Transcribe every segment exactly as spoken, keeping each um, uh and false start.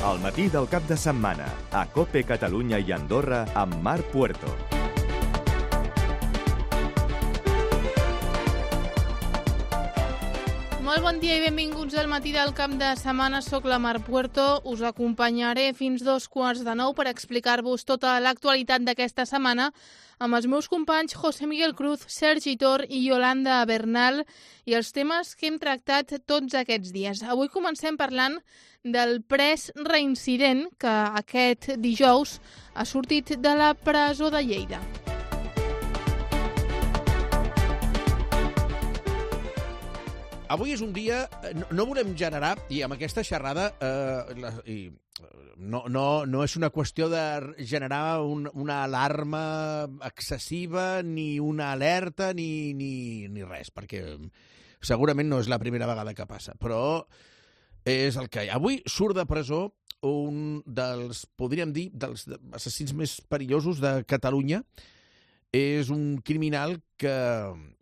Al matí del cap de setmana, a COPE Catalunya i Andorra amb Marc Puerto. Molt bon dia i benvinguts al matí del cap de setmana. Soc la Marc Puerto. Us acompanyaré fins dos quarts de nou per explicar-vos tota l'actualitat d'aquesta setmana amb els meus companys José Miguel Cruz, Sergi Tor i Yolanda Bernal i els temes que hem tractat tots aquests dies. Avui comencem parlant del pres reincident que aquest dijous ha sortit de la presó de Lleida. Avui és un dia, no, no volem generar, i amb aquesta xerrada, eh, la, i, no, no, no és una qüestió de generar un, una alarma excessiva, ni una alerta, ni, ni, ni res, perquè segurament no és la primera vegada que passa, però és el que hi ha. Avui surt de presó un dels, podríem dir, dels assassins més perillosos de Catalunya. És un criminal que,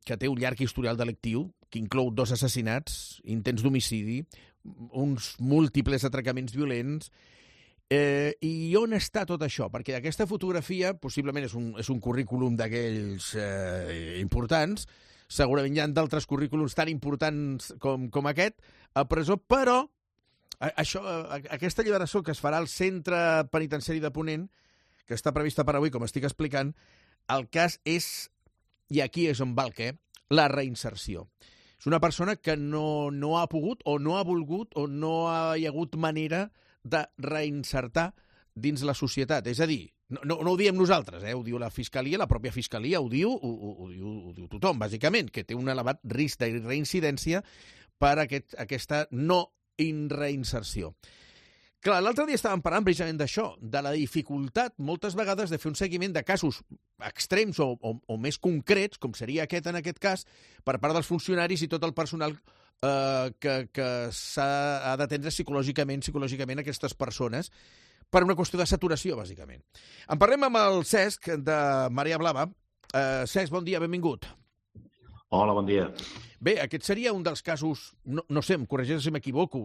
que té un llarg historial delictiu, que inclou dos assassinats, intents d'homicidi, uns múltiples atracaments violents. Eh, I on està tot això? Perquè aquesta fotografia possiblement és un, és un currículum d'aquells eh, importants, segurament hi ha d'altres currículums tan importants com, com aquest a presó, però això, aquesta alliberació que es farà al centre penitenciari de Ponent, que està prevista per avui, com estic explicant, el cas és, i aquí és on va el què, la reinserció. És una persona que no, no ha pogut o no ha volgut o no ha hi hagut manera de reinsertar dins la societat. És a dir, no, no, no ho diem nosaltres, eh? Ho diu la Fiscalia, la pròpia Fiscalia ho diu, ho, ho, ho, diu, ho diu tothom, bàsicament, que té un elevat risc de reincidència per aquest, aquesta no reinserció. Clar, l'altre dia estàvem parlant precisament d'això, de la dificultat, moltes vegades, de fer un seguiment de casos extrems o, o, o més concrets, com seria aquest en aquest cas, per part dels funcionaris i tot el personal eh, que, que s'ha d'atendre psicològicament, psicològicament aquestes persones, per una qüestió de saturació, bàsicament. En parlem amb el Cesc, de Marea Blava. Eh, Cesc, bon dia, benvingut. Hola, bon dia. Bé, aquest seria un dels casos, no, no sé, em corregeix si m'equivoco,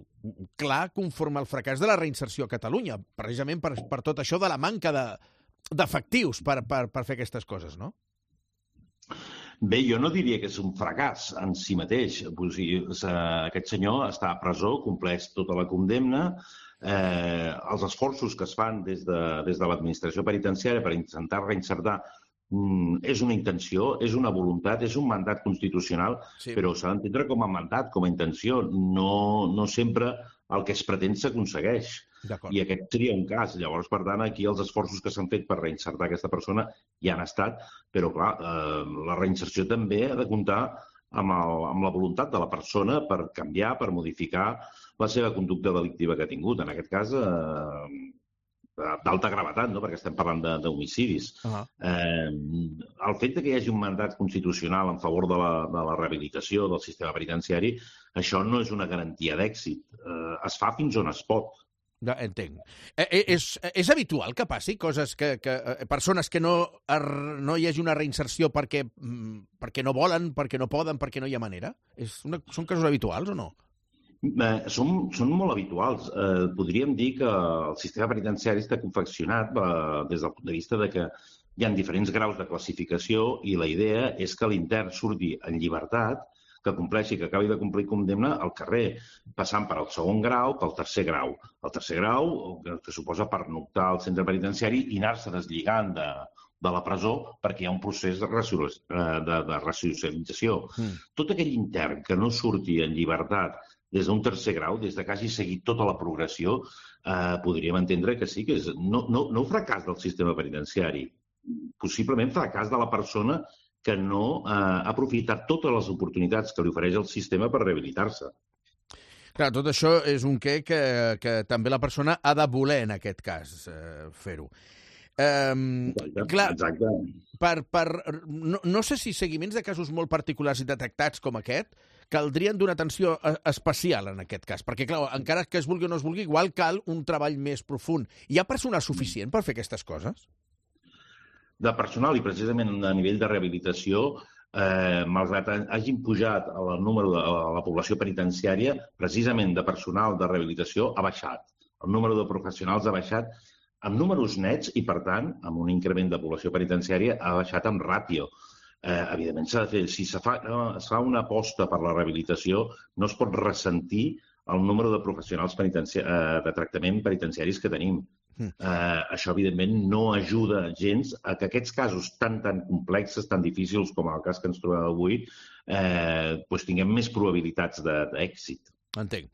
clar, conforme al fracàs de la reinserció a Catalunya, precisament per, per tot això de la manca de, d'efectius per, per, per fer aquestes coses, no? Bé, jo no diria que és un fracàs en si mateix. O sigui, aquest senyor està a presó, compleix tota la condemna. Eh, els esforços que es fan des de, des de l'administració penitenciària per intentar reinsertar és una intenció, és una voluntat, és un mandat constitucional, sí, però s'ha d'entendre com a mandat, com a intenció. No, no sempre el que es pretén s'aconsegueix. I aquest seria un cas. Llavors, per tant, aquí els esforços que s'han fet per reinsertar aquesta persona ja han estat, però, clar, eh, la reinserció també ha de comptar amb, el, amb la voluntat de la persona per canviar, per modificar la seva conducta delictiva que ha tingut. En aquest cas, eh, d'alta gravetat, no? Perquè estem parlant d'homicidis. Uh-huh. Eh, el fet que hi hagi un mandat constitucional en favor de la, de la rehabilitació del sistema penitenciari, això no és una garantia d'èxit. Eh, es fa fins on es pot. Ja, entenc. Eh, és, és habitual que passi coses que, que persones que no, no hi hagi una reinserció perquè, perquè no volen, perquè no poden, perquè no hi ha manera? És una, són casos habituals o no? Eh, són, són molt habituals. Eh, podríem dir que el sistema penitenciari està confeccionat eh, des del punt de vista de que hi ha diferents graus de classificació i la idea és que l'intern surti en llibertat, que compleixi, que acabi de complir condemna al carrer, passant per al segon grau, pel tercer grau. El tercer grau, que suposa pernoctar al centre penitenciari i anar-se deslligant de, de la presó perquè hi ha un procés de, de, de ressocialització. Mm. Tot aquell intern que no surti en llibertat des d'un tercer grau, des que hagi seguit tota la progressió, eh, podríem entendre que sí, que és no, no, no un fracàs del sistema penitenciari, possiblement fracàs de la persona que no eh, ha aprofitat totes les oportunitats que li ofereix el sistema per rehabilitar-se. Clar, tot això és un què que, que també la persona ha de voler, en aquest cas, eh, fer-ho. Um, Exacte. Clar, Exacte. Per, per, no, no sé si seguiments de casos molt particulars i detectats com aquest caldrien d'una atenció especial en aquest cas, perquè clar, encara que es vulgui o no es vulgui, igual cal un treball més profund. Hi ha personal suficient per fer aquestes coses? De personal i precisament a nivell de rehabilitació, eh, malgrat hagin pujat el número de a la població penitenciària, precisament de personal de rehabilitació ha baixat. el número de professionals ha baixat amb números nets i, per tant, amb un increment de població penitenciària, ha baixat amb ràtio. Eh, evidentment, s'ha de fer, si se fa, es fa una aposta per la rehabilitació, no es pot ressentir el número de professionals penitenciar, eh, de tractament penitenciaris que tenim. Mm. Eh, això, evidentment, no ajuda gens a que aquests casos tan, tan complexes, tan difícils com el cas que ens trobem avui, eh, doncs tinguem més probabilitats d'èxit. Entenc.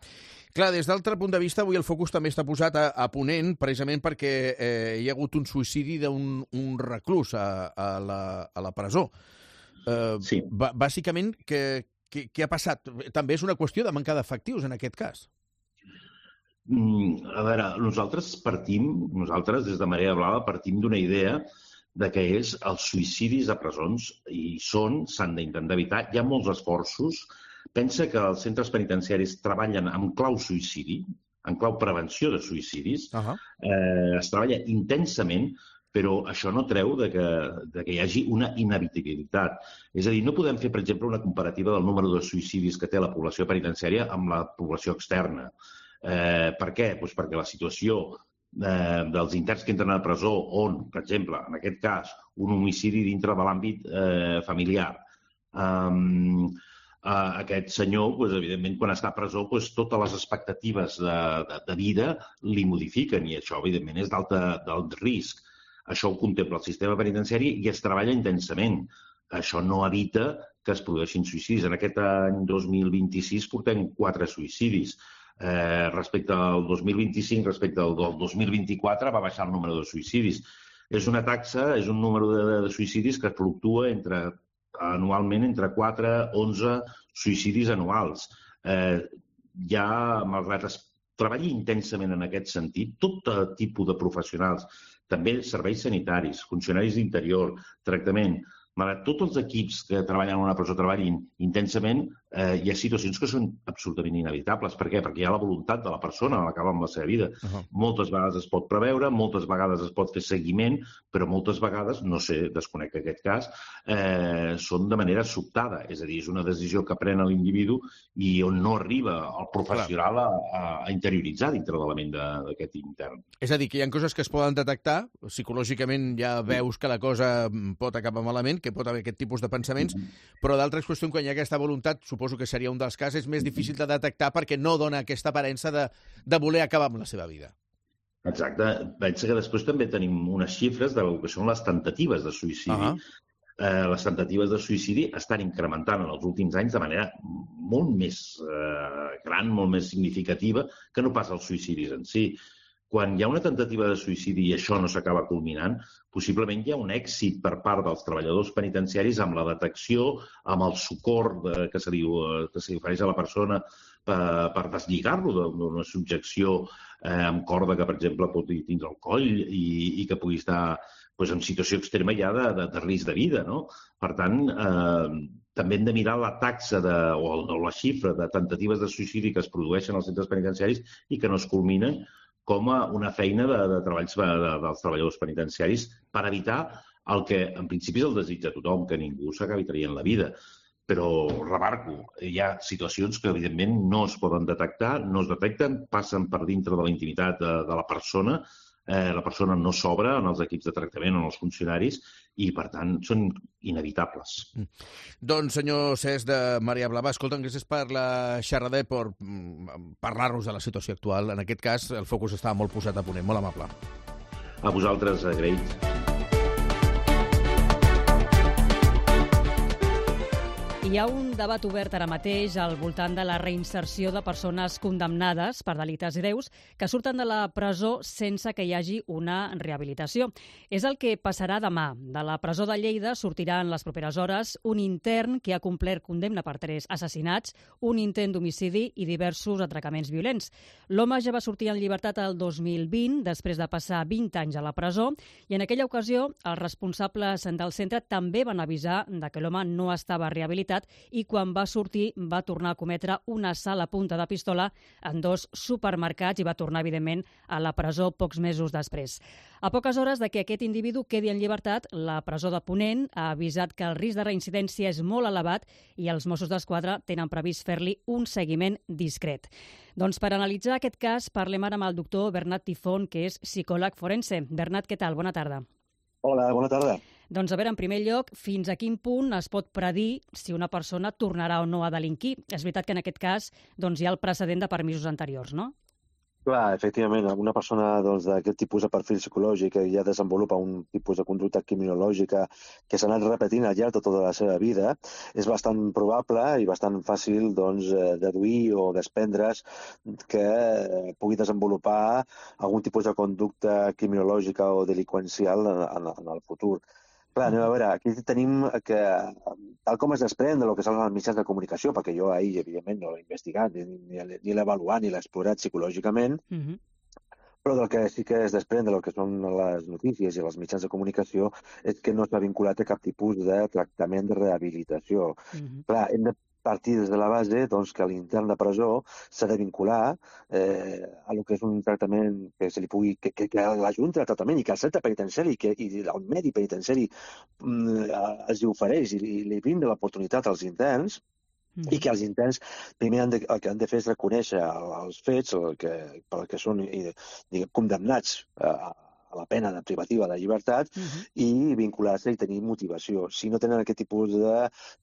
Clar, des d'altre punt de vista, avui el focus també està posat a, a Ponent, precisament perquè eh, hi ha hagut un suïcidi d'un un reclús a, a, la, a la presó. Eh, sí. Bàsicament, què, què, què ha passat? També és una qüestió de manca d'efectius, en aquest cas. Mm, a veure, nosaltres partim, nosaltres des de Marea Blava partim d'una idea de que és els suïcidis a presons, i són, s'han d'intentar evitar. Hi ha molts esforços. Pensa que els centres penitenciaris treballen amb clau suïcidi, en clau prevenció de suïcidis. Uh-huh. eh, es treballa intensament, però això no treu de que, de que hi hagi una inevitabilitat. És a dir, no podem fer, per exemple, una comparativa del número de suïcidis que té la població penitenciària amb la població externa. Eh, per què? Pues perquè la situació eh, dels interns que entren a la presó, on, per exemple, en aquest cas, un homicidi dintre de l'àmbit eh, familiar, eh, Uh, aquest senyor, doncs, evidentment, quan està a presó, doncs, totes les expectatives de, de, de vida li modifiquen i això, evidentment, és d'alt risc. Això ho contempla el sistema penitenciari i es treballa intensament. Això no evita que es produeixin suïcidis. En aquest any dos mil vint-i-sis portem quatre suïcidis. Eh, respecte al dos mil vint-i-cinc, respecte al dos mil vint-i-quatre, va baixar el número de suïcidis. És una taxa, és un número de, de suïcidis que fluctua entre anualment entre quatre i onze suïcidis anuals. Eh, ja, malgrat es treballi intensament en aquest sentit, tot tipus de professionals, també serveis sanitaris, funcionaris d'interior, tractament, malgrat tots els equips que treballen en una presó treballin intensament, eh, hi ha situacions que són absolutament inevitables. Per què? Perquè hi ha la voluntat de la persona a l'acabar amb la seva vida. Uh-huh. Moltes vegades es pot preveure, moltes vegades es pot fer seguiment, però moltes vegades, no sé, desconec aquest cas, eh, són de manera sobtada. És a dir, és una decisió que pren l'individu i on no arriba el professional a, a interioritzar dintre de la ment d'aquest intern. És a dir, que hi ha coses que es poden detectar, psicològicament ja veus que la cosa pot acabar malament, que pot haver aquest tipus de pensaments, mm-hmm. però d'altres qüestions, quan hi ha aquesta voluntat, suposo que seria un dels casos, és més difícil de detectar perquè no dona aquesta aparença de, de voler acabar amb la seva vida. Exacte. Pensa que després també tenim unes xifres del que són les temptatives de suïcidi. Uh-huh. eh, les temptatives de suïcidi estan incrementant en els últims anys de manera molt més eh, gran, molt més significativa que no pas els suïcidis en si. Quan hi ha una temptativa de suïcidi i això no s'acaba culminant, possiblement hi ha un èxit per part dels treballadors penitenciaris amb la detecció, amb el socors de, que se li, que se li ofereix a la persona per, per deslligar-lo d'una subjecció eh, amb corda que, per exemple, pot tindre el coll i, i que pugui estar doncs, en situació extrema ja de, de, de risc de vida. No? Per tant, eh, també hem de mirar la taxa de, o, o la xifra de temptatives de suïcidi que es produeixen als centres penitenciaris i que no es culminen com a una feina de, de treballs de, de, dels treballadors penitenciaris per evitar el que en principi és el desig de tothom, que ningú s'acabi traient la vida. Però, remarco, hi ha situacions que evidentment no es poden detectar, no es detecten, passen per dintre de la intimitat de, de la persona, eh, la persona no s'obre en els equips de tractament o en els funcionaris i, per tant, són inevitables. Mm. Doncs, senyor Cesc de Marea Blava, escolta'm, gràcies per la xerrada i per parlar-nos de la situació actual. En aquest cas, el focus estava molt posat a Ponent. Molt amable. A vosaltres, agraïts. Hi ha un debat obert ara mateix al voltant de la reinserció de persones condemnades per delictes greus que surten de la presó sense que hi hagi una rehabilitació. És el que passarà demà. De la presó de Lleida sortirà en les properes hores un intern que ha complert condemna per tres assassinats, un intent d'homicidi i diversos atracaments violents. L'home ja va sortir en llibertat el dos mil vint, després de passar vint anys a la presó, i en aquella ocasió els responsables del centre també van avisar de que l'home no estava rehabilitat llibertat i quan va sortir va tornar a cometre un assalt a punta de pistola en dos supermercats i va tornar, evidentment, a la presó pocs mesos després. A poques hores de que aquest individu quedi en llibertat, la presó de Ponent ha avisat que el risc de reincidència és molt elevat i els Mossos d'Esquadra tenen previst fer-li un seguiment discret. Doncs per analitzar aquest cas parlem ara amb el doctor Bernat Tifón, que és psicòleg forense. Bernat, què tal? Bona tarda. Hola, bona tarda. Doncs a veure, en primer lloc, fins a quin punt es pot predir si una persona tornarà o no a delinquir? És veritat que en aquest cas doncs, hi ha el precedent de permisos anteriors, no? Clar, efectivament, una persona doncs, d'aquest tipus de perfil psicològic que ja desenvolupa un tipus de conducta criminològica que s'ha anat repetint al llarg de tota la seva vida, és bastant probable i bastant fàcil doncs, deduir o desprendre's que pugui desenvolupar algun tipus de conducta criminològica o delinqüencial en, en, en el futur. Clar, anem a veure, aquí tenim que, tal com es desprèn del que són els mitjans de comunicació, perquè jo ahir, evidentment, no l'he investigat, ni, ni, ni l'he avaluat, ni l'he explorat psicològicament, uh-huh. Però del que sí que es desprèn del que són les notícies i els mitjans de comunicació és que no està vinculat a cap tipus de tractament de rehabilitació. Uh-huh. Clar, hem de partir des de la base doncs, que l'intern de presó s'ha de vincular eh, a lo que és un tractament que se li pugui, que, que, que la Junta de Tractament i que el centre penitenciari que, i el medi penitenciari mm, els ofereix i, i li brinda l'oportunitat als interns, mm. i que els interns primer han de, el que han de fer és reconèixer els fets el que, pel que són i, diguem, condemnats a a la pena de privativa de llibertat uh-huh. i vincular-se i tenir motivació. Si no tenen aquest tipus de,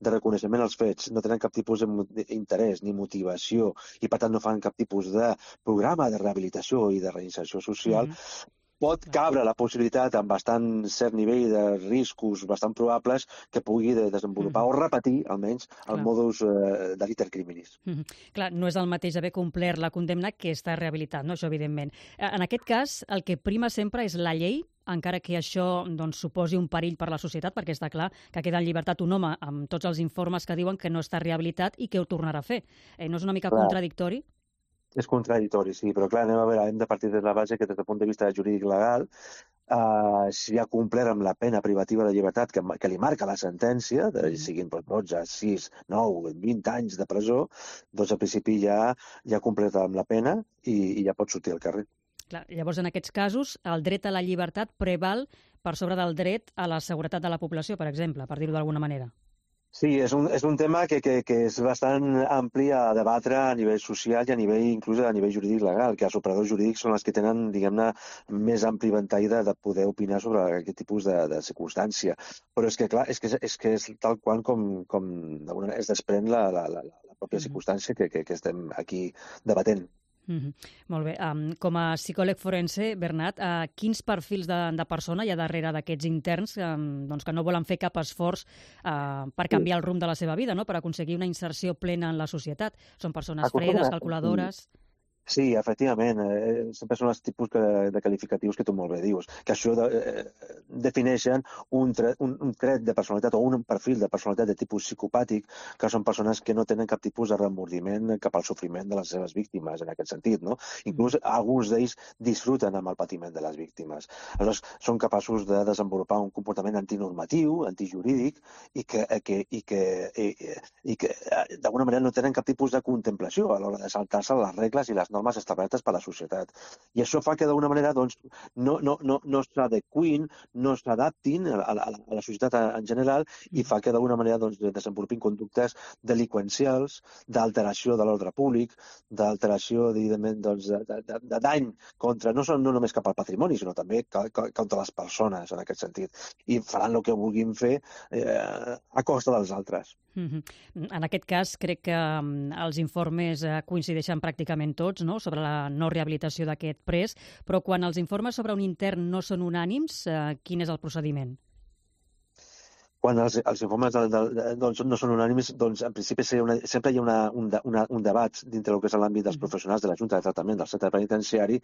de reconeixement als fets, no tenen cap tipus d'interès ni motivació i per tant no fan cap tipus de programa de rehabilitació i de reinserció social, uh-huh. pot cabre la possibilitat amb bastant cert nivell de riscos bastant probables que pugui desenvolupar mm-hmm. o repetir, almenys, el Clar. modus eh, de liter criminis. Mm-hmm. Clar, no és el mateix haver complert la condemna que estar rehabilitat, no? Això evidentment. En aquest cas, el que prima sempre és la llei, encara que això doncs, suposi un perill per la societat, perquè està clar que queda en llibertat un home amb tots els informes que diuen que no està rehabilitat i que ho tornarà a fer. Eh, no és una mica Clar. contradictori? És contradictori, sí, però clar, anem a veure, hem de partir de la base que des del punt de vista jurídic legal, eh, si ha complert amb la pena privativa de llibertat que, que li marca la sentència, de, siguin dotze, sis, nou, vint anys de presó, doncs al principi ja, ja ha complert amb la pena i, i ja pot sortir al carrer. Clar, llavors, en aquests casos, el dret a la llibertat preval per sobre del dret a la seguretat de la població, per exemple, per dir-ho d'alguna manera. Sí, és un, és un tema que, que, que és bastant ampli a debatre a nivell social i a nivell, inclús a nivell jurídic legal, que els operadors jurídics són els que tenen, diguem-ne, més ampli ventall de, de poder opinar sobre aquest tipus de, de circumstància. Però és que, clar, és que és, que és tal qual com, com es desprèn la, la, la, la pròpia circumstància que, que, que estem aquí debatent. Mm-hmm. Molt bé. Um, com a psicòleg forense, Bernat, uh, quins perfils de, de persona hi ha darrere d'aquests interns um, doncs que no volen fer cap esforç uh, per canviar el rumb de la seva vida, no? Per aconseguir una inserció plena en la societat? Són persones fredes, calculadores... Sí, efectivament. Eh, sempre són els tipus que, de qualificatius que tu molt bé dius, que això de, eh, defineixen un tret, un, un tret de personalitat o un perfil de personalitat de tipus psicopàtic, que són persones que no tenen cap tipus de remordiment cap al sofriment de les seves víctimes, en aquest sentit, no? Inclús alguns d'ells disfruten amb el patiment de les víctimes. Aleshores, són capaços de desenvolupar un comportament antinormatiu, antijurídic, i que, que, i que, i, i que d'alguna manera no tenen cap tipus de contemplació a l'hora de saltar-se les regles i les normes establertes per la societat. I això fa que d'alguna manera doncs, no, no, no, no s'adequin, no s'adaptin a, a, a la societat en general i fa que d'alguna manera doncs, desenvolupin conductes delinqüencials, d'alteració de l'ordre públic, d'alteració doncs, de, de, de dany contra, no, no només cap al patrimoni, sinó també contra les persones en aquest sentit. I faran el que vulguin fer eh, a costa dels altres. Mm-hmm. En aquest cas, crec que um, els informes uh, coincideixen pràcticament tots, no?, sobre la no rehabilitació d'aquest pres, però quan els informes sobre un intern no són unànims, uh, quin és el procediment? Quan els, els informes de, de, doncs, no són unànimes, doncs en principi una, sempre hi ha una, un, una, un debat dintre del que és l'àmbit dels professionals de la Junta de Tractament del Centre Penitenciari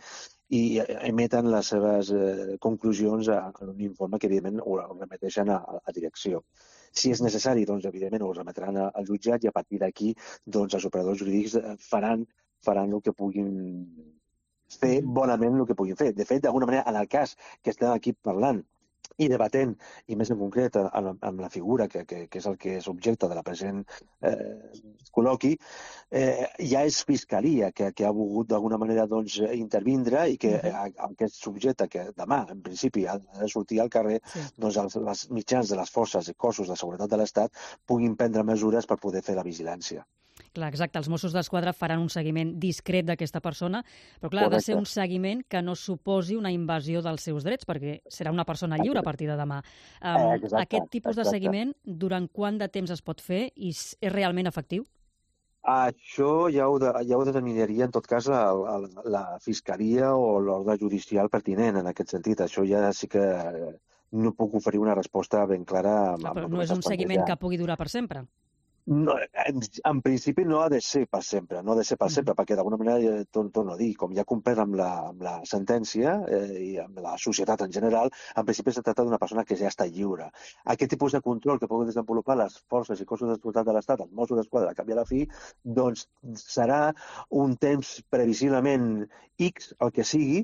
i emeten les seves eh, conclusions a, a un informe que, evidentment, ho remeteixen a, a direcció. Si és necessari, doncs, evidentment, ho remetran al jutjat i a partir d'aquí doncs, els operadors jurídics faran, faran el que puguin fer, bonament el que puguin fer. De fet, d'alguna manera, en el cas que estem aquí parlant, i debatent, i més en concret amb, amb la figura que, que, que és el que és objecte de la present eh, col·loqui, eh, ja és Fiscalia que, que ha volgut d'alguna manera doncs, intervindre i que uh-huh. aquest subjecte que demà, en principi, ha de sortir al carrer, sí. doncs els, els mitjans de les forces i cossos de seguretat de l'Estat puguin prendre mesures per poder fer la vigilància. Clar, exacte. Els Mossos d'Esquadra faran un seguiment discret d'aquesta persona, però clar, Correcte. Ha de ser un seguiment que no suposi una invasió dels seus drets, perquè serà una persona lliure a partir de demà. Um, exacte, aquest tipus de exacte. seguiment, durant quant de temps es pot fer i és realment efectiu? Això ja ho, de, ja ho determinaria, en tot cas, la, la, la Fiscalia o l'ordre judicial pertinent en aquest sentit. Això ja sí que no puc oferir una resposta ben clara. Amb, però no és un seguiment que pugui durar per sempre? No, en, en principi no ha de ser per sempre, no ha de ser per sempre, mm. perquè d'alguna manera, torno, torno a dir, com ja complert amb la, amb la sentència eh, i amb la societat en general, en principi es tracta d'una persona que ja està lliure. Aquest tipus de control que poden desenvolupar les forces i cossos de seguretat de l'Estat, els Mossos d'Esquadra, a canvi a la fi, doncs serà un temps previsiblement X, el que sigui,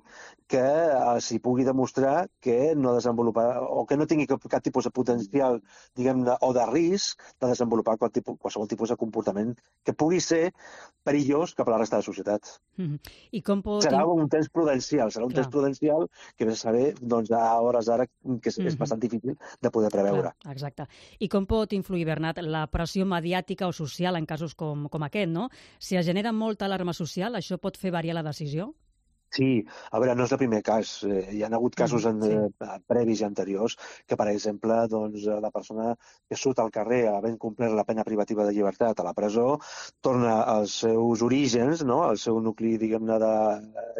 que eh, s'hi pugui demostrar que no desenvoluparà, o que no tingui cap, cap tipus de potencial, diguem-ne, o de risc de desenvolupar qual tipus qualsevol tipus de comportament que pugui ser perillós cap a la resta de la societat. Mm-hmm. I com pot... Serà un temps prudencial, serà un Clar. temps prudencial que ve a saber doncs, a hores d'ara que és, mm-hmm. és bastant difícil de poder preveure. Clar, exacte. I com pot influir, Bernat, la pressió mediàtica o social en casos com, com aquest, no? Si es genera molta alarma social, això pot fer variar la decisió? Sí, a veure, no és el primer cas. Eh, hi ha hagut casos en, sí. eh, previs i anteriors que, per exemple, doncs, la persona que surt al carrer havent complert la pena privativa de llibertat a la presó torna als seus orígens, no? Al seu nucli, diguem-ne, de,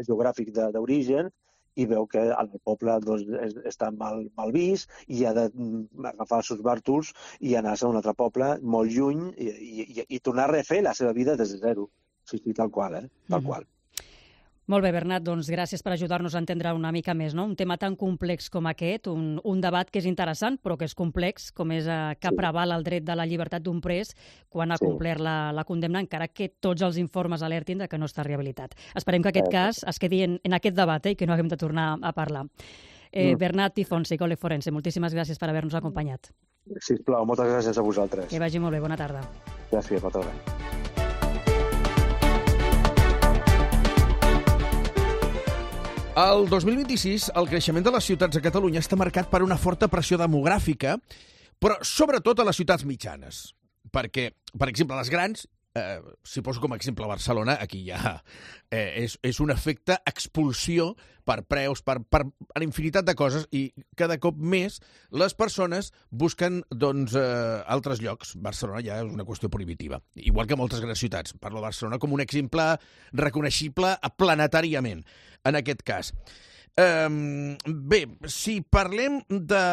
geogràfic d'origen, i veu que el poble doncs, és, està mal, mal vist i ha d'agafar els seus bàrtols i anar-se a un altre poble molt lluny i, i, i tornar a refer la seva vida des de zero. Sí, sí, tal qual, eh? Tal mm-hmm. qual. Molt bé, Bernat, doncs gràcies per ajudar-nos a entendre una mica més, no? Un tema tan complex com aquest, un, un debat que és interessant però que és complex, com és eh, que sí. preval el dret de la llibertat d'un pres quan ha sí. complert la, la condemna, encara que tots els informes alertin de que no està rehabilitat. Esperem que aquest sí. cas es quedi en, en aquest debat eh, i que no haguem de tornar a parlar. Eh, mm. Bernat Tifón, psicòleg forense, moltíssimes gràcies per haver-nos acompanyat. Sisplau, moltes gràcies a vosaltres. Que vagi molt bé, bona tarda. Gràcies, bona tarda. El dos mil vint-i-sis, el creixement de les ciutats a Catalunya està marcat per una forta pressió demogràfica, però sobretot a les ciutats mitjanes. Perquè, per exemple, les grans, eh, si poso com a exemple Barcelona, aquí ja eh, és, és un efecte expulsió per preus, per, per a la infinitat de coses, i cada cop més les persones busquen doncs, eh, altres llocs. Barcelona ja és una qüestió prohibitiva, igual que moltes grans ciutats. Parlo de Barcelona com un exemple reconeixible planetàriament, en aquest cas. Um, bé, si parlem de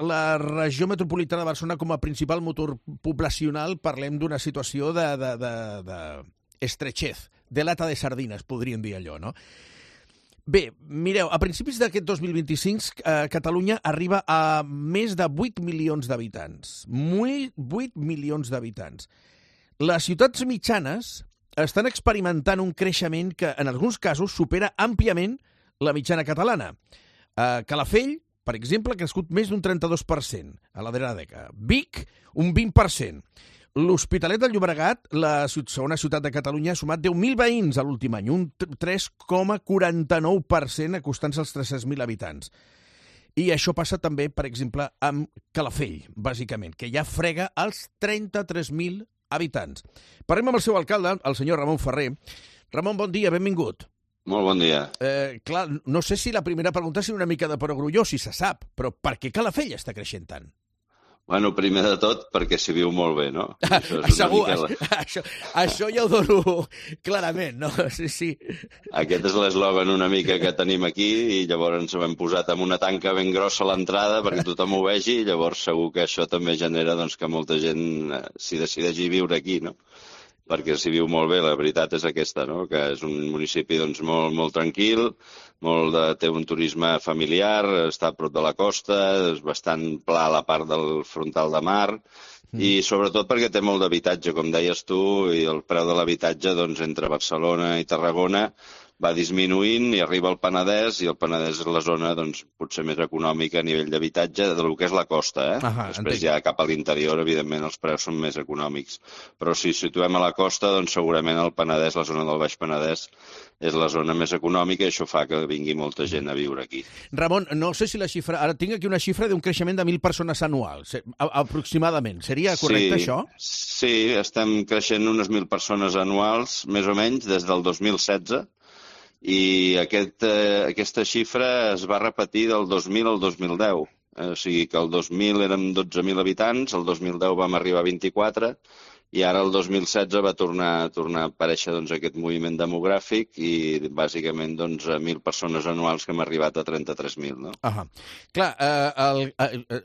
la regió metropolitana de Barcelona com a principal motor poblacional, parlem d'una situació de, de, de, de estrechez, de lata de sardines, podríem dir allò, no? Bé, mireu, a principis d'aquest dos mil vint-i-cinc, eh, Catalunya arriba a més de vuit milions d'habitants. vuit milions d'habitants. Les ciutats mitjanes estan experimentant un creixement que, en alguns casos, supera àmpliament la mitjana catalana. Uh, Calafell, per exemple, ha crescut més d'un trenta-dos per cent a la darrera dècada. Vic, un vint per cent. L'Hospitalet del Llobregat, la segona ciutat de Catalunya, ha sumat deu mil veïns a l'últim any, un tres coma quaranta-nou per cent, acostant-se als tres-cents mil habitants. I això passa també, per exemple, amb Calafell, bàsicament, que ja frega els trenta-tres mil habitants. Parlem amb el seu alcalde, el senyor Ramon Ferrer. Ramon, bon dia, benvingut. Molt bon dia. Eh, clar, no sé si la primera pregunta és una mica de perogrulló, si se sap, però per què Calafell està creixent tant? Bueno, primer de tot, perquè s'hi viu molt bé, no? Això, és Segur, una mica... això, això ja ho dono clarament, no? Sí, sí. Aquest és l'eslògan una mica que tenim aquí i llavors ens ho hem posat amb una tanca ben grossa a l'entrada perquè tothom ho vegi i llavors segur que això també genera doncs, que molta gent s'hi decideixi viure aquí, no? Perquè s'hi viu molt bé, la veritat és aquesta, no? Que és un municipi doncs, molt, molt tranquil, molt de, té un turisme familiar, està a prop de la costa, és bastant pla a la part del frontal de mar, mm. i sobretot perquè té molt d'habitatge, com deies tu, i el preu de l'habitatge doncs, entre Barcelona i Tarragona va disminuint i arriba al Penedès, i el Penedès és la zona doncs, potser més econòmica a nivell d'habitatge del que és la costa. Eh? Ahà, Després entenc. ja cap a l'interior, evidentment, els preus són més econòmics. Però si situem a la costa, doncs segurament el Penedès, la zona del Baix Penedès, és la zona més econòmica i això fa que vingui molta gent a viure aquí. Ramon, no sé si la xifra... Ara tinc aquí una xifra d'un creixement de mil persones anuals, aproximadament. Seria correcte, sí, això? Sí, estem creixent unes mil persones anuals, més o menys, des del dos mil setze, i aquest, eh, aquesta xifra es va repetir del dos mil al dos mil deu. Eh, o sigui que el dos mil érem dotze mil habitants, el dos mil deu vam arribar a vint-i-quatre, i ara el dos mil setze va tornar, tornar a aparèixer doncs, aquest moviment demogràfic i bàsicament doncs, mil persones anuals que hem arribat a trenta-tres mil. No? Ahà. Clar, eh, el, eh, eh,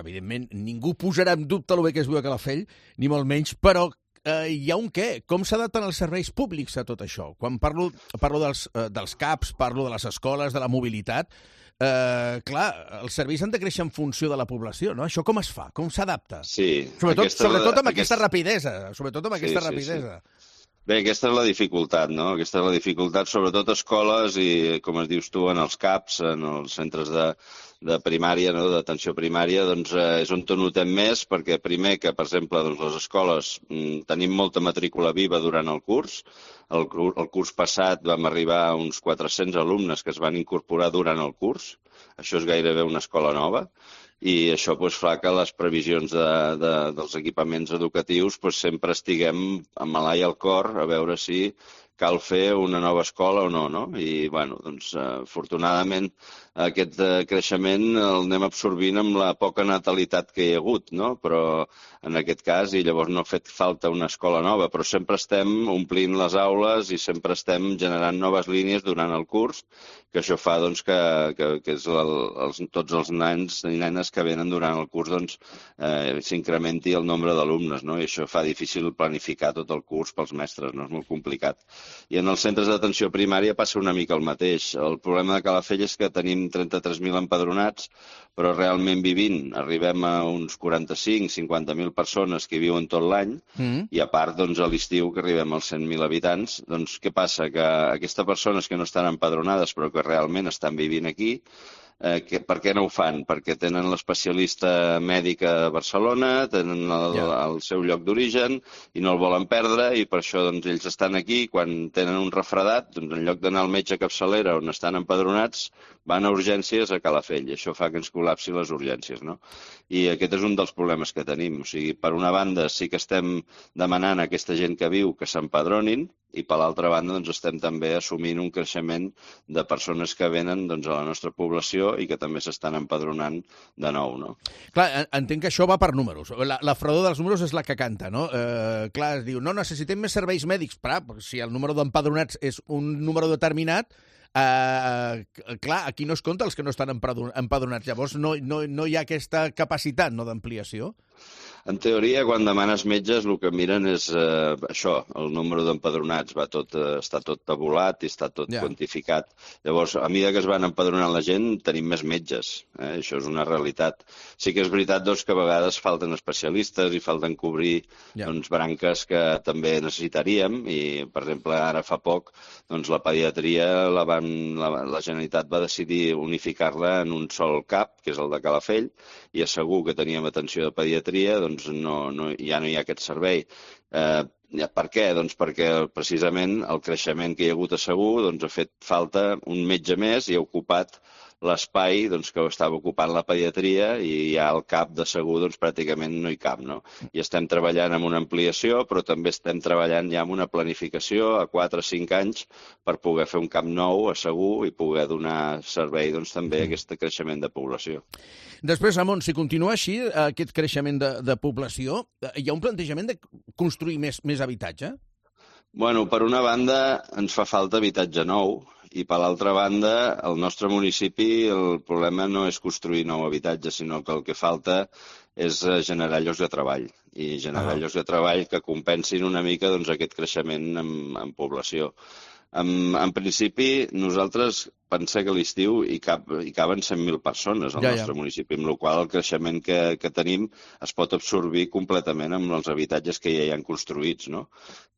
evidentment, ningú posarà en dubte el bé que es viu a Calafell, ni molt menys, però eh, hi ha un què? Com s'adapten els serveis públics a tot això? Quan parlo, parlo dels, eh, dels C A Ps, parlo de les escoles, de la mobilitat, eh, clar, els serveis han de créixer en funció de la població, no? Això com es fa? Com s'adapta? Sí. Sobretot, aquesta, sobretot amb aquesta... aquesta rapidesa. Sobretot amb aquesta sí, rapidesa. Sí, sí. Bé, aquesta és la dificultat, no? Aquesta és la dificultat, sobretot a escoles i, com es dius tu, en els C A Ps, en els centres de, de primària, no? D'atenció primària, doncs eh, és on notem més, perquè primer que, per exemple, doncs, les escoles mm, tenim molta matrícula viva durant el curs. El, el curs passat vam arribar a uns quatre-cents alumnes que es van incorporar durant el curs. Això és gairebé una escola nova. I això doncs, fa que les previsions de, de, dels equipaments educatius doncs, sempre estiguem amb l'ala i al cor a veure si cal fer una nova escola o no, no? I, bueno, doncs, afortunadament, aquest creixement el anem absorbint amb la poca natalitat que hi ha hagut, no? Però en aquest cas, i llavors no ha fet falta una escola nova, però sempre estem omplint les aules i sempre estem generant noves línies durant el curs, que això fa doncs, que, que, que és el, els, tots els nens i nenes que venen durant el curs doncs, eh, s'incrementi el nombre d'alumnes, no? I això fa difícil planificar tot el curs pels mestres, no? És molt complicat. I en els centres d'atenció primària passa una mica el mateix. El problema de Calafell és que tenim trenta-tres mil empadronats, però realment vivint arribem a uns quaranta-cinc cinquanta mil persones que viuen tot l'any, mm. i a part doncs, a l'estiu que arribem als cent mil habitants. Doncs què passa? Que aquestes persones que no estan empadronades però que realment estan vivint aquí, Eh, que, per què no ho fan? Perquè tenen l'especialista mèdic a Barcelona, tenen el, yeah. el seu lloc d'origen i no el volen perdre, i per això doncs, ells estan aquí. Quan tenen un refredat, doncs, en lloc d'anar al metge capçalera on estan empadronats, van a urgències a Calafell, i això fa que ens col·lapsi les urgències, no? I aquest és un dels problemes que tenim. O sigui, per una banda sí que estem demanant a aquesta gent que viu que s'empadronin, i per l'altra banda doncs, estem també assumint un creixement de persones que venen doncs, a la nostra població i que també s'estan empadronant de nou. No? Clar, entenc que això va per números. La, la fredor dels números és la que canta, no? Eh, clar, es diu, no, necessitem més serveis mèdics. Però, si el número d'empadronats és un número determinat, eh, clar, aquí no es compta els que no estan empadronats. Llavors no, no, no hi ha aquesta capacitat, no, d'ampliació. En teoria, quan demanes metges, el que miren és eh, això, el número d'empadronats. Va tot, eh, està tot tabulat i està tot yeah. quantificat. Llavors, a mesura que es van empadronant la gent, tenim més metges. Eh? Això és una realitat. Sí que és veritat doncs, que a vegades falten especialistes i falten cobrir yeah. doncs, branques que també necessitaríem. I, per exemple, ara fa poc, doncs, la pediatria, la, van, la, la Generalitat va decidir unificar-la en un sol cap, que és el de Calafell, i és segur que teníem atenció de pediatria, doncs no, no, ja no hi ha aquest servei. Eh, per què? Doncs perquè precisament el creixement que hi ha hagut a Segur doncs, ha fet falta un metge més i ha ocupat l'espai doncs, que estava ocupant la pediatria, i ja al cap de Segur doncs, pràcticament no hi cap. No? I estem treballant amb una ampliació, però també estem treballant ja amb una planificació a quatre o cinc anys per poder fer un cap nou a Segur i poder donar servei doncs, també a aquest creixement de població. Després, Ramon, si continua així, aquest creixement de, de població, hi ha un plantejament de construir més, més habitatge? Bueno, per una banda, ens fa falta habitatge nou, i per l'altra banda, al nostre municipi el problema no és construir nou habitatge, sinó que el que falta és generar llocs de treball, i generar ah. llocs de treball que compensin una mica doncs, aquest creixement en, en població. En, en principi, nosaltres pensa que a l'estiu hi, cap, hi caben cent mil persones al ja, nostre ja. municipi, amb la qual el creixement que, que tenim es pot absorbir completament amb els habitatges que ja hi han construïts, no?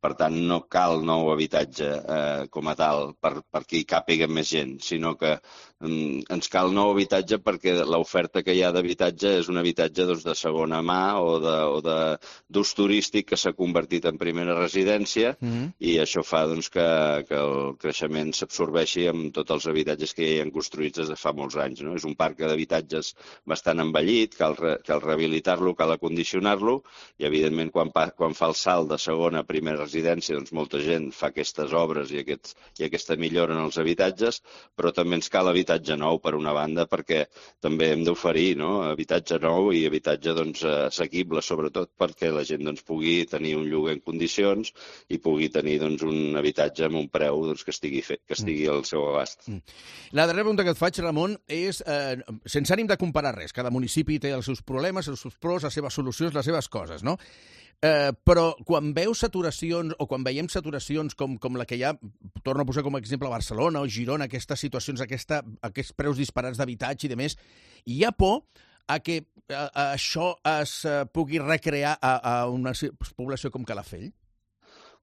Per tant, no cal nou habitatge eh, com a tal per, perquè hi càpiga més gent, sinó que mm, ens cal nou habitatge perquè l'oferta que hi ha d'habitatge és un habitatge doncs, de segona mà o d'ús turístic que s'ha convertit en primera residència mm-hmm. i això fa doncs, que, que el creixement s'absorbeixi amb tots els habitatges que ja hi han construïts des de fa molts anys. No? És un parc d'habitatges bastant envellit, cal, re, cal rehabilitar-lo, cal acondicionar-lo i, evidentment, quan, pa, quan fa el salt de segona a primera residència, doncs molta gent fa aquestes obres i, aquests, i aquesta millora en els habitatges, però també ens cal habitatge nou, per una banda, perquè també hem d'oferir no? habitatge nou i habitatge doncs, assequible, sobretot perquè la gent doncs, pugui tenir un lloguer en condicions i pugui tenir doncs, un habitatge amb un preu doncs, que estigui fet, que estigui al seu abast. La darrera pregunta que et faig, Ramon, és eh, sense ànim de comparar res. Cada municipi té els seus problemes, els seus pros, les seves solucions, les seves coses, no? Eh, però quan veus saturacions o quan veiem saturacions com, com la que hi ha, torno a posar com a exemple Barcelona o Girona, aquestes situacions, aquesta, aquests preus disparats d'habitatge i de més, hi ha por a que a, a això es uh, pugui recrear a, a una població com Calafell?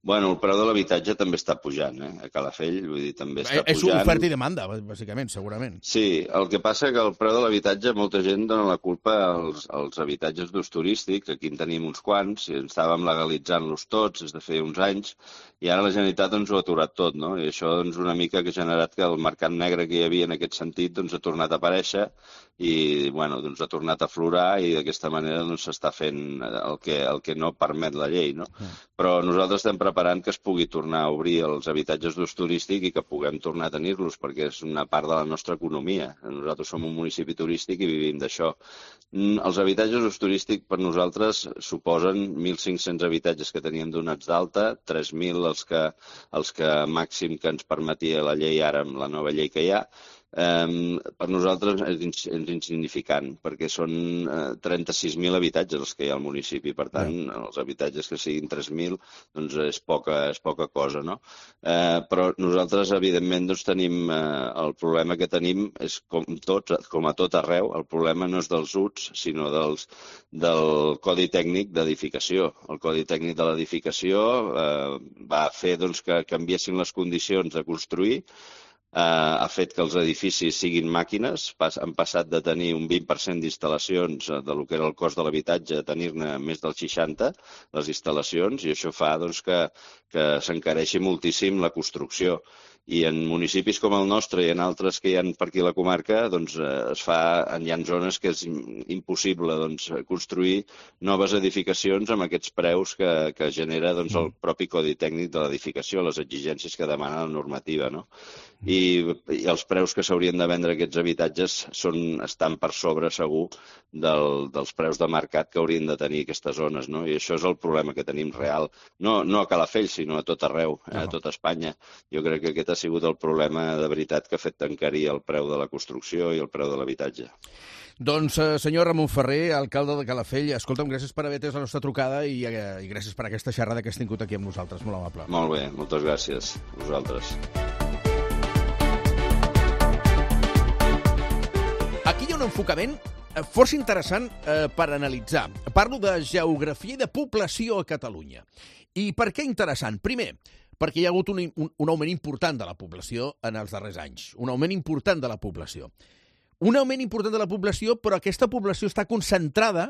Bueno, el preu de l'habitatge també està pujant, eh? A Calafell, vull dir, també està és pujant. És oferta i demanda, bàsicament, segurament. Sí, el que passa que el preu de l'habitatge, molta gent dona la culpa als, als habitatges d'ús turístic, aquí en tenim uns quants, i estàvem legalitzant-los tots des de feia uns anys, i ara la Generalitat ens ho ha aturat tot, no? I això doncs, una mica que ha generat que el mercat negre que hi havia en aquest sentit doncs, ha tornat a aparèixer i bueno, doncs, ha tornat a aflorar i d'aquesta manera doncs, s'està fent el que, el que no permet la llei, no? Mm. Però nosaltres estem preparant que es pugui tornar a obrir els habitatges d'ús turístic i que puguem tornar a tenir-los, perquè és una part de la nostra economia. Nosaltres som un municipi turístic i vivim d'això. Els habitatges d'ús turístic per nosaltres suposen mil cinc-cents habitatges que teníem donats d'alta, tres mil els que, els que màxim que ens permetia la llei ara amb la nova llei que hi ha. Um, per nosaltres és insignificant, perquè són uh, trenta-sis mil habitatges els que hi ha al municipi, per tant, yeah. els habitatges que siguin tres mil doncs és poca, és poca cosa, no? Uh, però nosaltres, evidentment, doncs, tenim uh, el problema que tenim és com tots, com a tot arreu, el problema no és dels U T S, sinó dels, del Codi Tècnic d'Edificació. El Codi Tècnic de l'Edificació uh, va fer doncs, que canviessin les condicions de construir. Uh, ha fet que els edificis siguin màquines, pas, han passat de tenir un vint per cent d'instal·lacions de lo que era el cost de l'habitatge a tenir-ne més del seixanta, les instal·lacions, i això fa doncs, que, que s'encareixi moltíssim la construcció. I en municipis com el nostre i en altres que hi ha per aquí a la comarca, doncs, es fa, hi ha zones que és impossible doncs, construir noves edificacions amb aquests preus que, que genera doncs, el propi Codi Tècnic de l'Edificació, les exigències que demana la normativa. No? I, i els preus que s'haurien de vendre aquests habitatges són, estan per sobre, segur, del, dels preus de mercat que haurien de tenir aquestes zones. No? I això és el problema que tenim real. No, no a Calafell, sinó a tot arreu, a tot Espanya. Jo crec que aquest ha sigut el problema de veritat que ha fet encarir el preu de la construcció i el preu de l'habitatge. Doncs, eh, senyor Ramon Ferrer, alcalde de Calafell, escolta'm, gràcies per haver atès la nostra trucada i, eh, i gràcies per aquesta xerrada que has tingut aquí amb nosaltres. Molt amable. Molt bé, moltes gràcies a vosaltres. Aquí hi ha un enfocament força interessant eh, per analitzar. Parlo de geografia i de població a Catalunya. I per què interessant? Primer, perquè hi ha hagut un, un, un augment important de la població en els darrers anys. Un augment important de la població. Un augment important de la població, però aquesta població està concentrada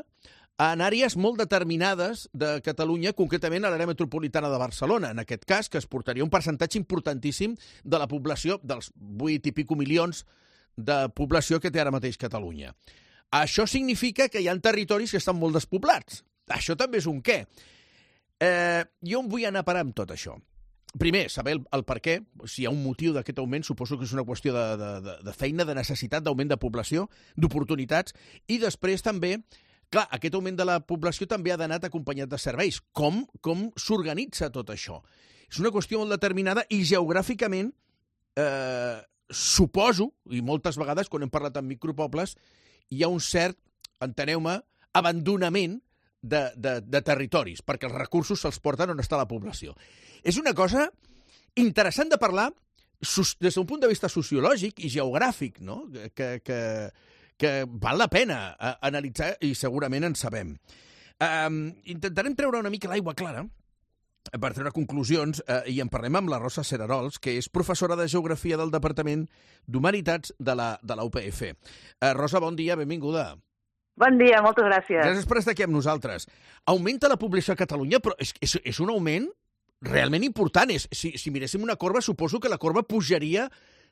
en àrees molt determinades de Catalunya, concretament a l'àrea metropolitana de Barcelona. En aquest cas, que es portaria un percentatge importantíssim de la població, dels vuit i pico milions de població que té ara mateix Catalunya. Això significa que hi ha territoris que estan molt despoblats. Això també és un què. Eh, jo em vull anar a parar amb tot això. Primer, saber el, el per què, si hi ha un motiu d'aquest augment, suposo que és una qüestió de, de, de feina, de necessitat, d'augment de població, d'oportunitats, i després també, clar, aquest augment de la població també ha d'anar acompanyat de serveis. Com, com s'organitza tot això? És una qüestió molt determinada i geogràficament, eh, suposo, i moltes vegades quan hem parlat amb micropobles, hi ha un cert, enteneu-me, abandonament de, de, de territoris, perquè els recursos se'ls porten on està la població. És una cosa interessant de parlar des d'un punt de vista sociològic i geogràfic, no? que, que, que val la pena analitzar i segurament en sabem. Um, intentarem treure una mica l'aigua clara per treure conclusions, eh, i en parlem amb la Rosa Cerarols, que és professora de Geografia del Departament d'Humanitats de la, de la U P F. Eh, Rosa, bon dia, benvinguda. Bon dia, moltes gràcies. Gràcies per estar aquí amb nosaltres. Augmenta la població a Catalunya, però és, és, és un augment realment important. És, si, si miréssim una corba, suposo que la corba pujaria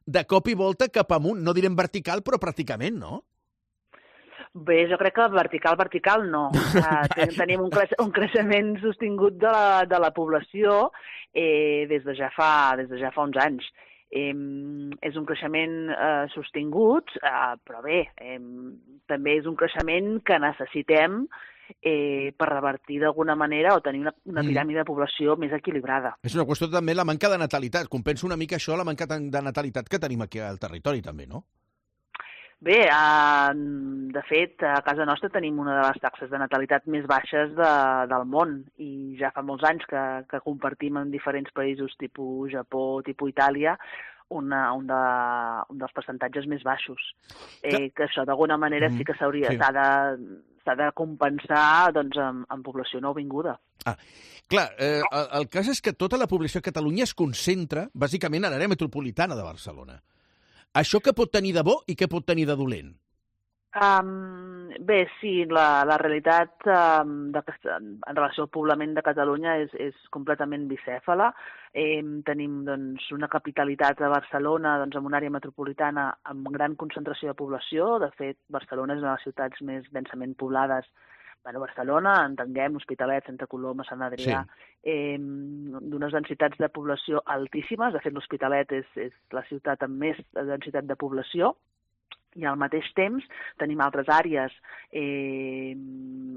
de cop i volta cap amunt. No direm vertical, però pràcticament, no? Bé, jo crec que vertical, vertical no. Uh, tenim un, creix un creixement sostingut de la, de la població eh, des, de ja fa, des de ja fa uns anys. Eh, és un creixement eh, sostingut, eh, però bé, eh, també és un creixement que necessitem eh, per revertir d'alguna manera o tenir una, una piràmide de població més equilibrada. És una qüestió també la manca de natalitat. Compensa una mica això, la manca de natalitat que tenim aquí al territori també, no? Bé, eh, de fet, a casa nostra tenim una de les taxes de natalitat més baixes de, del món i ja fa molts anys que, que compartim en diferents països tipus Japó, tipus Itàlia, una, un, de, un dels percentatges més baixos. Eh, que això d'alguna manera sí que s'hauria sí. s'ha de, s'ha de compensar doncs, amb, amb població nouvinguda. Ah, clar, eh, el, el cas és que tota la població a Catalunya es concentra bàsicament a l'àrea metropolitana de Barcelona. Això què pot tenir de bo i què pot tenir de dolent? Um, bé, sí, la, la realitat um, de, en relació al poblament de Catalunya és, és completament bicèfala. Eh, tenim doncs, una capitalitat a Barcelona doncs, amb una àrea metropolitana amb gran concentració de població. De fet, Barcelona és una de les ciutats més densament poblades. Bueno, Barcelona, entenguem, Hospitalet, Santa Coloma, Sant Adrià, sí. eh, d'unes densitats de població altíssimes. De fet, l'Hospitalet és, és la ciutat amb més densitat de població i al mateix temps tenim altres àrees eh,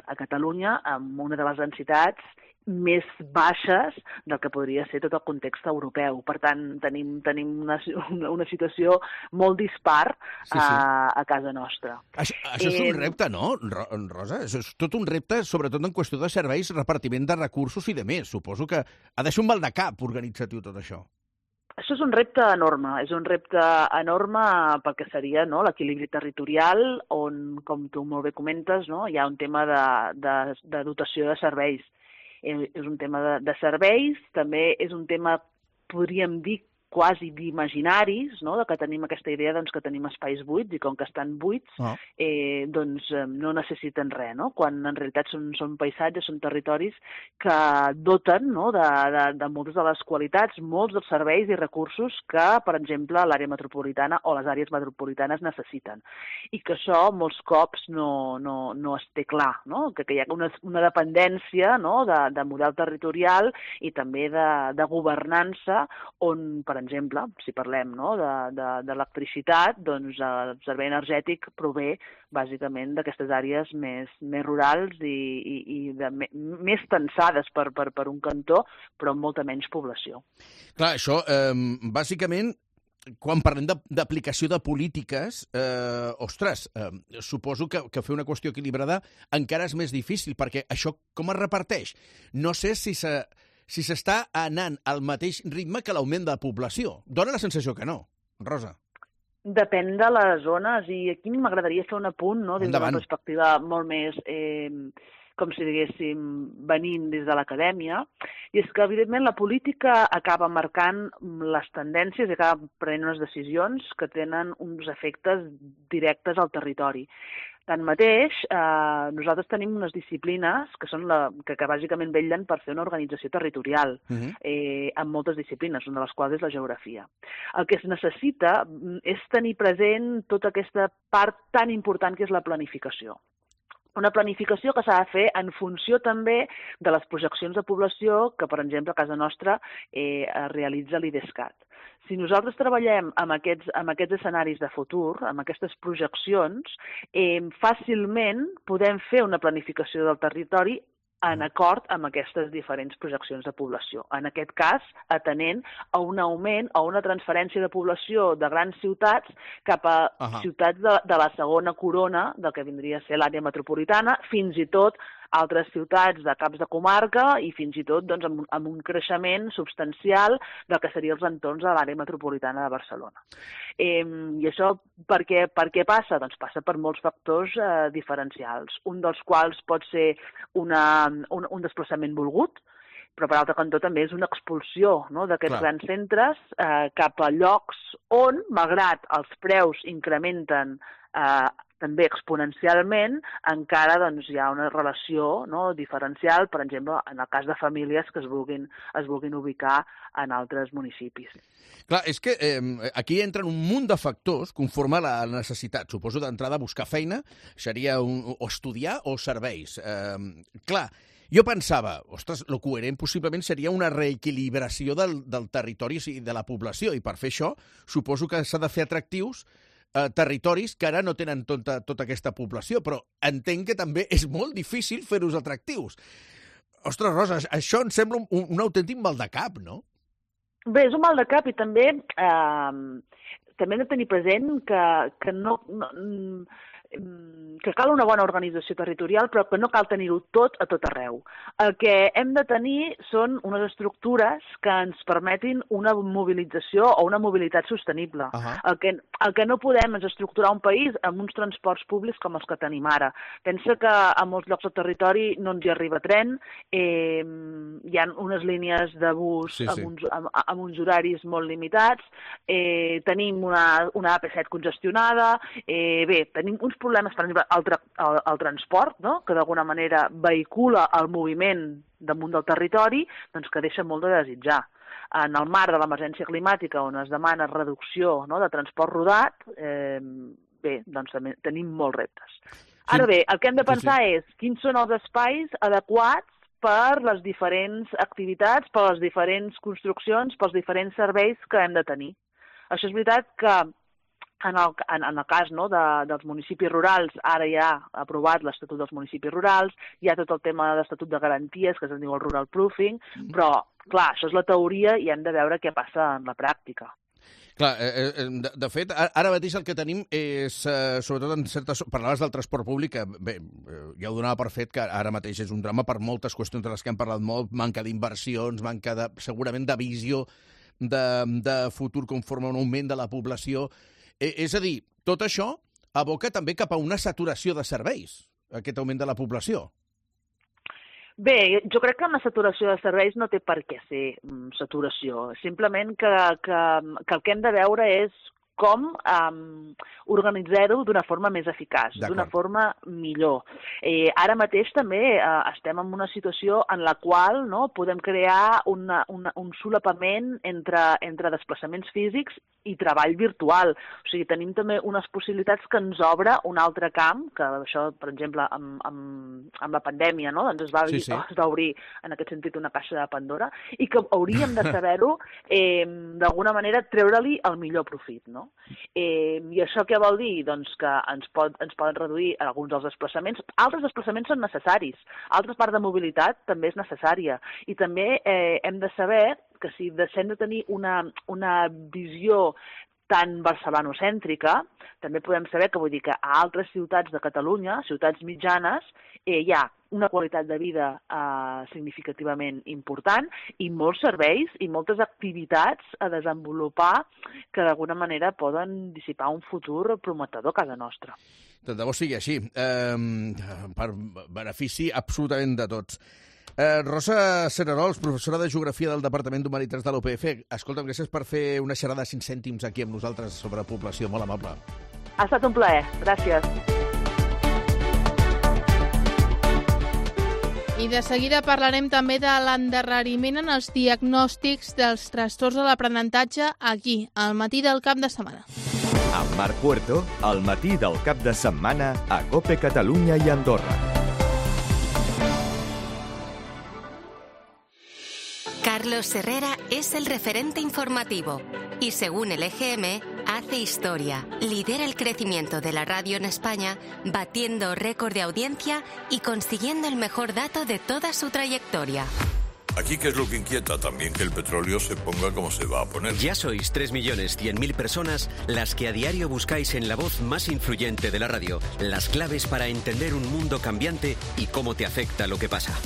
a Catalunya amb una de les densitats més baixes del que podria ser tot el context europeu. Per tant, tenim, tenim una, una situació molt dispar sí, sí. A, a casa nostra. Això, això és un repte, no, Rosa? Això és tot un repte, sobretot en qüestió de serveis, repartiment de recursos i de més. Suposo que ha de ser un mal de cap organitzatiu tot això. Això és un repte enorme, és un repte enorme perquè seria no, l'equilibri territorial on, com tu molt bé comentes, no, hi ha un tema de, de, de dotació de serveis. És un tema de, de serveis, també és un tema, podríem dir, quasi d'imaginaris, no? De que tenim aquesta idea doncs, que tenim espais buits i com que estan buits oh. eh, doncs, eh, no necessiten res, no? Quan en realitat són, són paisatges, són territoris que doten no? de, de, de moltes de les qualitats, molts dels serveis i recursos que, per exemple, l'àrea metropolitana o les àrees metropolitanes necessiten. I que això molts cops no, no, no es té clar, no? Que, que hi ha una, una dependència no? de, de model territorial i també de, de governança on, per exemple, si parlem no, de, de, de l'electricitat, doncs el servei energètic prové bàsicament d'aquestes àrees més, més rurals i, i, i de, més tensades per, per, per un cantó, però amb molta menys població. Clar, això, eh, bàsicament, quan parlem d'aplicació de, de polítiques, eh, ostres, eh, suposo que, que fer una qüestió equilibrada encara és més difícil, perquè això com es reparteix? No sé si se... si s'està anant al mateix ritme que l'augment de la població. Dóna la sensació que no, Rosa. Depèn de les zones, i aquí m'agradaria fer un apunt, no? Des d'una perspectiva molt més, eh, com si diguéssim, venint des de l'acadèmia, i és que, evidentment, la política acaba marcant les tendències i acaba prenent unes decisions que tenen uns efectes directes al territori. Tanmateix, eh, nosaltres tenim unes disciplines que són la, que, que bàsicament vetllen per fer una organització territorial uh-huh. eh, amb moltes disciplines, una de les quals és la geografia. El que es necessita és tenir present tota aquesta part tan important que és la planificació. Una planificació que s'ha de fer en funció també de les projeccions de població que, per exemple, a casa nostra eh, realitza l'IDESCAT. Si nosaltres treballem amb aquests, amb aquests escenaris de futur, amb aquestes projeccions, eh, fàcilment podem fer una planificació del territori en acord amb aquestes diferents projeccions de població. En aquest cas, atenent a un augment o una transferència de població de grans ciutats cap a uh-huh. ciutats de, de la segona corona del que vindria a ser l'àrea metropolitana, fins i tot altres ciutats de caps de comarca i fins i tot doncs, amb, amb un creixement substancial del que serien els entorns de l'àrea metropolitana de Barcelona. Eh, I això per què, per què passa? Doncs passa per molts factors eh, diferencials, un dels quals pot ser una, un, un desplaçament volgut, però per altre cantó també és una expulsió, no?, d'aquests grans centres eh, cap a llocs on, malgrat els preus incrementen eh, també exponencialment, encara doncs, hi ha una relació, no?, diferencial, per exemple, en el cas de famílies que es vulguin, es vulguin ubicar en altres municipis. Clar, és que eh, aquí entren un munt de factors conforme a la necessitat. Suposo d'entrada buscar feina, seria un, o estudiar o serveis. Eh, clar, jo pensava, ostres, el coherent possiblement seria una reequilibració del, del territori i de la població, i per fer això suposo que s'ha de fer atractius eh, territoris que ara no tenen tota, tota aquesta població, però entenc que també és molt difícil fer-los atractius. Ostres, Rosa, això em sembla un, un autèntic mal de cap, no? Bé, és un mal de cap i també eh, també hem de tenir present que, que no... no que cal una bona organització territorial, però que no cal tenir-ho tot a tot arreu. El que hem de tenir són unes estructures que ens permetin una mobilització o una mobilitat sostenible. Uh-huh. el, que, el que no podem és estructurar un país amb uns transports públics com els que tenim ara. Pensa que a molts llocs del territori no ens hi arriba tren, eh, hi ha unes línies de bus sí, sí. Amb, uns, amb, amb uns horaris molt limitats, eh, tenim una, una A P set congestionada, eh, bé, tenim uns problemes, per exemple, el, tra el, el transport, no?, que d'alguna manera vehicula el moviment damunt del territori, doncs que deixa molt de desitjar. En el marc de l'emergència climàtica, on es demana reducció, no?, de transport rodat, eh, bé, doncs també tenim molts reptes. Ara bé, el que hem de pensar sí, sí. és quins són els espais adequats per les diferents activitats, per les diferents construccions, pels diferents serveis que hem de tenir. Això és veritat que En el, en, en el cas no, de, dels municipis rurals, ara ja ha aprovat l'Estatut dels municipis rurals, hi ha tot el tema de l'Estatut de Garanties, que es diu el rural proofing, però, clar, això és la teoria i hem de veure què passa en la pràctica. Clar, eh, de, de fet, ara mateix el que tenim és, eh, sobretot en certes... Parlaves del transport públic, que bé, ja ho donava per fet que ara mateix és un drama per moltes qüestions de les que hem parlat molt, manca d'inversions, manca de, segurament de visió de, de futur conforme a un augment de la població. És a dir, tot això aboca també cap a una saturació de serveis, aquest augment de la població. Bé, jo crec que una saturació de serveis no té per què ser um, saturació. Simplement que, que, que el que hem de veure és com um, organitzar-ho d'una forma més eficaç, d'una forma millor. Eh, ara mateix també eh, estem en una situació en la qual no, podem crear una, una, un solapament entre, entre desplaçaments físics i treball virtual. O sigui, tenim també unes possibilitats que ens obre un altre camp, que això, per exemple, amb, amb, amb la pandèmia, no? doncs es va, sí, sí. es va obrir, en aquest sentit, una caixa de Pandora, i que hauríem de saber-ho, eh, d'alguna manera, treure-li el millor profit, no? Eh, I això què vol dir? Doncs que ens, pot, ens poden reduir alguns dels desplaçaments. Altres desplaçaments són necessaris. Altra part de mobilitat també és necessària. I també eh, hem de saber que si deixem de tenir una, una visió tan barcelonocèntrica, també podem saber que vull dir que a altres ciutats de Catalunya, ciutats mitjanes, eh, hi ha una qualitat de vida eh, significativament important i molts serveis i moltes activitats a desenvolupar que d'alguna manera poden dissipar un futur prometedor a casa nostra. Tant de bo sigui així, eh, per benefici absolutament de tots. Eh, Rosa Cererols, professora de Geografia del Departament d'Humanitats de l'U P F. Escolta'm, gràcies per fer una xerrada de cinc cèntims aquí amb nosaltres sobre població. Molt amable. Ha estat un plaer. Gràcies. I de seguida parlarem també de l'endarreriment en els diagnòstics dels trastorns de l'aprenentatge aquí, al matí del cap de setmana. Amb Marc Puerto, al matí del cap de setmana a COPE Catalunya i Andorra. Carlos Herrera es el referente informativo y, según el E G M, hace historia. Lidera el crecimiento de la radio en España, batiendo récord de audiencia y consiguiendo el mejor dato de toda su trayectoria. Aquí, ¿qué es lo que inquieta? También que el petróleo se ponga como se va a poner. Ya sois tres millones cien mil personas las que a diario buscáis en la voz más influyente de la radio las claves para entender un mundo cambiante y cómo te afecta lo que pasa.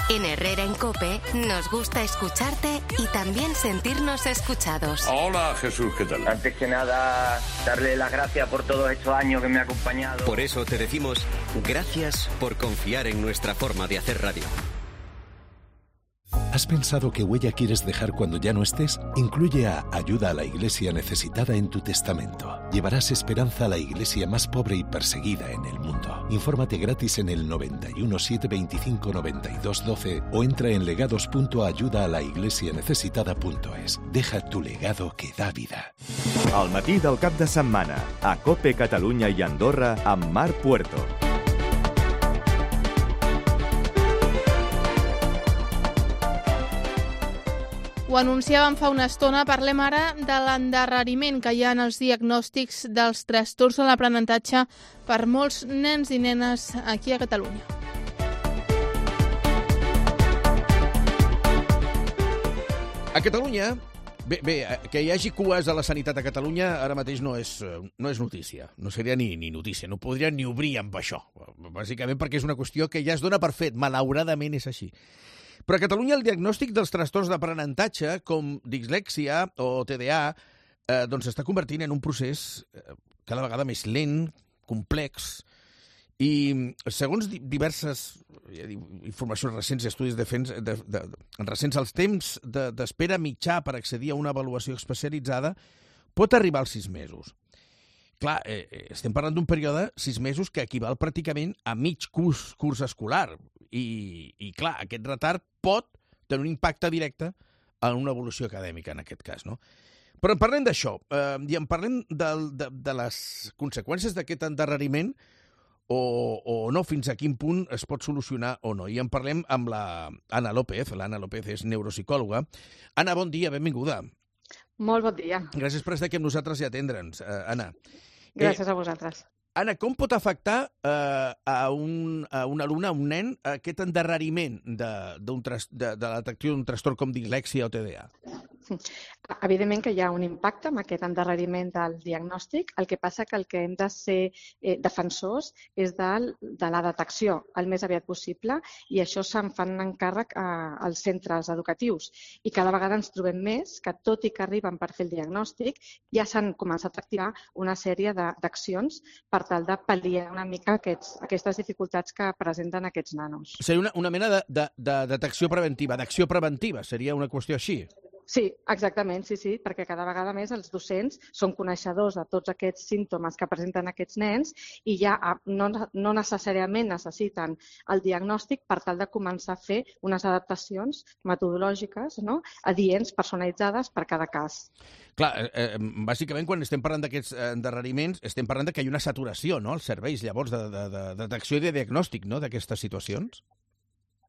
En Herrera en COPE nos gusta escucharte y también sentirnos escuchados. Hola, Jesús, ¿qué tal? Antes que nada, darle las gracias por todos estos años que me ha acompañado. Por eso te decimos gracias por confiar en nuestra forma de hacer radio. ¿Has pensado qué huella quieres dejar cuando ya no estés? Incluye a Ayuda a la Iglesia Necesitada en tu testamento. Llevarás esperanza a la iglesia más pobre y perseguida en el mundo. Infórmate gratis en el noventa y uno, setecientos veinticinco, noventa y dos, doce o entra en legados punto ayuda a la iglesia necesitada punto es. Deja tu legado que da vida. Al matí del cap de setmana, a COPE Catalunya i Andorra amb Mar Puerto. Ho anunciàvem fa una estona, parlem ara de l'endarreriment que hi ha en els diagnòstics dels trastorns de l'aprenentatge per molts nens i nenes aquí a Catalunya. A Catalunya, bé, bé, que hi hagi cues a la sanitat a Catalunya ara mateix no és, no és notícia, no seria ni, ni notícia, no podria ni obrir amb això, bàsicament perquè és una qüestió que ja es dona per fet, malauradament és així. Però a Catalunya el diagnòstic dels trastorns d'aprenentatge, com dislèxia o T D A, eh, doncs s'està convertint en un procés cada vegada més lent, complex, i segons diverses informacions recents i estudis de, de, de, recents, els temps d'espera de, mitjà per accedir a una avaluació especialitzada pot arribar als sis mesos. Clar, eh, estem parlant d'un període, sis mesos, que equival pràcticament a mig curs, curs escolar. I, i, clar, aquest retard pot tenir un impacte directe en una evolució acadèmica, en aquest cas, no? Però en parlem d'això, eh, i en parlem de, de, de les conseqüències d'aquest endarreriment o, o no, fins a quin punt es pot solucionar o no. I en parlem amb la Anna López. L'Anna López és neuropsicòloga. Anna, bon dia, benvinguda. Molt bon dia. Gràcies per estar aquí amb nosaltres i atendre'ns, eh, Anna. Gràcies eh, a vosaltres. Anna, com pot afectar eh, a, un, a un alumne, a un nen, aquest endarreriment de, de, de la detecció d'un trastorn com dislèxia o T D A? Evidentment que hi ha un impacte amb aquest endarreriment del diagnòstic. El que passa que el que hem de ser eh, defensors és de, de la detecció el més aviat possible i això se'n fan encàrrec a, als centres educatius. I cada vegada ens trobem més que, tot i que arriben per fer el diagnòstic, ja s'han començat a activar una sèrie d'accions per tal de pal·liar una mica aquests, aquestes dificultats que presenten aquests nanos. Seria una, una mena de, de, de detecció preventiva, d'acció preventiva, seria una qüestió així? Sí, exactament, sí, sí, perquè cada vegada més els docents són coneixedors de tots aquests símptomes que presenten aquests nens i ja no, no necessàriament necessiten el diagnòstic per tal de començar a fer unes adaptacions metodològiques, no?, adients, personalitzades per cada cas. Clar, eh, bàsicament quan estem parlant d'aquests endarreriments estem parlant de que hi ha una saturació, no?, als serveis llavors de, de, de, de detecció i de diagnòstic, no?, d'aquestes situacions.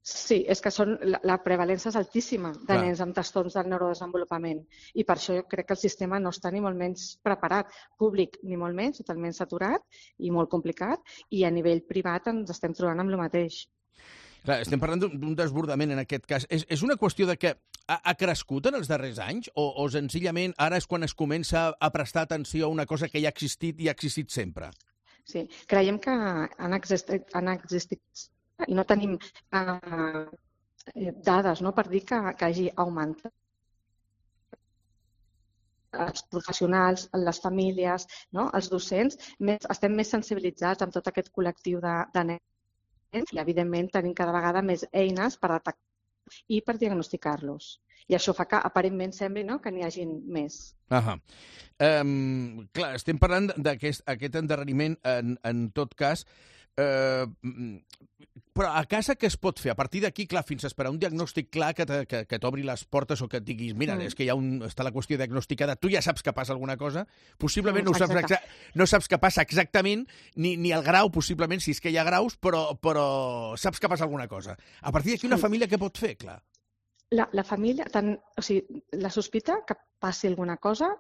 Sí, és que són, la, la prevalència és altíssima de Clar. nens amb trastorns del neurodesenvolupament i per això jo crec que el sistema no està ni molt menys preparat, públic ni molt menys, totalment saturat i molt complicat, i a nivell privat ens estem trobant amb el mateix. Clar, estem parlant d'un desbordament en aquest cas. És, és una qüestió de que ha, ha crescut en els darrers anys o, o senzillament ara és quan es comença a prestar atenció a una cosa que ja ha existit i ha existit sempre? Sí, creiem que han existit, han existit i no tenim eh, dades, no?, per dir que, que hagi augmentat. Els professionals, les famílies, no?, els docents, més, estem més sensibilitzats amb tot aquest col·lectiu de, de nens i, evidentment, tenim cada vegada més eines per detectar i per diagnosticar-los. I això fa que, aparentment, sembli, no?, que n'hi hagin més. Ahà. Um, clar, estem parlant d'aquest aquest endarreriment, en, en tot cas, Uh, però a casa què es pot fer? A partir d'aquí, clar, fins a esperar un diagnòstic clar que, que, que t'obri les portes o que et diguis, mira, mm. és que hi ha un, està la qüestió diagnosticada, tu ja saps que passa alguna cosa, possiblement mm, no, saps exa no saps que passa exactament, ni, ni el grau, possiblement, si és que hi ha graus, però, però saps que passa alguna cosa. A partir d'aquí, una família què pot fer, clar? La, la família, tant, o sigui, la sospita que passi alguna cosa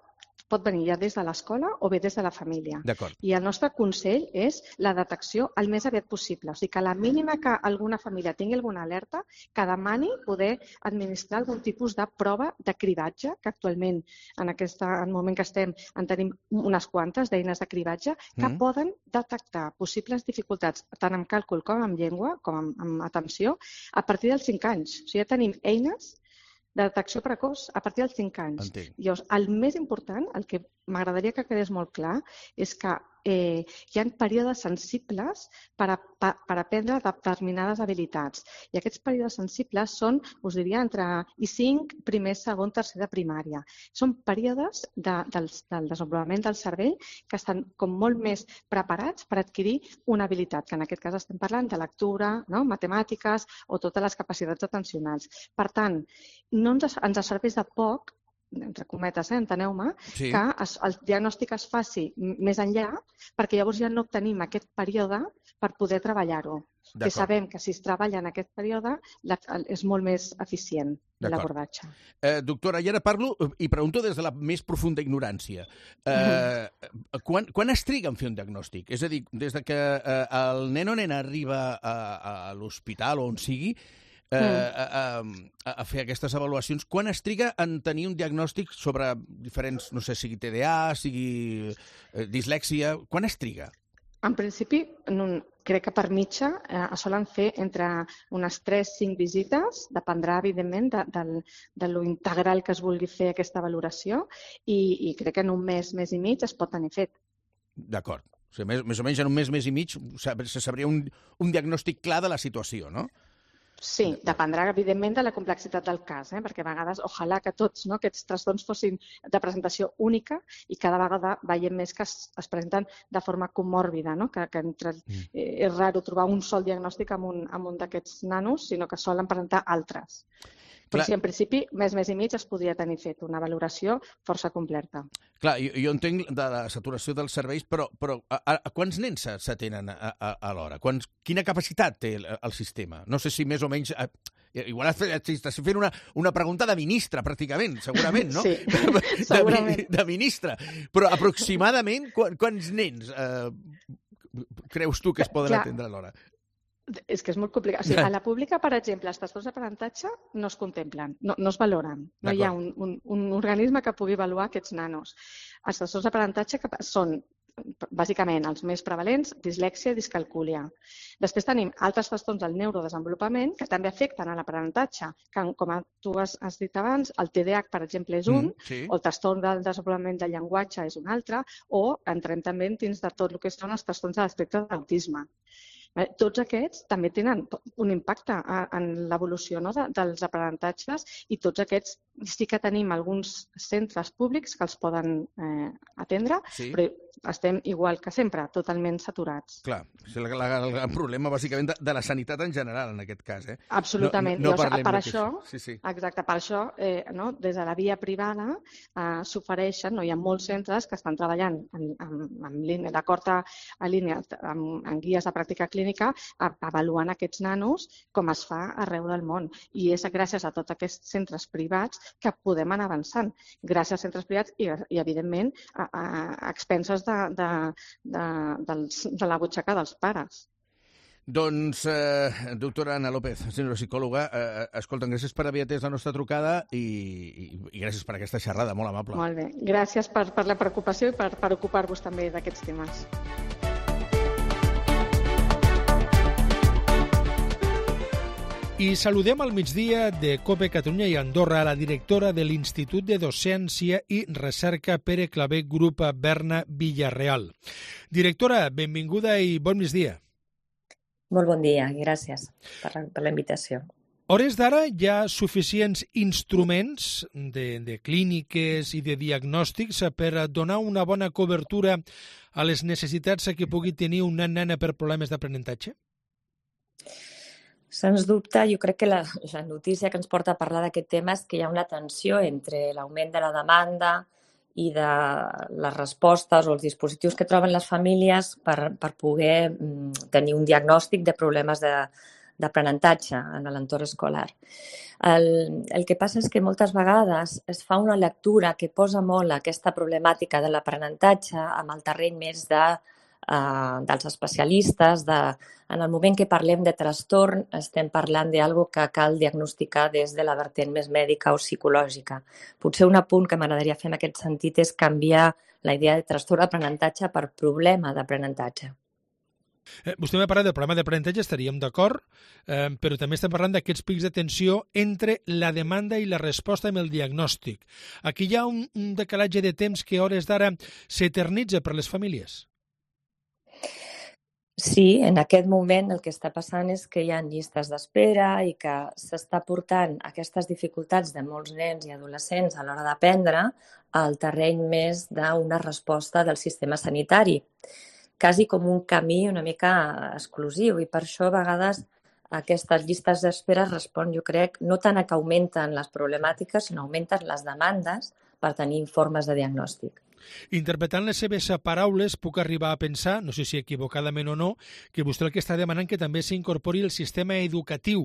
pot venir ja des de l'escola o bé des de la família. D'acord. I el nostre consell és la detecció el més aviat possible. O sigui que a la mínima que alguna família tingui alguna alerta, que demani poder administrar algun tipus de prova de cribatge, que actualment en aquest en moment que estem en tenim unes quantes d'eines de cribatge que mm. poden detectar possibles dificultats tant amb càlcul com amb llengua, com amb, amb atenció, a partir dels cinc anys. O sigui, ja tenim eines de detecció precoç a partir dels cinc anys. Entenc. Llavors, el més important, el que m'agradaria que quedés molt clar, és que eh, hi ha períodes sensibles per, a, per, per aprendre determinades habilitats. I aquests períodes sensibles són, us diria, entre i cinc, primer, segon, tercer de primària. Són períodes de, del, del desenvolupament del cervell que estan com molt més preparats per adquirir una habilitat, que en aquest cas estem parlant de lectura, no? Matemàtiques o totes les capacitats atencionals. Per tant, no ens, ens serveix de poc, entre cometes, eh, enteneu-me, sí. que es, el diagnòstic es faci més enllà, perquè llavors ja no obtenim aquest període per poder treballar-ho. Que sabem que si es treballa en aquest període la, és molt més eficient l'abordatge. Eh, doctora, i ara parlo i pregunto des de la més profunda ignorància. Eh, mm-hmm. quan, quan es triga en fer un diagnòstic? És a dir, des de que eh, el nen o nena arriba a, a, a l'hospital o on sigui, Eh, a, a, a fer aquestes avaluacions, quan es triga en tenir un diagnòstic sobre diferents, no sé, sigui T D A, sigui eh, dislèxia, quan es triga? En principi, no, crec que per mitja eh, es solen fer entre unes tres cinc visites, dependrà, evidentment, de, de, de lo integral que es vulgui fer aquesta valoració, i, i crec que en un mes, mes i mig es pot tenir fet. D'acord. O sigui, més, més o menys en un mes, mes i mig se sabria un, un diagnòstic clar de la situació, no? Sí, dependrà, evidentment, de la complexitat del cas, eh? perquè a vegades, ojalà que tots no, aquests trastorns fossin de presentació única i cada vegada veiem més que es, es presenten de forma comòrbida, no? que, que entre, eh, és raro trobar un sol diagnòstic amb un, amb un d'aquests nanos, sinó que solen presentar altres. Però sí, en principi, mes, mes i mig es podria tenir fet una valoració força completa. Clar, jo, jo entenc de la saturació dels serveis, però, però a, a, a quants nens s'atenen a, a, a l'hora? Quants, quina capacitat té el, el sistema? No sé si més o menys... A, igual estàs fent una, una pregunta de ministre, pràcticament, segurament, no? Sí, segurament. De, de ministre. Però aproximadament, quants nens eh, creus tu que es poden Clar. atendre a l'hora? És que és molt complicat. O sigui, a la pública, per exemple, els trastorns d'aprenentatge no es contemplen, no, no es valoren. No hi ha un, un, un organisme que pugui avaluar aquests nanos. Els trastorns d'aprenentatge són, bàsicament, els més prevalents, dislèxia i discalcúlia. Després tenim altres trastorns del neurodesenvolupament que també afecten a l'aprenentatge, que, com tu has, has dit abans, el T D A H, per exemple, és un, mm, sí. o el trastorn del desenvolupament del llenguatge és un altre, o entrem també dins de tot el que són els trastorns de l'espectre de l'autisme. Tots aquests també tenen un impacte en l'evolució, no, de, dels aprenentatges, i tots aquests sí que tenim alguns centres públics que els poden eh, atendre, sí. però estem igual que sempre, totalment saturats. Clar, és el, el, el problema bàsicament de, de la sanitat en general en aquest cas. Eh? Absolutament. No, no, no Llavors, per això, sí, sí. Exacte, per això eh, no, des de la via privada eh, s'ofereixen, no, hi ha molts centres que estan treballant en, en, en línia, d'acord a, a línia, en, en guies de pràctica clínica, a, avaluant aquests nanos com es fa arreu del món. I és gràcies a tots aquests centres privats que podem anar avançant. Gràcies als centres privats i, i evidentment, a, a, a expenses de, de, de, dels, de la butxaca dels pares. Doncs, eh, doctora Ana López, neuropsicòloga, eh, escolta, gràcies per haver atès la nostra trucada i, i, i gràcies per aquesta xerrada, molt amable. Molt bé, gràcies per, per la preocupació i per, per ocupar-vos també d'aquests temes. I saludem al migdia de COPE Catalunya i Andorra a la directora de l'Institut de Docència i Recerca Pere Clavé Grup Berna Villarreal. Directora, benvinguda i bon migdia. Molt bon dia i gràcies per, per la invitació. A hores d'ara hi ha suficients instruments de, de clíniques i de diagnòstics per donar una bona cobertura a les necessitats que pugui tenir una nena per problemes d'aprenentatge? Sens dubte, jo crec que la, la notícia que ens porta a parlar d'aquest tema és que hi ha una tensió entre l'augment de la demanda i de les respostes o els dispositius que troben les famílies per, per poder mm, tenir un diagnòstic de problemes de, d'aprenentatge en l'entorn escolar. El, el que passa és que moltes vegades es fa una lectura que posa molt aquesta problemàtica de l'aprenentatge amb el terreny més de, uh, dels especialistes. De, en el moment que parlem de trastorn estem parlant d'algo que cal diagnosticar des de la vertent més mèdica o psicològica. Potser un apunt que m'agradaria fer en aquest sentit és canviar la idea de trastorn d'aprenentatge per problema d'aprenentatge. Eh, vostè m'ha parlat del problema d'aprenentatge, estaríem d'acord, eh, però també estem parlant d'aquests pics de tensió entre la demanda i la resposta amb el diagnòstic. Aquí hi ha un, un decalatge de temps que a hores d'ara s'eternitza per les famílies. Sí, en aquest moment el que està passant és que hi ha llistes d'espera i que s'està portant aquestes dificultats de molts nens i adolescents a l'hora d'aprendre al terreny més d'una resposta del sistema sanitari, quasi com un camí una mica exclusiu, i per això a vegades aquestes llistes d'espera respon, jo crec, no tant a que augmenten les problemàtiques, sinó augmenten les demandes per tenir informes de diagnòstic. Interpretant les seves paraules, puc arribar a pensar, no sé si equivocadament o no, que vostè el que està demanant que també s'incorpori el sistema educatiu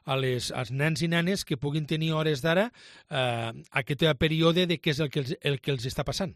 a les, als nens i nenes que puguin tenir hores d'ara eh, aquest període de què és el que els, el que els està passant.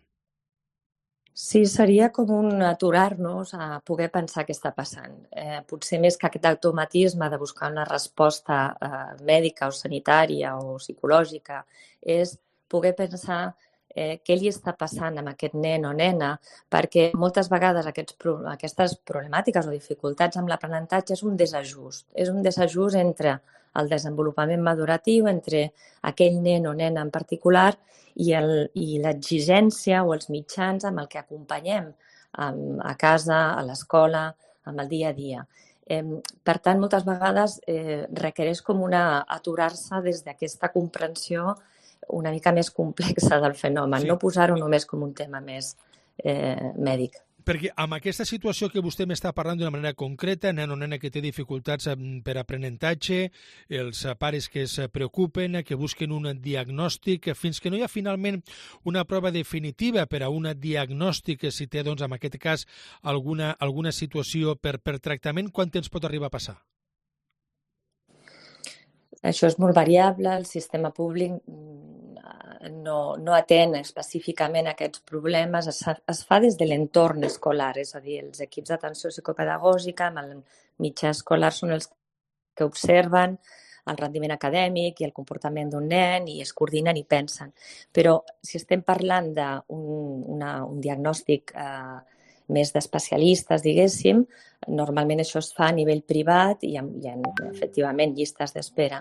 Sí, seria com un aturar-nos a poder pensar què està passant. Eh, potser més que aquest automatisme de buscar una resposta eh, mèdica o sanitària o psicològica, és poder pensar eh, què li està passant amb aquest nen o nena, perquè moltes vegades aquests, aquestes problemàtiques o dificultats amb l'aprenentatge és un desajust. És un desajust entre el desenvolupament maduratiu, entre aquell nen o nena en particular, i, el, i l'exigència o els mitjans amb el que acompanyem um, a casa, a l'escola, amb el dia a dia. Eh, per tant, moltes vegades eh, requereix com una aturar-se des d'aquesta comprensió una mica més complexa del fenomen, sí. No posar-ho només com un tema més eh, mèdic. Perquè amb aquesta situació que vostè m'està parlant d'una manera concreta, nen o nena que té dificultats per aprenentatge, els pares que es preocupen, que busquen un diagnòstic, fins que no hi ha finalment una prova definitiva per a un diagnòstic, si té, doncs, en aquest cas, alguna, alguna situació per, per tractament, quant temps pot arribar a passar? Això és molt variable, el sistema públic no, no atén específicament aquests problemes, es, es fa des de l'entorn escolar, és a dir, els equips d'atenció psicopedagògica amb el mitjà escolar són els que observen el rendiment acadèmic i el comportament d'un nen i es coordinen i pensen. Però si estem parlant d'un un diagnòstic eh, més d'especialistes, diguéssim, normalment això es fa a nivell privat i hi ha, hi ha efectivament llistes d'espera.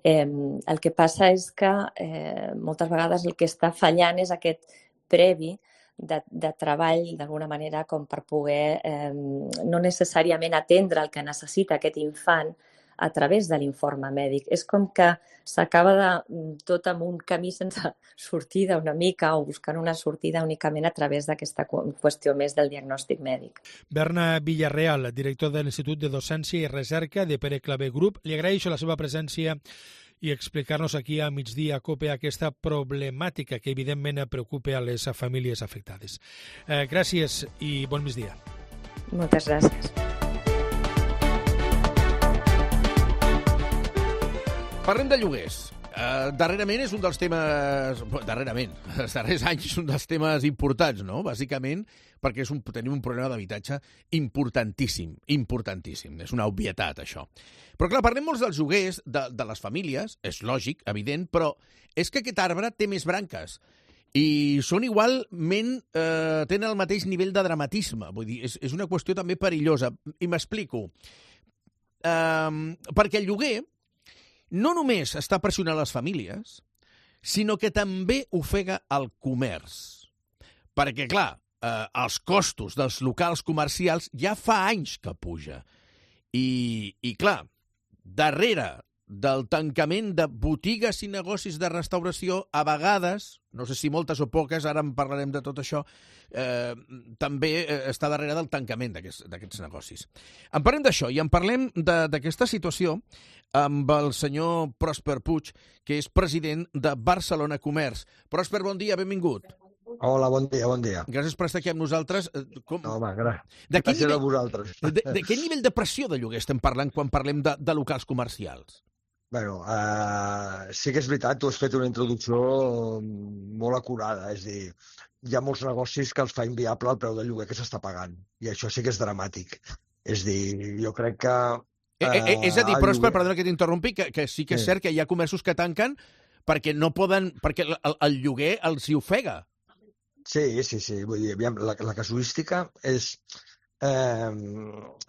Eh, el que passa és que eh, moltes vegades el que està fallant és aquest previ de, de treball, d'alguna manera, com per poder eh, no necessàriament atendre el que necessita aquest infant a través de l'informe mèdic. És com que s'acaba de tot amb un camí sense sortida una mica o buscant una sortida únicament a través d'aquesta qüestió més del diagnòstic mèdic. Berna Villarreal, director de l'Institut de Docència i Recerca de Pere Clavé Group, li agraeixo la seva presència i explicar-nos aquí a migdia a COPE aquesta problemàtica que evidentment preocupa a les famílies afectades. Eh, gràcies i bon migdia. Moltes gràcies. Parlem de lloguers. Uh, darrerament és un dels temes... Darrerament, els darrers anys és un dels temes importants, no? Bàsicament perquè és un, tenim un problema d'habitatge importantíssim, importantíssim. És una obvietat, això. Però, clar, parlem molts dels lloguers, de, de les famílies, és lògic, evident, però és que aquest arbre té més branques i són igualment, eh, tenen el mateix nivell de dramatisme. Vull dir, és, és una qüestió també perillosa. I m'explico. Eh, perquè el lloguer no només està pressionant les famílies, sinó que també ofega el comerç. Perquè, clar, eh, els costos dels locals comercials ja fa anys que puja. I, i clar, darrere del tancament de botigues i negocis de restauració, a vegades, no sé si moltes o poques, ara en parlarem de tot això, eh, també està darrere del tancament d'aquests negocis. En parlem d'això i en parlem d'aquesta situació amb el senyor Pròsper Puig, que és president de Barcelona Comerç. Pròsper, bon dia, benvingut. Hola, bon dia, bon dia. Gràcies per estar aquí amb nosaltres. Com... No, home, gràcies. De quin Gràcies nivell... a vosaltres. De, de quin nivell de pressió de lloguer estem parlant quan parlem de, de locals comercials? Bueno, uh, sí que és veritat, tu has fet una introducció molt acurada, és a dir, hi ha molts negocis que els fa inviable el preu de lloguer que s'està pagant, i això sí que és dramàtic. És a dir, jo crec que... Uh, eh, eh, és a dir, Pròsper, lloguer... perdona que t'interrompi, que, que sí que és sí. cert que hi ha comerços que tanquen perquè no poden, perquè el, el lloguer els hi ofega. Sí, sí, sí. Vull dir, aviam, la, la casuística és, eh,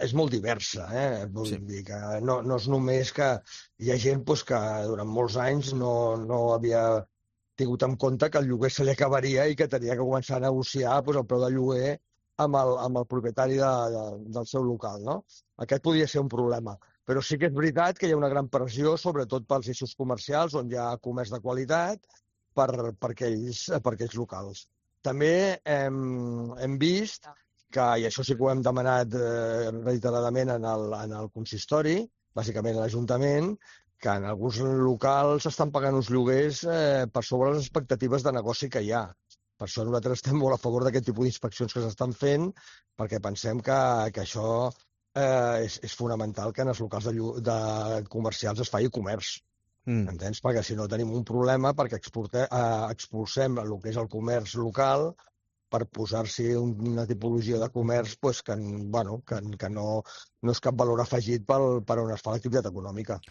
és molt diversa. Eh? Vull sí. dir que no, no és només que hi ha gent pues, que durant molts anys no, no havia tingut en compte que el lloguer se li acabaria i que tenia que començar a negociar pues, el preu del lloguer amb el, amb el propietari de, de, del seu local. No? Aquest podria ser un problema. Però sí que és veritat que hi ha una gran pressió, sobretot pels eixos comercials, on hi ha comerç de qualitat, per, per, aquells, per aquells locals. També hem, hem vist que, i això sí que ho hem demanat eh, reiteradament en el, en el consistori, bàsicament a l'Ajuntament, que en alguns locals estan pagant uns lloguers eh, per sobre les expectatives de negoci que hi ha. Per això nosaltres estem molt a favor d'aquest tipus d'inspeccions que s'estan fent, perquè pensem que, que això eh, és, és fonamental que en els locals de, de comercials es faci comerç. Mm. Entens? Perquè si no tenim un problema perquè exportem, eh, expulsem el que és el comerç local per posar-s'hi una tipologia de comerç pues, que, bueno, que, que no, no és cap valor afegit pel, per on es fa l'activitat econòmica.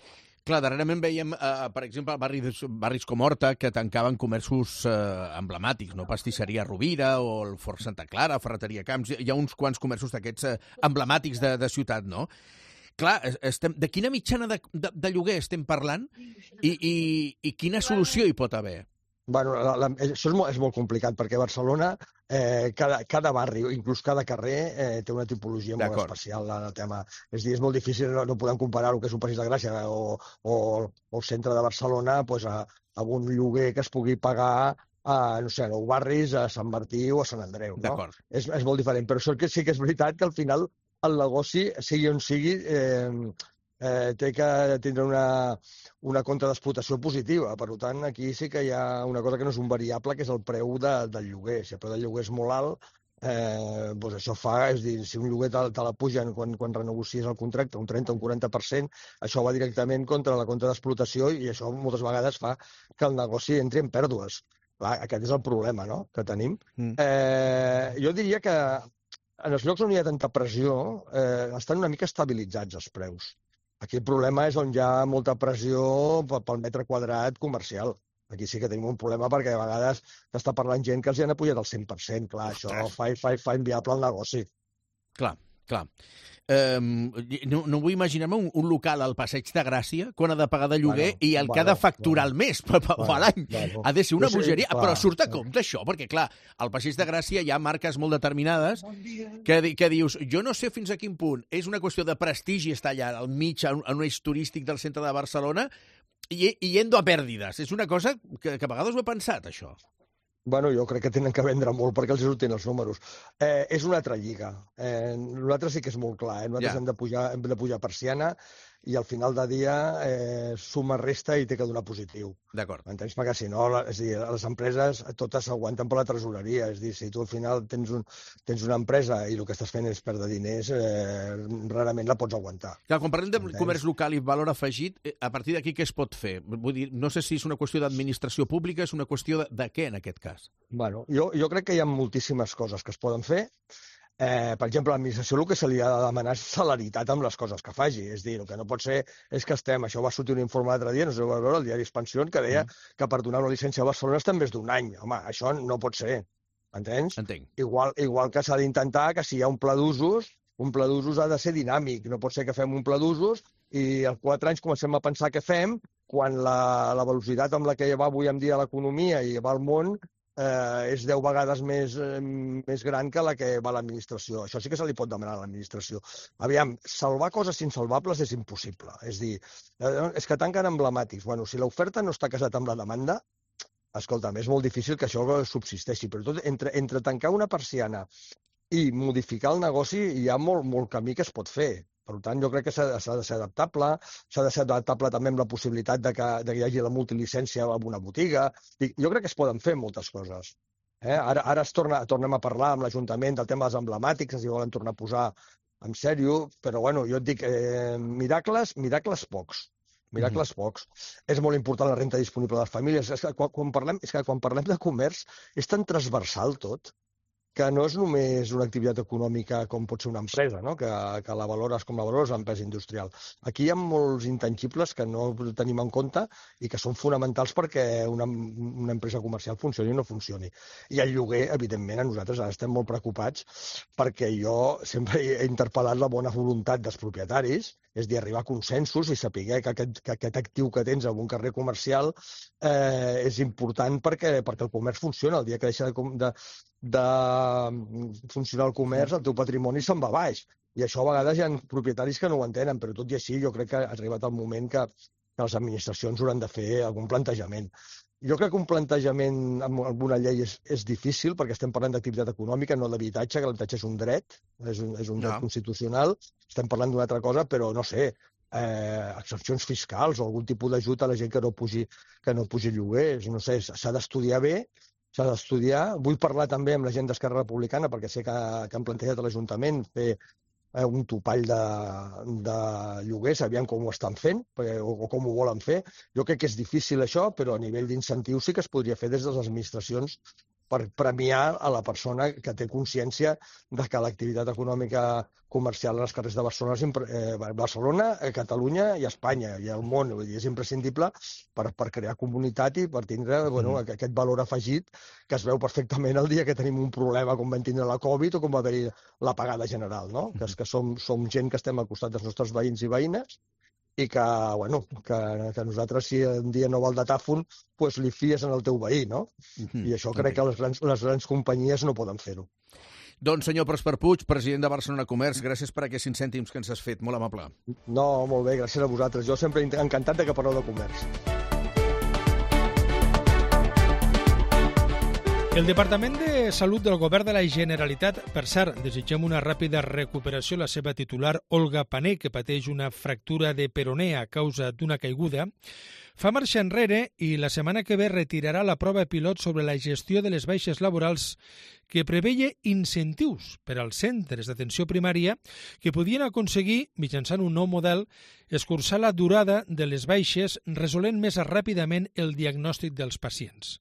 Clar, darrerament veiem, eh, per exemple, barris, barris com Horta, que tancaven comerços eh, emblemàtics, no? Pastisseria Rovira o el Fort Santa Clara, Ferreteria Camps, hi ha uns quants comerços d'aquests eh, emblemàtics de, de ciutat, no? Clar, estem, de quina mitjana de, de, de lloguer estem parlant i, i, i quina solució hi pot haver? Bueno, la, la, això és molt, és molt complicat, perquè a Barcelona eh, cada, cada barri, inclús cada carrer, eh, té una tipologia molt especial en el tema. És a dir, és molt difícil, no, no podem comparar el que és un Passeig de Gràcia o, o, o el centre de Barcelona pues, a, a un lloguer que es pugui pagar a, no sé, a nou barris, a Sant Martí o a Sant Andreu. No? És, és molt diferent, però això que sí que és veritat que al final el negoci, sigui on sigui, eh, eh, té que tindre una, una compte d'explotació positiva. Per tant, aquí sí que hi ha una cosa que no és un variable, que és el preu de, del lloguer. Si el preu del lloguer és molt alt, eh, doncs això fa, és dir, si un lloguer te, te la pugen quan, quan renegocies el contracte, un trenta o un quaranta per cent, això va directament contra la compte d'explotació i això moltes vegades fa que el negoci entri en pèrdues. Clar, aquest és el problema, no?, que tenim. Mm. Eh, jo diria que en els llocs on hi ha tanta pressió, eh, estan una mica estabilitzats els preus. Aquí el problema és on hi ha molta pressió pel metre quadrat comercial. Aquí sí que tenim un problema perquè a vegades t'està parlant gent que els hi han apujat al cent per cent. Clar, això fa, fa, fa inviable el negoci. Clar, clar. Um, no, no vull imaginar-me un, un local al Passeig de Gràcia quan ha de pagar de lloguer bueno, i el bueno, que ha de facturar bueno, al mes bueno, a l'any. Bueno. Ha de ser una bogeria, sí, però surt a compte això, perquè clar, al Passeig de Gràcia hi ha marques molt determinades que, que dius, jo no sé fins a quin punt és una qüestió de prestigi estar allà al mig, en un eix turístic del centre de Barcelona i, i yendo a pèrdides. És una cosa que, que a vegades ho he pensat, això. Bueno, jo crec que tenen que vendre molt perquè els surtin els números. Eh, és una altra lliga. Eh, nosaltres sí que és molt clar. Eh? Nosaltres ja. hem, de pujar, hem de pujar persiana i al final de dia eh, suma, resta i té que donar positiu. D'acord. M'entens? Perquè si no, és dir, les empreses totes s'aguanten per la tresoreria. És dir, si tu al final tens, un, tens una empresa i el que estàs fent és perdre diners, eh, rarament la pots aguantar. Clar, quan parlem de Entens? comerç local i valor afegit, a partir d'aquí què es pot fer? Vull dir, no sé si és una qüestió d'administració pública, és una qüestió de, de què en aquest cas? Bueno, jo, jo crec que hi ha moltíssimes coses que es poden fer. Eh, per exemple, a l'administració el que se li ha de demanar és celeritat amb les coses que faci. És dir, el que no pot ser és que estem... Això va sortir un informe l'altre dia, no sé si ho va veure, el diari Expansión, que deia mm. que per donar una llicència a Barcelona estem més d'un any. Home, això no pot ser. Entens? Entenc. Igual, igual que s'ha d'intentar que si hi ha un pla d'usos, un pla d'usos ha de ser dinàmic. No pot ser que fem un pla d'usos i als quatre anys comencem a pensar què fem quan la, la velocitat amb la que va avui en dia l'economia i va el món eh, és deu vegades més, eh, més gran que la que va a l'administració. Això sí que se li pot demanar a l'administració. Aviam, salvar coses insalvables és impossible. És dir, eh, és que tanquen emblemàtics. Bueno, si l'oferta no està casat amb la demanda, escolta'm, és molt difícil que això subsisteixi. Però tot, entre, entre tancar una persiana i modificar el negoci hi ha molt, molt camí que es pot fer. Per tant, jo crec que s'ha de ser adaptable, s'ha de ser adaptable també amb la possibilitat de que, de que hi hagi la multilicència en una botiga. Jo crec que es poden fer moltes coses. Eh? Ara, ara es torna, tornem a parlar amb l'Ajuntament del tema dels emblemàtics, si volen tornar a posar en sèrio, però bueno, jo et dic, eh, miracles, miracles pocs. Miracles mm-hmm. pocs. És molt important la renta disponible de les famílies. És que quan, quan, parlem, és que quan parlem de comerç és tan transversal tot que no és només una activitat econòmica com pot ser una empresa, no? que, que la valores com la valores l'empresa industrial. Aquí hi ha molts intangibles que no tenim en compte i que són fonamentals perquè una, una empresa comercial funcioni o no funcioni. I el lloguer, evidentment, a nosaltres ara estem molt preocupats perquè jo sempre he interpel·lat la bona voluntat dels propietaris, és dir, arribar a consensos i saber que aquest, que aquest actiu que tens en un carrer comercial eh, és important perquè, perquè el comerç funciona. El dia que deixa de, de, de funcionar el comerç, el teu patrimoni se'n va baix. I això a vegades hi ha propietaris que no ho entenen, però tot i així jo crec que ha arribat el moment que, que les administracions hauran de fer algun plantejament. Jo crec que un plantejament amb alguna llei és, és difícil perquè estem parlant d'activitat econòmica, no d'habitatge, que l'habitatge és un dret, és un, és un dret no. constitucional. Estem parlant d'una altra cosa, però no sé, eh, excepcions fiscals o algun tipus d'ajut a la gent que no pugi, que no pugi lloguer. No sé, s'ha d'estudiar bé, s'ha d'estudiar. Vull parlar també amb la gent d'Esquerra Republicana perquè sé que, que han plantejat a l'Ajuntament fer eh, un topall de, de lloguers, aviam com ho estan fent perquè, o, o com ho volen fer. Jo crec que és difícil això, però a nivell d'incentius sí que es podria fer des de les administracions per premiar a la persona que té consciència de que l'activitat econòmica comercial als carrers de Barcelona, eh, Barcelona, Catalunya i Espanya i el món, vull dir, és imprescindible per, per crear comunitat i per tindre bueno, mm. aquest valor afegit que es veu perfectament el dia que tenim un problema com vam tindre la Covid o com va haver-hi l'apagada general, no? Mm. Que, és que som, som gent que estem al costat dels nostres veïns i veïnes i que, bueno, que, que nosaltres, si un dia no va al datàfon, pues li fies en el teu veí, no? Mm-hmm. I això crec okay. que les grans, les grans companyies no poden fer-ho. Doncs, senyor Pròsper Puig, president de Barcelona Comerç, gràcies per aquests cinc cèntims que ens has fet. Molt amable. No, molt bé, gràcies a vosaltres. Jo sempre encantat de que parleu de comerç. El Departament de Salut del Govern de la Generalitat, per cert, desitgem una ràpida recuperació a la seva titular Olga Pané, que pateix una fractura de peroné a causa d'una caiguda, fa marxa enrere i la setmana que ve retirarà la prova pilot sobre la gestió de les baixes laborals que preveia incentius per als centres d'atenció primària que podien aconseguir, mitjançant un nou model, escurçar la durada de les baixes resolent més ràpidament el diagnòstic dels pacients.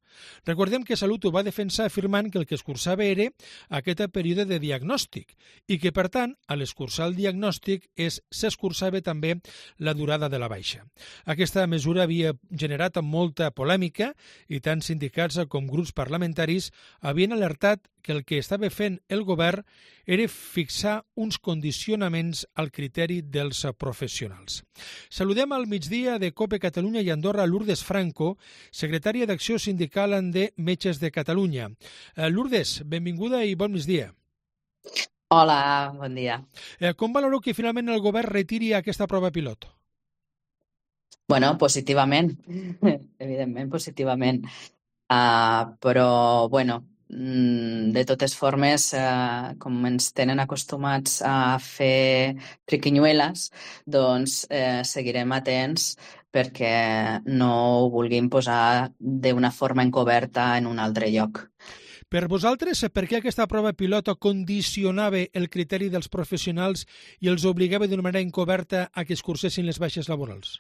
Recordem que Salut ho va defensar afirmant que el que escurçava era aquest període de diagnòstic i que, per tant, a l'escurçar el diagnòstic s'escurçava també la durada de la baixa. Aquesta mesura havia generat molta polèmica i tant sindicats com grups parlamentaris havien alertat que el que estava fent el govern era fixar uns condicionaments al criteri dels professionals. Saludem al migdia de COPE Catalunya i Andorra Lourdes Franco, secretària d'Acció Sindical de Metges de Catalunya. Lourdes, benvinguda i bon migdia. Hola, bon dia. Com valoreu que finalment el govern retiri aquesta prova pilot? Bueno, positivament, evidentment positivament, uh, però, bueno, de totes formes, eh, com ens tenen acostumats a fer triquinyueles, doncs eh, seguirem atents perquè no ho vulguin posar d'una forma encoberta en un altre lloc. Per vosaltres, per què aquesta prova pilota condicionava el criteri dels professionals i els obligava d'una manera encoberta a que es cursessin les baixes laborals?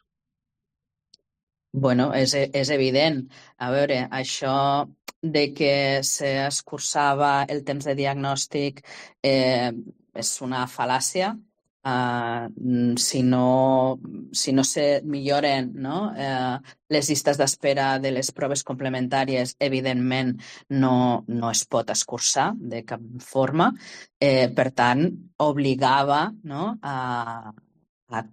Bueno, és, és evident. A veure, això de que s'escurçava el temps de diagnòstic eh, és una fal·làcia. Uh, si no, si no se milloren, no? Uh, les llistes d'espera de les proves complementàries, evidentment, no, no es pot escurçar de cap forma. Eh, per tant, obligava, no? a, a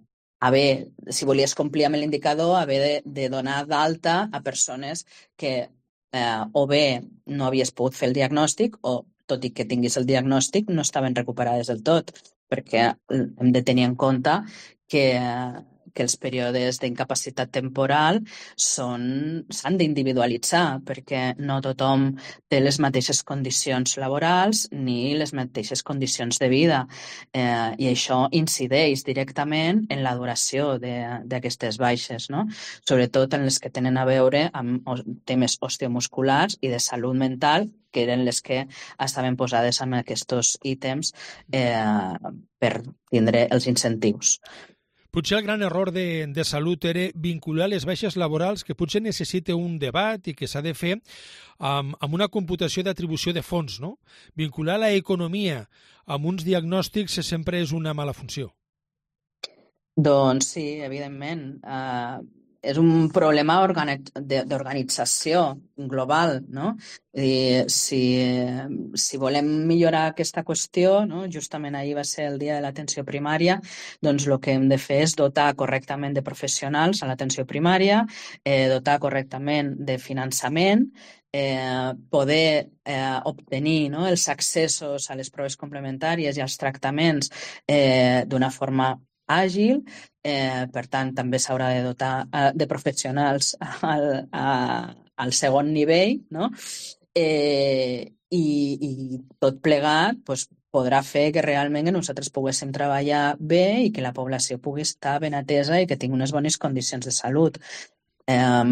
haver, si volies complir amb l'indicador, haver de, de donar d'alta a persones que eh, o bé no havies pogut fer el diagnòstic o, tot i que tinguis el diagnòstic, no estaven recuperades del tot, perquè hem de tenir en compte que, que els períodes d'incapacitat temporal són s'han d'individualitzar, perquè no tothom té les mateixes condicions laborals ni les mateixes condicions de vida. Eh, I això incideix directament en la duració d'aquestes baixes, no? Sobretot en les que tenen a veure amb temes osteomusculars i de salut mental, que eren les que estaven posades en aquests ítems eh, per tindre els incentius. Potser el gran error de, de Salut era vincular les baixes laborals, que potser necessita un debat i que s'ha de fer amb, amb una computació d'atribució de fons, no? Vincular l'economia amb uns diagnòstics sempre és una mala funció. Doncs sí, evidentment. Uh, és un problema d'organització global, no? I si, si volem millorar aquesta qüestió, no? Justament ahir va ser el dia de l'atenció primària, doncs el que hem de fer és dotar correctament de professionals a l'atenció primària, eh, dotar correctament de finançament, eh, poder eh, obtenir, no? els accessos a les proves complementàries i als tractaments eh, d'una forma àgil, eh, per tant també s'haurà de dotar eh, de professionals al, a, al segon nivell, no? eh, i, i tot plegat pues, podrà fer que realment nosaltres poguéssim treballar bé i que la població pugui estar ben atesa i que tingui unes bones condicions de salut. Eh,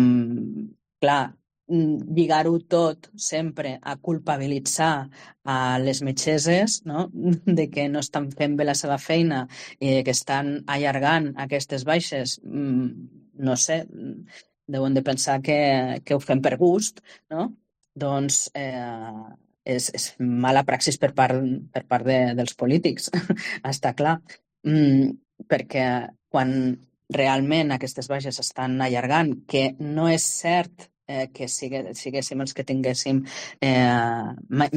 clar, lligar-ho tot sempre a culpabilitzar a les metgesses, no? De que no estan fent bé la seva feina i que estan allargant aquestes baixes, no sé, deuen de pensar que, que ho fem per gust, no? Doncs eh, és, és mala praxis per part, per part de, dels polítics, està clar. Mm, perquè quan realment aquestes baixes estan allargant, que no és cert Eh, que sigue, siguéssim els que tinguéssim eh,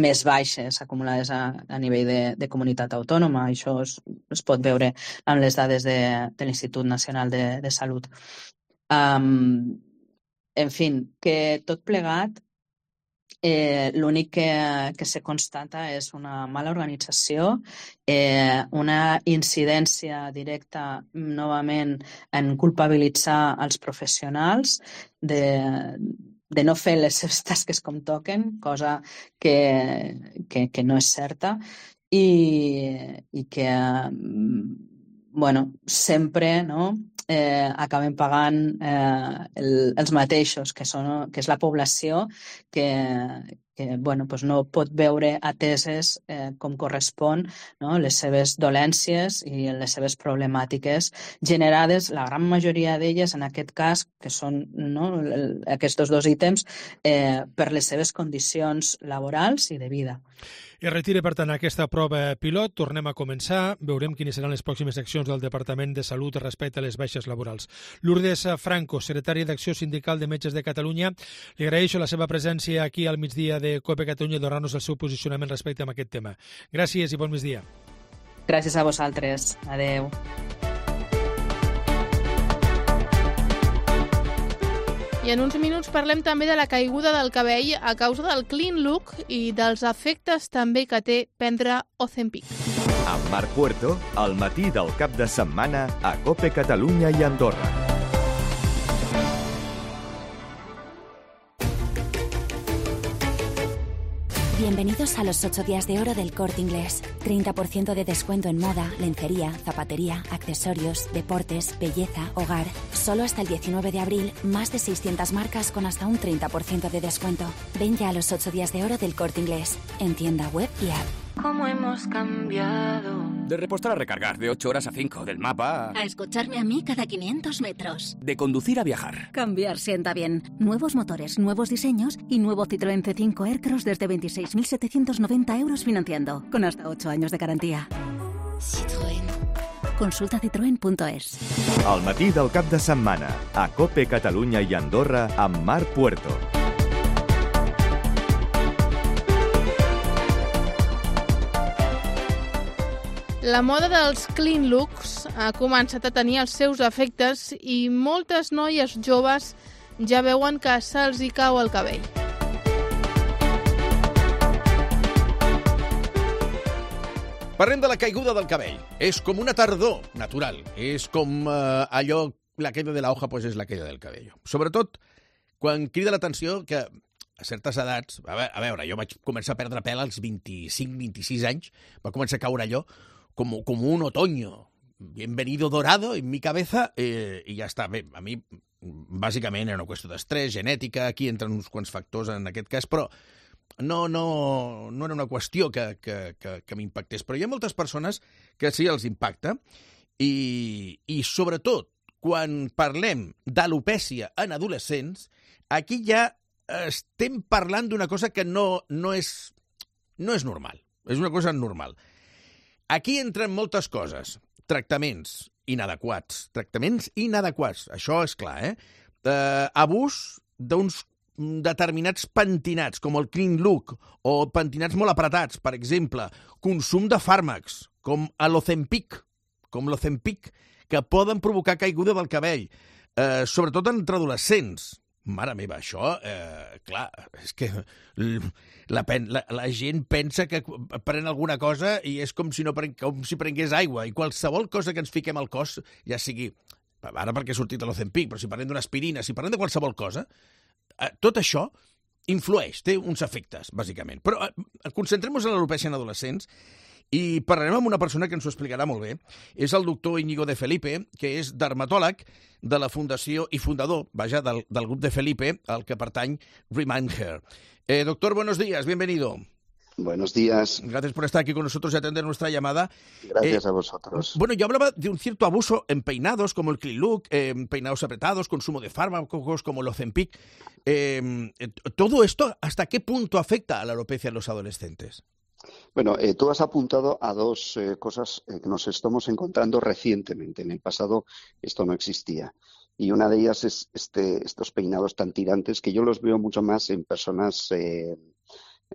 més baixes acumulades a, a nivell de, de comunitat autònoma. Això es, es pot veure amb les dades de, de l'Institut Nacional de, de Salut. Um, en fi, que tot plegat, eh, l'únic que, que se constata és una mala organització, eh, una incidència directa novament en culpabilitzar els professionals de, de no fer les seves tasques com toquen, cosa que, que, que no és certa, i, i que bueno, sempre, no? Eh, acabem pagant eh, el, els mateixos, que, són, que és la població que, que bueno, pues no pot veure ateses eh, com correspon, no? Les seves dolències i les seves problemàtiques generades, la gran majoria d'elles en aquest cas, que són, no? el, aquests dos ítems, eh, per les seves condicions laborals i de vida. Es retira, per tant, aquesta prova pilot. Tornem a començar. Veurem quines seran les pròximes accions del Departament de Salut respecte a les baixes laborals. Lourdes Franco, secretària d'Acció Sindical de Metges de Catalunya, li agraeixo la seva presència aquí al migdia de COPE Catalunya i donar-nos el seu posicionament respecte a aquest tema. Gràcies i bon migdia. Gràcies a vosaltres. Adeu. I en uns minuts parlem també de la caiguda del cabell a causa del clean look i dels efectes també que té prendre Ozempic. Amb Marc Puerto, al matí del cap de setmana a COPE Catalunya i Andorra. Bienvenidos a los ocho días de oro del Corte Inglés. treinta por ciento de descuento en moda, lencería, zapatería, accesorios, deportes, belleza, hogar. Solo hasta el diecinueve de abril, más de seiscientas marcas con hasta un treinta por ciento de descuento. Ven ya a los ocho días de oro del Corte Inglés. En tienda web y app. ¿Cómo hemos cambiado? De repostar a recargar, de ocho horas a cinco, del mapa a... a escucharme a mí cada quinientos metros. De conducir a viajar. Cambiar sienta bien. Nuevos motores, nuevos diseños y nuevo Citroën C cinco Aircross desde veintiséis mil setecientos noventa euros financiando, con hasta ocho años de garantía. Citroën. Consulta citroen punto es. Al matí del cap de setmana, a COPE Catalunya i Andorra amb Marc Puerto. La moda dels clean looks ha començat a tenir els seus efectes i moltes noies joves ja veuen que se'ls hi cau el cabell. Parlem de la caiguda del cabell. És com una tardor natural. És com eh, allò, la caïda de la hoja, pues és la caïda del cabell. Sobretot quan crida l'atenció que a certes edats, a veure, a veure, jo vaig començar a perdre pèl als vint-i-cinc vint-i-sis anys, va començar a caure allò com, com un otoño, bienvenido dorado en mi cabeza, eh, i ja està. Bé, a mi, bàsicament, era una qüestió d'estrès, genètica, aquí entren uns quants factors en aquest cas, però no, no, no era una qüestió que, que, que, que m'impactés. Però hi ha moltes persones que sí els impacta, i, i sobretot, quan parlem d'alopècia en adolescents, aquí ja estem parlant d'una cosa que no, no, és, no és normal. És una cosa normal. Aquí entren moltes coses. Tractaments inadequats. Tractaments inadequats. Això és clar, eh? eh abús d'uns determinats pentinats, com el clean look, o pentinats molt apretats, per exemple. Consum de fàrmacs, com l'Ozempic, com l'Ozempic, que poden provocar caiguda del cabell, eh, sobretot entre adolescents. Mare meva, això, eh, clar, és que la, la, la gent pensa que pren alguna cosa i és com si, no pren, com si prengués aigua, i qualsevol cosa que ens fiquem al cos, ja sigui, ara perquè ha sortit l'Ozempic, però si parlem d'una aspirina, si parlem de qualsevol cosa, eh, tot això influeix, té uns efectes, bàsicament. Però eh, concentrem-nos en l'alopècia en adolescents, i parlarem amb una persona que ens ho explicarà molt bé. És el doctor Íñigo de Felipe, que és dermatòleg de la fundació i fundador, vaja, del, del grup de Felipe, al que pertany Remind Hair. Eh, doctor, buenos días, bienvenido. Buenos días. Gracias por estar aquí con nosotros y atender nuestra llamada. Gracias eh, a vosotros. Bueno, yo hablaba de un cierto abuso en peinados, como el clean look, eh, peinados apretados, consumo de fármacos, como el Ozempic. Eh, ¿Todo esto hasta qué punto afecta a la alopecia en los adolescentes? Bueno, eh, tú has apuntado a dos eh, cosas eh, que nos estamos encontrando recientemente. En el pasado esto no existía. Y una de ellas es este, estos peinados tan tirantes que yo los veo mucho más en personas... Eh,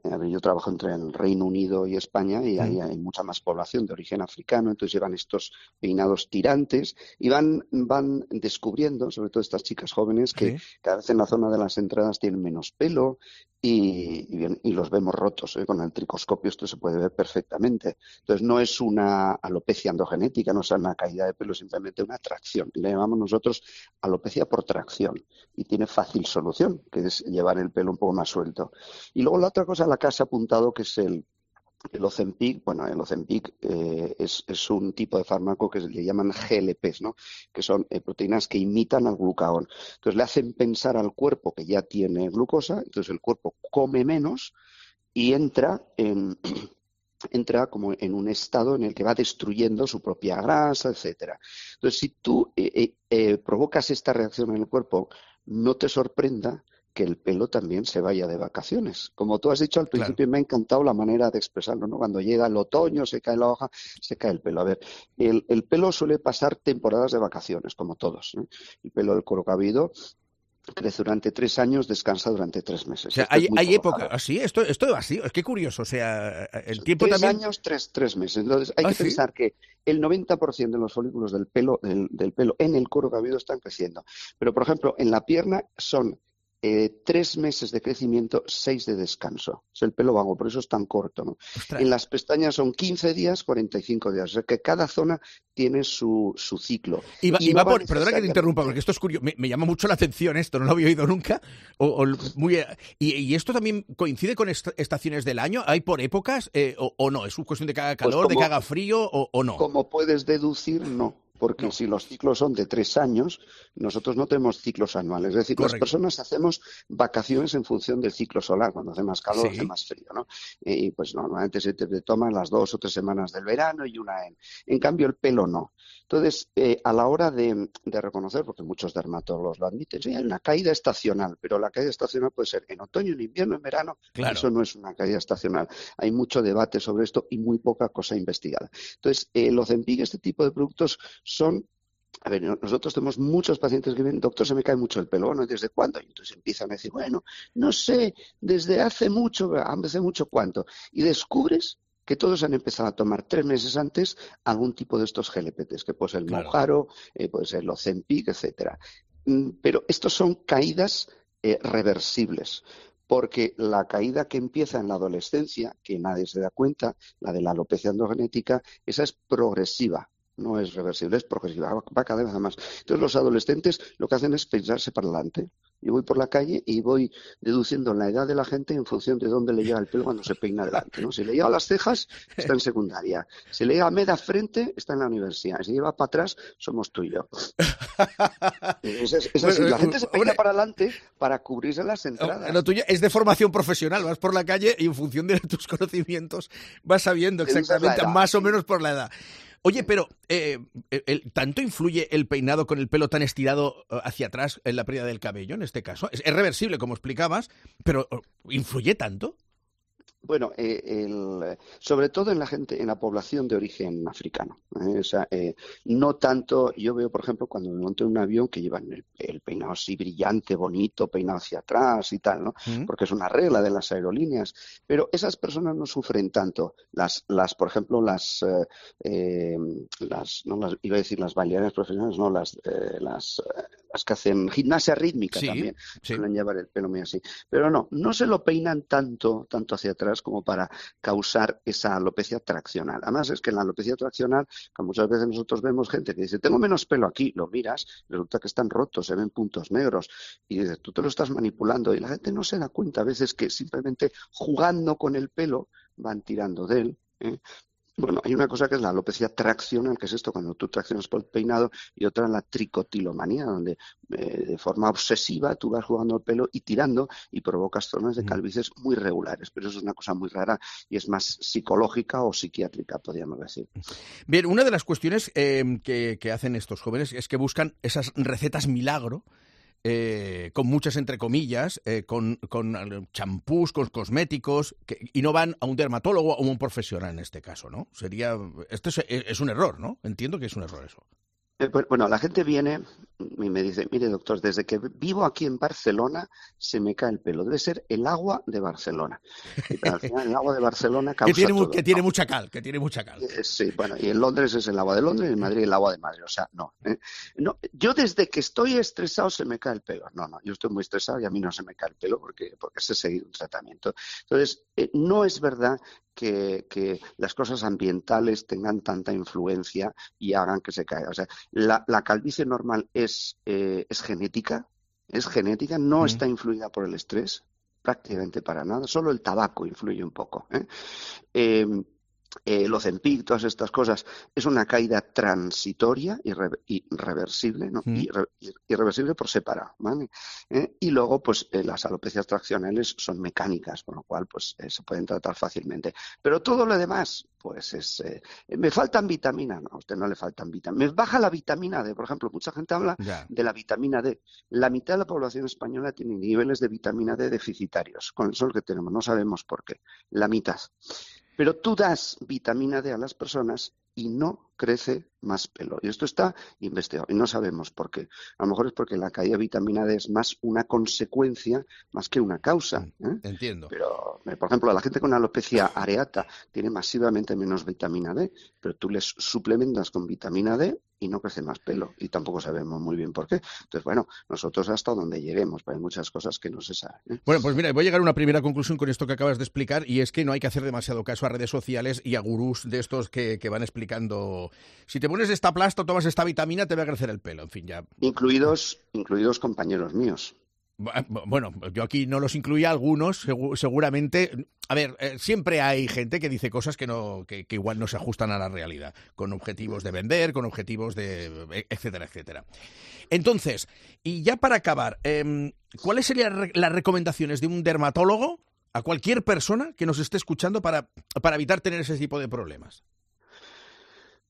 A ver, yo trabajo entre el Reino Unido y España y ahí hay mucha más población de origen africano, entonces llevan estos peinados tirantes y van, van descubriendo, sobre todo estas chicas jóvenes, que ¿sí? cada vez en la zona de las entradas tienen menos pelo y, y, bien, y los vemos rotos. ¿eh? Con el tricoscopio esto se puede ver perfectamente. Entonces no es una alopecia androgenética, no es una caída de pelo, simplemente una tracción. Y le llamamos nosotros alopecia por tracción y tiene fácil solución, que es llevar el pelo un poco más suelto. Y luego la otra cosa la que has apuntado, que es el, el Ozempic. Bueno, el Ozempic eh, es, es un tipo de fármaco que le llaman G L Ps, ¿no? Que son eh, proteínas que imitan al glucagón. Entonces le hacen pensar al cuerpo que ya tiene glucosa, entonces el cuerpo come menos y entra en... entra como en un estado en el que va destruyendo su propia grasa, etcétera. Entonces, si tú eh, eh, provocas esta reacción en el cuerpo, no te sorprenda que el pelo también se vaya de vacaciones. Como tú has dicho al principio, claro. Me ha encantado la manera de expresarlo, ¿no? Cuando llega el otoño, se cae la hoja, se cae el pelo. A ver, el, el pelo suele pasar temporadas de vacaciones, como todos, ¿eh? El pelo del cuero cabelludo crece durante tres años, descansa durante tres meses. O sea, hay, hay época, así, esto, esto así, es que curioso, o sea, el tiempo tres también... Tres años, tres, tres meses. Entonces, hay ¿Ah, que sí? pensar que el noventa por ciento de los folículos del pelo, del, del pelo en el cuero cabelludo están creciendo. Pero, por ejemplo, en la pierna son Eh, tres meses de crecimiento, seis de descanso. Es el pelo vago, por eso es tan corto, ¿no? Ostras. En las pestañas son quince días, cuarenta y cinco días. O sea que cada zona tiene su, su ciclo. Y va, y no va por, va perdona que te interrumpa, porque esto es curioso, me, me llama mucho la atención esto, no lo había oído nunca. O, o muy, y, y esto también coincide con est estaciones del año, ¿hay por épocas eh, o, o no? ¿Es cuestión de que haga calor, pues como, de que haga frío o, o no? Como puedes deducir, no. Porque no. Si los ciclos son de tres años, nosotros no tenemos ciclos anuales. Es decir, Correcto. Las personas hacemos vacaciones en función del ciclo solar. Cuando hace más calor, sí. hace más frío, ¿no? Y pues normalmente se te toman las dos o tres semanas del verano y una en... En cambio, el pelo no. Entonces, eh, a la hora de, de reconocer, porque muchos dermatólogos lo admiten, sí, hay una caída estacional, pero la caída estacional puede ser en otoño, en invierno, en verano. Claro. Eso no es una caída estacional. Hay mucho debate sobre esto y muy poca cosa investigada. Entonces, eh, el Ozempic, este tipo de productos son... A ver, nosotros tenemos muchos pacientes que vienen, doctor, se me cae mucho el pelo, bueno, ¿desde cuándo? Y entonces empiezan a decir, bueno, no sé, desde hace mucho, hace mucho cuánto. Y descubres que todos han empezado a tomar tres meses antes algún tipo de estos G L Ps, que puede ser el claro. Mounjaro, eh, puede ser el Ozempic, etcétera. Pero estos son caídas eh, reversibles. porque la caída que empieza en la adolescencia, que nadie se da cuenta, la de la alopecia androgenética, esa es progresiva. No es reversible, es progresiva, va cada vez más. Entonces los adolescentes lo que hacen es pensarse para adelante. Yo voy por la calle y voy deduciendo la edad de la gente en función de dónde le llega el pelo cuando se peina adelante, ¿no? Si le llega a las cejas, está en secundaria. Si le llega a media frente, está en la universidad. Si lleva para atrás, somos tú y yo. Es, es, es así. La gente se peina para adelante para cubrirse las entradas. Lo tuyo es de formación profesional. Vas por la calle y en función de tus conocimientos vas sabiendo exactamente más o menos por la edad. Oye, pero eh, el, ¿tanto influye el peinado con el pelo tan estirado hacia atrás en la pérdida del cabello en este caso? Es, es reversible, como explicabas, pero ¿influye tanto? Bueno, eh, el, sobre todo en la gente, en la población de origen africano. ¿eh? O sea, eh, no tanto, yo veo, por ejemplo, cuando me monto en un avión que llevan el, el peinado así brillante, bonito, peinado hacia atrás y tal, ¿no? Mm. Porque es una regla de las aerolíneas. Pero esas personas no sufren tanto. Las, las por ejemplo, las, eh, eh, las, no las, iba a decir las bailarinas profesionales, no, las, eh, las, eh, las que hacen gimnasia rítmica sí, también. Sí. Suelen llevar el pelo muy así. Pero no, no se lo peinan tanto, tanto hacia atrás como para causar esa alopecia traccional. Además es que en la alopecia traccional, que muchas veces nosotros vemos gente que dice, tengo menos pelo aquí, lo miras, resulta que están rotos, se ven puntos negros, y dices, tú te lo estás manipulando, y la gente no se da cuenta a veces que simplemente jugando con el pelo van tirando de él, ¿eh? Bueno, hay una cosa que es la alopecia traccional, que es esto cuando tú traccionas por el peinado, y otra la tricotilomanía, donde eh, de forma obsesiva tú vas jugando el pelo y tirando y provocas zonas de calvicies muy regulares. Pero eso es una cosa muy rara y es más psicológica o psiquiátrica, podríamos decir. Bien, una de las cuestiones eh, que, que hacen estos jóvenes es que buscan esas recetas milagro, Eh, con muchas entre comillas, eh, con, con champús, con cosméticos, que, y no van a un dermatólogo o a un profesional en este caso, ¿no? Sería, esto es, es un error, ¿no? Entiendo que es un error eso. Bueno, la gente viene y me dice, mire doctor, desde que vivo aquí en Barcelona se me cae el pelo. Debe ser el agua de Barcelona. Y al final el agua de Barcelona causa que tiene, todo, que ¿no? tiene mucha cal, que tiene mucha cal. Eh, sí, bueno, y en Londres es el agua de Londres y en Madrid el agua de Madrid. O sea, no, ¿eh? no. Yo desde que estoy estresado se me cae el pelo. No, no, yo estoy muy estresado y a mí no se me cae el pelo porque, porque sé seguir un tratamiento. Entonces, eh, no es verdad Que, que las cosas ambientales tengan tanta influencia y hagan que se caiga. O sea, la, la calvicie normal es, eh, es genética, es genética, no mm. está influida por el estrés, prácticamente para nada, solo el tabaco influye un poco. ¿eh? Eh, Eh, el Ozempic, todas estas cosas, es una caída transitoria y irre, irreversible, ¿no? Mm. Irre, irreversible por separado, ¿vale? ¿Eh? Y luego, pues, eh, las alopecias traccionales son mecánicas, con lo cual, pues, eh, se pueden tratar fácilmente. Pero todo lo demás, pues, es... Eh, me faltan vitaminas, no, a usted no le faltan vitaminas. Me baja la vitamina D, por ejemplo, mucha gente habla yeah. de la vitamina D. La mitad de la población española tiene niveles de vitamina D deficitarios, con el sol que tenemos, no sabemos por qué, la mitad. Pero tú das vitamina D a las personas y no crece más pelo. Y esto está investigado y no sabemos por qué. A lo mejor es porque la caída de vitamina D es más una consecuencia más que una causa. ¿eh? Entiendo. Pero, por ejemplo, la gente con alopecia areata tiene masivamente menos vitamina D, pero tú les suplementas con vitamina D y no crece más pelo. Y tampoco sabemos muy bien por qué. Entonces, bueno, nosotros hasta donde lleguemos, pero hay muchas cosas que no se saben. ¿eh? Bueno, pues mira, voy a llegar a una primera conclusión con esto que acabas de explicar, y es que no hay que hacer demasiado caso a redes sociales y a gurús de estos que, que van explicando... Si te pones esta plasta o tomas esta vitamina, te va a crecer el pelo. En fin, ya. Incluidos, incluidos compañeros míos. Bueno, yo aquí no los incluía, algunos, seguramente. A ver, eh, siempre hay gente que dice cosas que no, que, que igual no se ajustan a la realidad, con objetivos de vender, con objetivos de... etcétera, etcétera. Entonces, y ya para acabar, eh, ¿cuáles serían las recomendaciones de un dermatólogo a cualquier persona que nos esté escuchando para, para evitar tener ese tipo de problemas?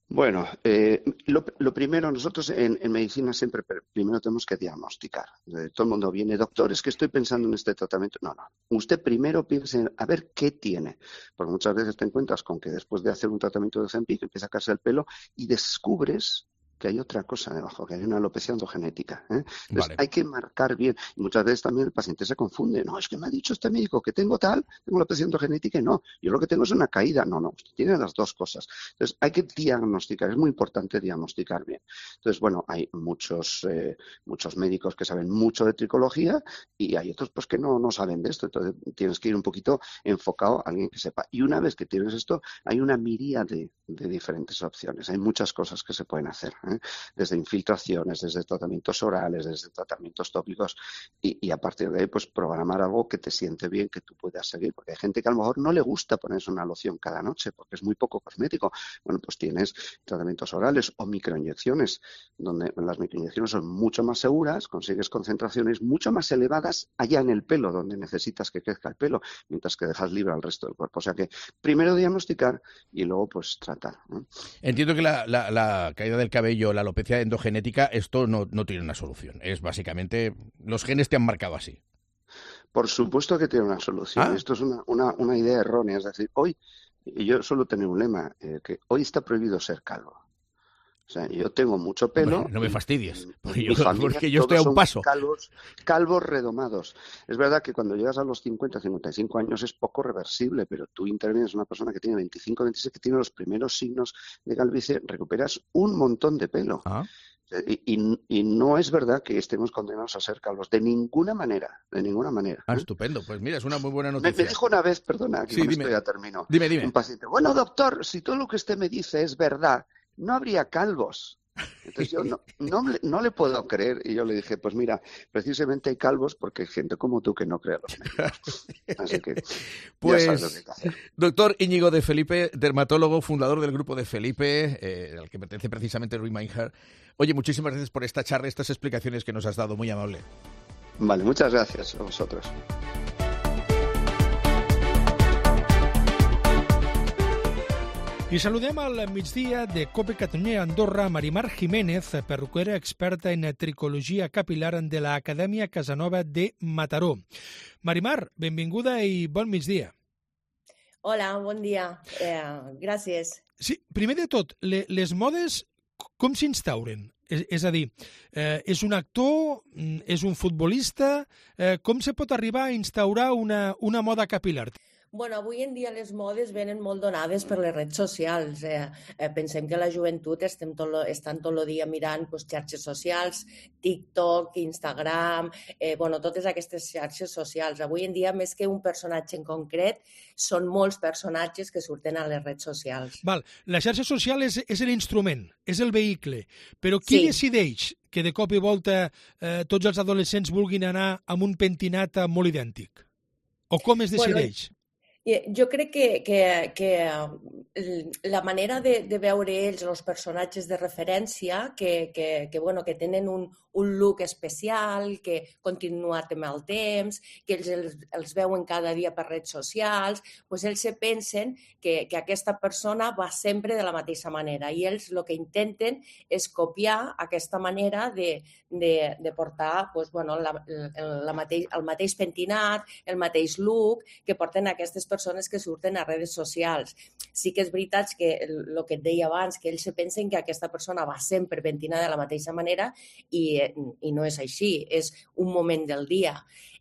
Bueno, eh, lo, lo primero, nosotros en, en medicina siempre primero tenemos que diagnosticar. Todo el mundo viene, doctor, es que estoy pensando en este tratamiento. No, no. Usted primero piense en a ver qué tiene. Porque muchas veces te encuentras con que después de hacer un tratamiento de Ozempic empieza a caerse el pelo y descubres que hay otra cosa debajo, que hay una alopecia endogenética. ¿eh? Entonces, Vale. hay que marcar bien. Y muchas veces también el paciente se confunde. No, es que me ha dicho este médico que tengo tal, tengo alopecia endogenética y no. Yo lo que tengo es una caída. No, no, usted tiene las dos cosas. Entonces, hay que diagnosticar. Es muy importante diagnosticar bien. Entonces, bueno, hay muchos, eh, muchos médicos que saben mucho de tricología y hay otros pues que no, no saben de esto. Entonces, tienes que ir un poquito enfocado a alguien que sepa. Y una vez que tienes esto, hay una miríade de diferentes opciones. Hay muchas cosas que se pueden hacer. ¿eh? Desde infiltraciones, desde tratamientos orales, desde tratamientos tópicos y, y a partir de ahí pues programar algo que te siente bien, que tú puedas seguir, porque hay gente que a lo mejor no le gusta ponerse una loción cada noche porque es muy poco cosmético. Bueno, pues tienes tratamientos orales o microinyecciones, donde las microinyecciones son mucho más seguras, consigues concentraciones mucho más elevadas allá en el pelo, donde necesitas que crezca el pelo, mientras que dejas libre al resto del cuerpo. O sea que primero diagnosticar y luego pues tratar. ¿eh? Entiendo que la, la, la caída del cabello, la alopecia endogenética, esto no, no tiene una solución. Es básicamente, los genes te han marcado así. Por supuesto que tiene una solución. ¿Ah? Esto es una, una, una idea errónea. Es decir, hoy, y yo suelo tener un lema, eh, que hoy está prohibido ser calvo. O sea, yo tengo mucho pelo. Bueno, no me fastidies, porque yo, yo, porque yo estoy a un paso. Calvos, calvos redomados. Es verdad que cuando llegas a los cincuenta, cincuenta y cinco años es poco reversible, pero tú intervienes una persona que tiene veinticinco, veintiséis, que tiene los primeros signos de calvicie, recuperas un montón de pelo. ¿Ah? Y, y, y no es verdad que estemos condenados a ser calvos, de ninguna manera, de ninguna manera. Ah, estupendo. Pues mira, es una muy buena noticia. Me, me dijo una vez, perdona, que sí, con dime. esto ya termino. Dime, dime. Un paciente, bueno, doctor, si todo lo que usted me dice es verdad, no habría calvos. Entonces yo no, no, no le puedo creer y yo le dije, pues mira, precisamente hay calvos porque hay gente como tú que no cree a los médicos. Así que pues, ya sabes lo que hay que hacer. Doctor Íñigo de Felipe, dermatólogo, fundador del grupo de Felipe, eh, al que pertenece precisamente Rui Meinhardt. Oye, muchísimas gracias por esta charla, estas explicaciones que nos has dado, muy amable. Vale, muchas gracias a vosotros. I saludem al migdia de Cope Catalunya Andorra Marimar Jiménez, perruquera experta en tricologia capilar de l'Acadèmia Casanova de Mataró. Marimar, benvinguda i bon migdia. Hola, bon dia. Eh, gràcies. Sí, primer de tot, le, les modes com s'instauren? És, és a dir, eh, és un actor, és un futbolista, eh, com se pot arribar a instaurar una, una moda capilar? Bueno, avui en dia les modes venen molt donades per les redes socials. Eh, eh, pensem que la joventut estem tot lo, estan tot el dia mirant pues, xarxes socials, TikTok, Instagram, eh, bueno, totes aquestes xarxes socials. Avui en dia, més que un personatge en concret, són molts personatges que surten a les redes socials. Val. La xarxa social és, és l'instrument, és el vehicle, però qui sí. decideix que de cop i volta eh, tots els adolescents vulguin anar amb un pentinat molt idèntic? O com es decideix? Bueno, jo crec que, que, que la manera de, de veure ells, els personatges de referència, que, que, que, bueno, que tenen un, un look especial, que continuat amb el temps, que ells els, els veuen cada dia per redes socials, doncs ells se pensen que, que aquesta persona va sempre de la mateixa manera i ells el que intenten és copiar aquesta manera de, de, de portar doncs, bueno, la, la mateix, el mateix pentinat, el mateix look que porten aquestes persones persones que surten a redes socials. Sí que és veritat que el que et deia abans, que ells se pensen que aquesta persona va sempre pentinada de la mateixa manera i, i no és així, és un moment del dia.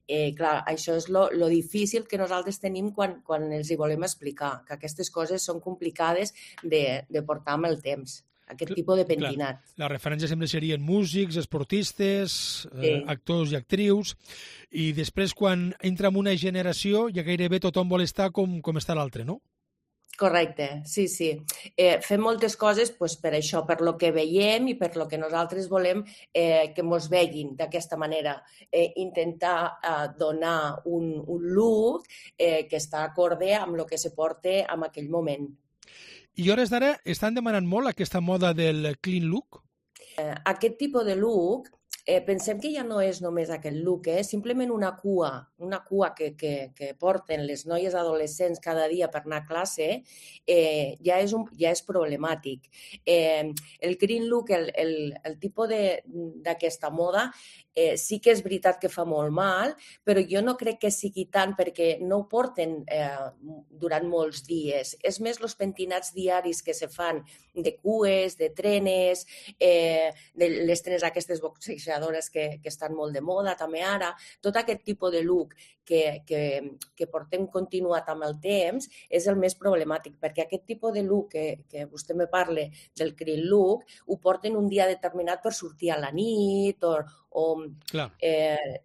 Eh, clar, això és lo, lo difícil que nosaltres tenim quan, quan els hi volem explicar, que aquestes coses són complicades de, de portar amb el temps. Aquest tipus de pentinat. Clar, la referència sempre serien músics, esportistes, sí. eh, actors i actrius, i després quan entra en una generació ja gairebé tothom vol estar com, com està l'altre, no? Correcte, sí, sí. Eh, fem moltes coses pues, per això, per lo que veiem i per lo que nosaltres volem eh, que ens veguin d'aquesta manera. Eh, intentar eh, donar un, un look eh, que està acorde amb el que se porta en aquell moment. I hores d'ara estan demanant molt aquesta moda del clean look? Eh, aquest tipus de look eh, pensem que ja no és només aquest look, eh? Simplement una cua, una cua que, que, que porten les noies adolescents cada dia per anar a classe, eh, ja, és un, ja és problemàtic. Eh, el green look, el, el, el tipus d'aquesta moda, eh, sí que és veritat que fa molt mal, però jo no crec que sigui tant perquè no ho porten eh, durant molts dies. És més els pentinats diaris que se fan de cues, de trenes, eh, de les trenes aquestes boxejadores que, que estan molt de moda també ara, tot aquest tipus de look que, que, que portem continuat amb el temps és el més problemàtic, perquè aquest tipus de look que, que vostè me parla del green look, ho porten un dia determinat per sortir a la nit o, o eh,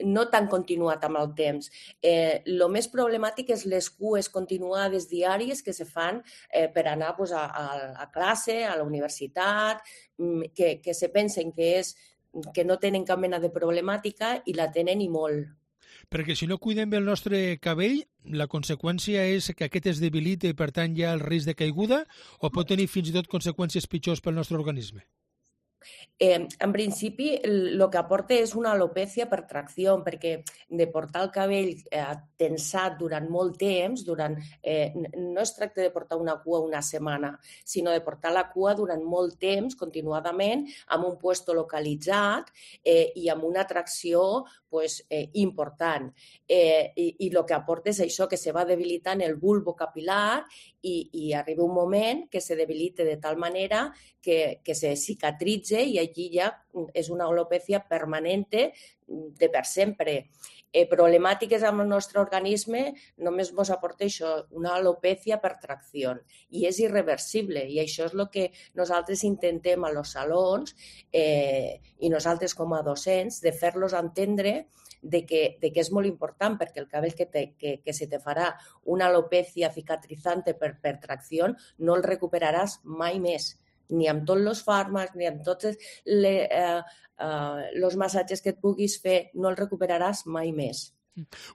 no tan continuat amb el temps. Eh, lo més problemàtic és les cues continuades diàries que se fan eh, per anar pues, a, a, a classe, a la universitat, que, que se pensen que, és, que no tenen cap mena de problemàtica i la tenen i molt. Perquè si no cuidem bé el nostre cabell, la conseqüència és que aquest es debilita i per tant hi ha el risc de caiguda o pot tenir fins i tot conseqüències pitjors pel nostre organisme? Eh, en principi, el que aporta és una alopècia per tracció, perquè de portar el cabell eh, tensat durant molt temps, durant, eh, no es tracta de portar una cua una setmana, sinó de portar la cua durant molt temps, continuadament, amb un puesto localitzat eh, i amb una tracció pues, eh, important. Eh, i, I el que aporta és això, que se va debilitant el bulbo capilar i, i arriba un moment que se debilita de tal manera que, que se cicatritze i allí ja és una alopècia permanente de per sempre. Eh, problemàtiques amb el nostre organisme només ens aporta això, una alopècia per tracció. I és irreversible i això és el que nosaltres intentem a los salons eh, i nosaltres com a docents de fer-los entendre de que, de que és molt important perquè el cabell que, te, que, que se te farà una alopècia cicatrizante per, per tracció no el recuperaràs mai més, ni amb tots els fàrmacs, ni amb tots els eh, eh, massatges que et puguis fer, no el recuperaràs mai més.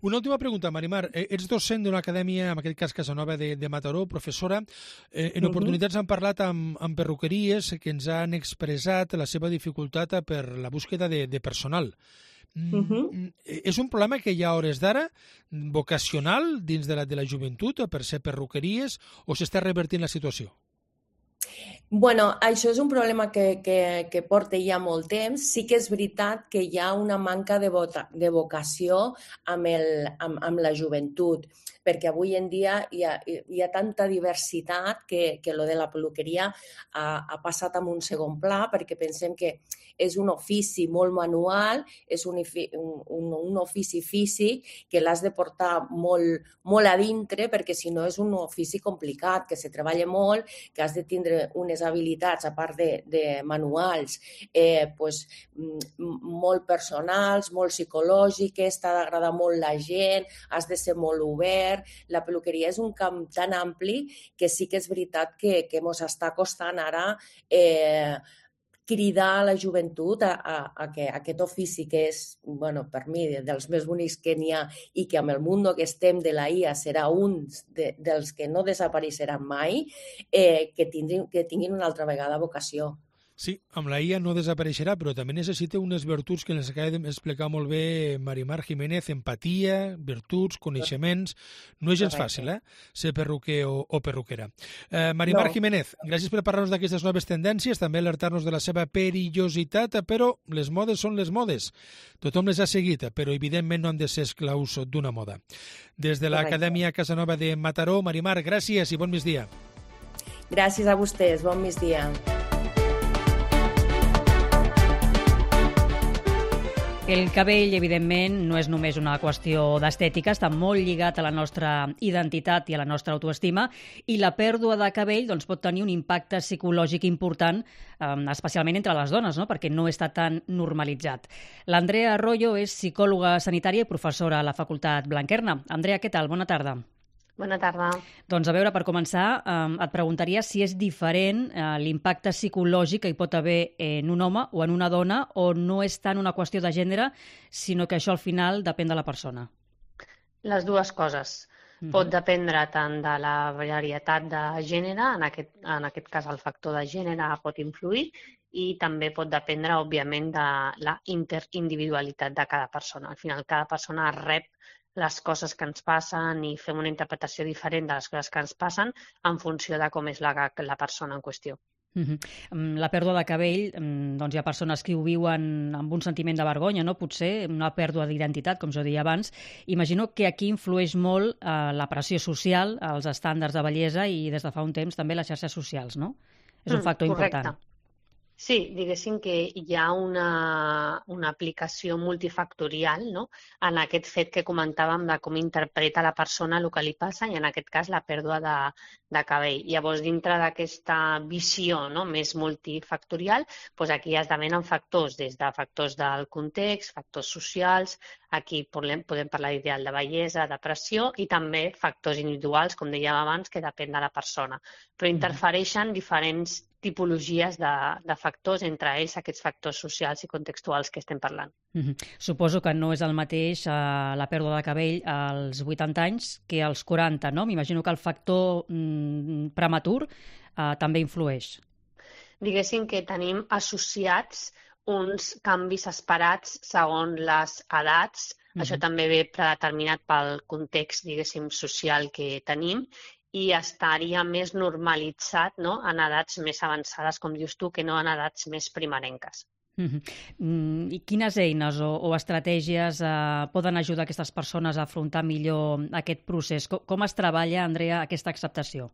Una última pregunta, Marimar. Ets docent d'una acadèmia, en aquest cas Casanova de, de Mataró, professora. Eh, en oportunitats han parlat amb, amb perruqueries que ens han expressat la seva dificultat per la búsqueda de, de personal. Uh-huh. És un problema que hi ha a hores d'ara vocacional dins de la, de la joventut per ser perruqueries o s'està revertint la situació? Bueno, això és un problema que, que, que porta ja molt temps. Sí que és veritat que hi ha una manca de, vota, de vocació amb, el, amb, amb la joventut, perquè avui en dia hi ha, hi ha tanta diversitat que, que lo de la peluqueria ha, ha passat a un segon pla, perquè pensem que és un ofici molt manual, és un, un, un ofici físic que l'has de portar molt, molt a dintre, perquè si no és un ofici complicat, que se treballa molt, que has de tindre unes habilitats, a part de, de manuals, eh, pues, molt personals, molt psicològiques, t'ha d'agradar molt la gent, has de ser molt obert. La peluqueria és un camp tan ampli que sí que és veritat que, que ens està costant ara eh, cridar a la joventut a, a, a que aquest ofici que és, bueno, per mi, dels més bonics que n'hi ha i que amb el món que estem de la I A serà un de, dels que no desapareixeran mai, eh, que, tinguin, que tinguin una altra vegada vocació. Sí, amb la I A no desapareixerà, però també necessita unes virtuts que ens acaba d'explicar molt bé Marimar Jiménez, empatia, virtuts, coneixements. No és gens fàcil, eh?, ser perruquer o, o perruquera. Eh, Marimar no. Jiménez, gràcies per parlar-nos d'aquestes noves tendències, també alertar-nos de la seva perillositat, però les modes són les modes. Tothom les ha seguit, però evidentment no han de ser esclaus d'una moda. Des de l'Acadèmia Casanova de Mataró, Marimar, gràcies i bon migdia. Gràcies a vostès, bon migdia. El cabell, evidentment, no és només una qüestió d'estètica, està molt lligat a la nostra identitat i a la nostra autoestima, i la pèrdua de cabell doncs, pot tenir un impacte psicològic important, eh, especialment entre les dones, no?, perquè no està tan normalitzat. L'Andrea Arroyo és psicòloga sanitària i professora a la Facultat Blanquerna. Andrea, què tal? Bona tarda. Bona tarda. Doncs a veure, per començar, eh, et preguntaria si és diferent eh, l'impacte psicològic que hi pot haver en un home o en una dona, o no és tant una qüestió de gènere, sinó que això al final depèn de la persona. Les dues coses. Pot dependre tant de la varietat de gènere, en aquest, en aquest cas el factor de gènere pot influir, i també pot dependre, òbviament, de la interindividualitat de cada persona. Al final, cada persona rep les coses que ens passen i fem una interpretació diferent de les coses que ens passen en funció de com és la, la persona en qüestió. Uh-huh. La pèrdua de cabell, doncs hi ha persones que ho viuen amb un sentiment de vergonya, no? Potser una pèrdua d'identitat, com jo deia abans. Imagino que aquí influeix molt eh, la pressió social, els estàndards de bellesa i des de fa un temps també les xarxes socials, no? És un factor mm, important. Sí, diguéssim que hi ha una, una aplicació multifactorial, no?, en aquest fet que comentàvem de com interpreta la persona el que li passa i en aquest cas la pèrdua de, de cabell. Llavors, dintre d'aquesta visió, no?, més multifactorial, doncs aquí esdevenen factors, des de factors del context, factors socials, aquí podem, podem parlar d'ideal de bellesa, de pressió i també factors individuals, com dèiem abans, que depèn de la persona. Però interfereixen diferents tipologies de, de factors, entre ells aquests factors socials i contextuals que estem parlant. Uh-huh. Suposo que no és el mateix eh, la pèrdua de cabell als vuitanta anys que als quaranta, no? M'imagino que el factor mm, prematur eh, també influeix. Diguéssim que tenim associats uns canvis esperats segons les edats. Uh-huh. Això també ve predeterminat pel context, diguéssim, social que tenim, i estaria més normalitzat, no?, en edats més avançades, com dius tu, que no en edats més primerenques. Uh-huh. I quines eines o, o estratègies eh, poden ajudar aquestes persones a afrontar millor aquest procés? Com, com es treballa, Andrea, aquesta acceptació?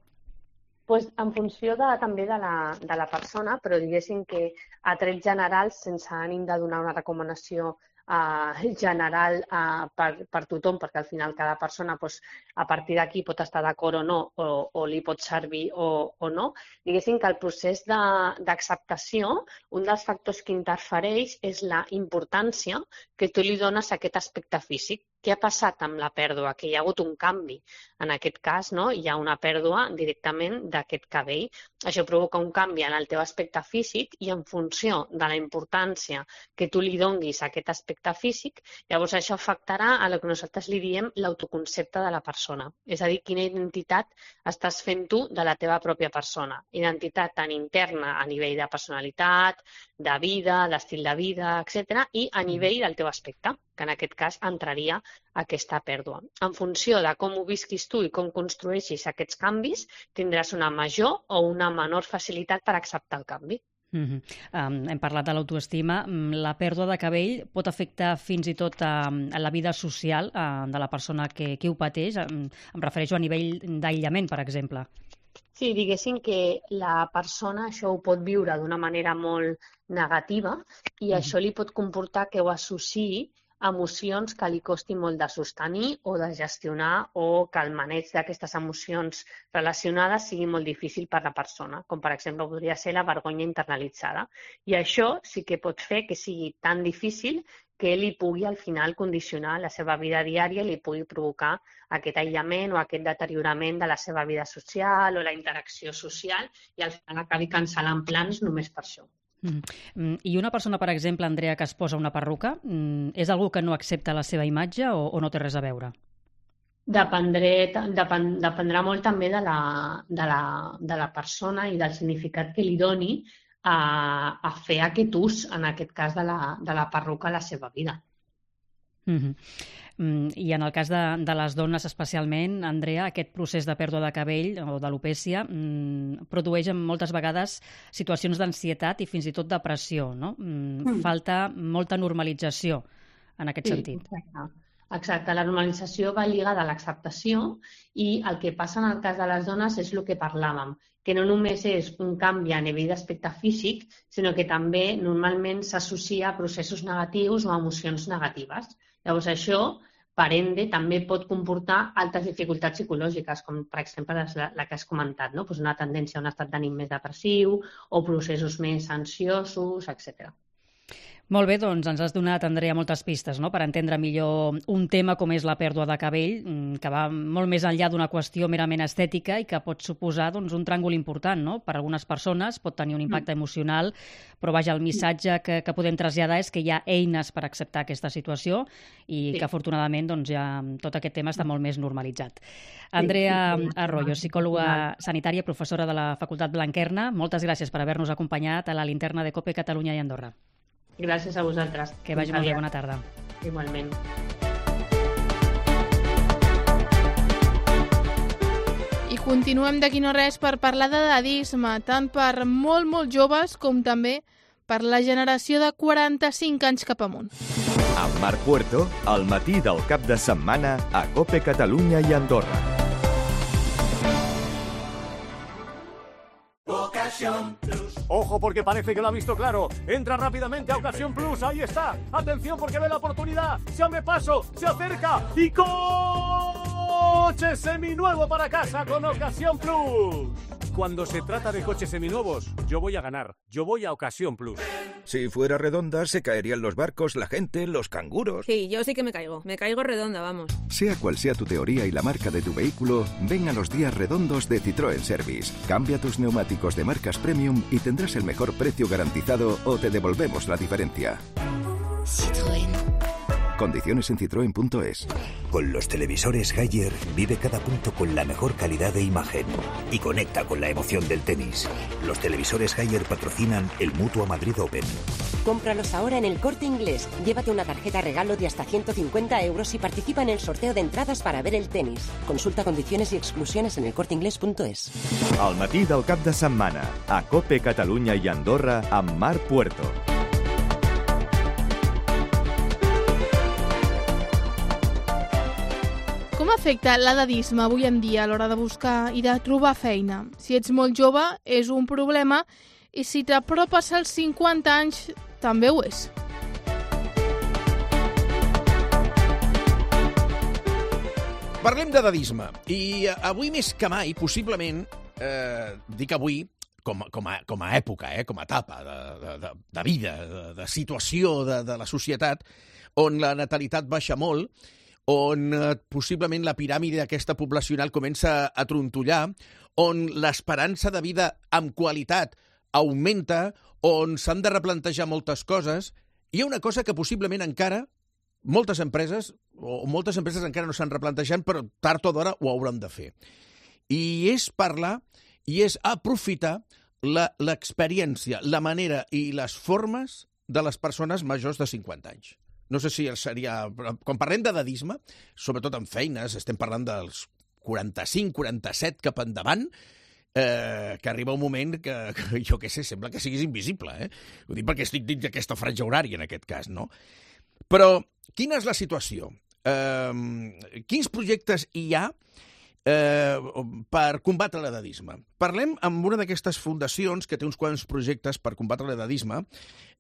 Pues en funció de, també de la, de la persona, però diguéssim que a trets generals, sense ànim de donar una recomanació Uh, general uh, per, per tothom, perquè al final cada persona pues, a partir d'aquí pot estar d'acord o no, o, o li pot servir o, o no. Diguéssim que el procés d'acceptació, un dels factors que interfereix és la importància que tu li dones a aquest aspecte físic. Què ha passat amb la pèrdua? Que hi ha hagut un canvi. En aquest cas, no? Hi ha una pèrdua directament d'aquest cabell. Això provoca un canvi en el teu aspecte físic i en funció de la importància que tu li donguis a aquest aspecte físic, llavors això afectarà a el que nosaltres li diem l'autoconcepte de la persona. És a dir, quina identitat estàs fent tu de la teva pròpia persona. Identitat tant interna a nivell de personalitat, de vida, d'estil de vida, etcètera, i a nivell del teu aspecte, que en aquest cas entraria aquesta pèrdua. En funció de com ho visquis tu i com construeixis aquests canvis, tindràs una major o una menor facilitat per acceptar el canvi. Uh-huh. um, hem parlat de l'autoestima. La pèrdua de cabell pot afectar fins i tot a, a la vida social uh, de la persona que, que ho pateix. Um, em refereixo a nivell d'aïllament, per exemple. Sí, diguéssim que la persona això ho pot viure d'una manera molt negativa i uh-huh. això li pot comportar que ho associï emocions que li costi molt de sostenir o de gestionar o que el maneig d'aquestes emocions relacionades sigui molt difícil per la persona, com per exemple podria ser la vergonya internalitzada. I això sí que pot fer que sigui tan difícil que li pugui al final condicionar la seva vida diària i li pugui provocar aquest aïllament o aquest deteriorament de la seva vida social o la interacció social i al final acabi cancel·lant plans només per això. Mm. I una persona, per exemple, Andrea, que es posa una perruca, és algú que no accepta la seva imatge o, o no té res a veure? Dependré, depèn, dependrà molt també de la, de, la, de la persona i del significat que li doni a, a fer aquest ús, en aquest cas de la, de la perruca a la seva vida. Mm-hmm. I en el cas de, de les dones especialment, Andrea, aquest procés de pèrdua de cabell o d'alopècia mm, produeix moltes vegades situacions d'ansietat i fins i tot depressió, no? Mm, mm. Falta molta normalització en aquest sí, sentit. Exacte. Exacte, la normalització va lligada a l'acceptació i el que passa en el cas de les dones és el que parlàvem, que no només és un canvi a nivell d'aspecte físic, sinó que també normalment s'associa a processos negatius o a emocions negatives. Llavors això, per ende, també pot comportar altres dificultats psicològiques, com per exemple la, la que has comentat, no? Pues una tendència a un estat d'ànim més depressiu o processos més ansiosos, etcètera. Molt bé, doncs ens has donat, Andrea, moltes pistes, no?, per entendre millor un tema com és la pèrdua de cabell, que va molt més enllà d'una qüestió merament estètica i que pot suposar doncs, un tràngol important, no? Per a algunes persones pot tenir un impacte emocional, però vaja, el missatge que, que podem traslladar és que hi ha eines per acceptar aquesta situació i sí. que afortunadament doncs, ja tot aquest tema està molt més normalitzat. Andrea Arroyo, psicòloga sanitària, professora de la Facultat Blanquerna, moltes gràcies per haver-nos acompanyat a la linterna de COPE Catalunya i Andorra. Gràcies a vosaltres. Que vagi molt bé, bona tarda. Igualment. I continuem d'aquí no res per parlar d'edadisme, tant per molt, molt joves com també per la generació de quaranta-cinc anys cap amunt. Amb Marc Puerto, al matí del cap de setmana a COPE Catalunya i Andorra. Ocasión Plus. Ojo porque parece que lo ha visto claro. Entra rápidamente a Ocasión Plus. Ahí está. Atención porque ve la oportunidad. Se me paso. Se acerca. Y coche seminuevo para casa con Ocasión Plus. Cuando se trata de coches seminuevos, yo voy a ganar. Yo voy a Ocasión Plus. Si fuera redonda, se caerían los barcos, la gente, los canguros. Sí, yo sí que me caigo. Me caigo redonda, vamos. Sea cual sea tu teoría y la marca de tu vehículo, ven a los días redondos de Citroën Service. Cambia tus neumáticos de marcas premium y tendrás el mejor precio garantizado o te devolvemos la diferencia. Citroën. Condiciones en citroen punto es. Con los televisores Haier vive cada punto con la mejor calidad de imagen y conecta con la emoción del tenis. Los televisores Haier patrocinan el Mutua Madrid Open. Cómpralos ahora en El Corte Inglés. Llévate una tarjeta regalo de hasta ciento cincuenta euros y participa en el sorteo de entradas para ver el tenis. Consulta condiciones y exclusiones en el corte inglés punto es. Al matí del cap de setmana, a COPE Catalunya i Andorra amb Marc Puerto. Com afecta l'edadisme avui en dia a l'hora de buscar i de trobar feina? Si ets molt jove, és un problema, i si t'apropes als cinquanta anys, també ho és. Parlem d'edadisme, i avui més que mai, possiblement, eh, dic avui, com, com, a, com a època, eh, com a etapa de, de, de, de vida, de, de situació de, de la societat, on la natalitat baixa molt, on eh, possiblement la piràmide aquesta poblacional comença a trontollar, on l'esperança de vida amb qualitat augmenta, on s'han de replantejar moltes coses, hi ha una cosa que possiblement encara moltes empreses, o moltes empreses encara no s'han replantejat, però tard o d'hora ho hauran de fer. I és parlar, i és aprofitar l'experiència, la manera i les formes de les persones majors de cinquanta anys. No sé si seria... Quan parlem d'edadisme, sobretot en feines, estem parlant dels quaranta-cinc, quaranta-set cap endavant, eh, que arriba un moment que, que, jo què sé, sembla que siguis invisible, eh? Ho dic perquè estic dins d'aquesta franja horària, en aquest cas, no? Però quina és la situació? Eh, quins projectes hi ha eh, per combatre l'edadisme? Parlem amb una d'aquestes fundacions que té uns quants projectes per combatre l'edadisme,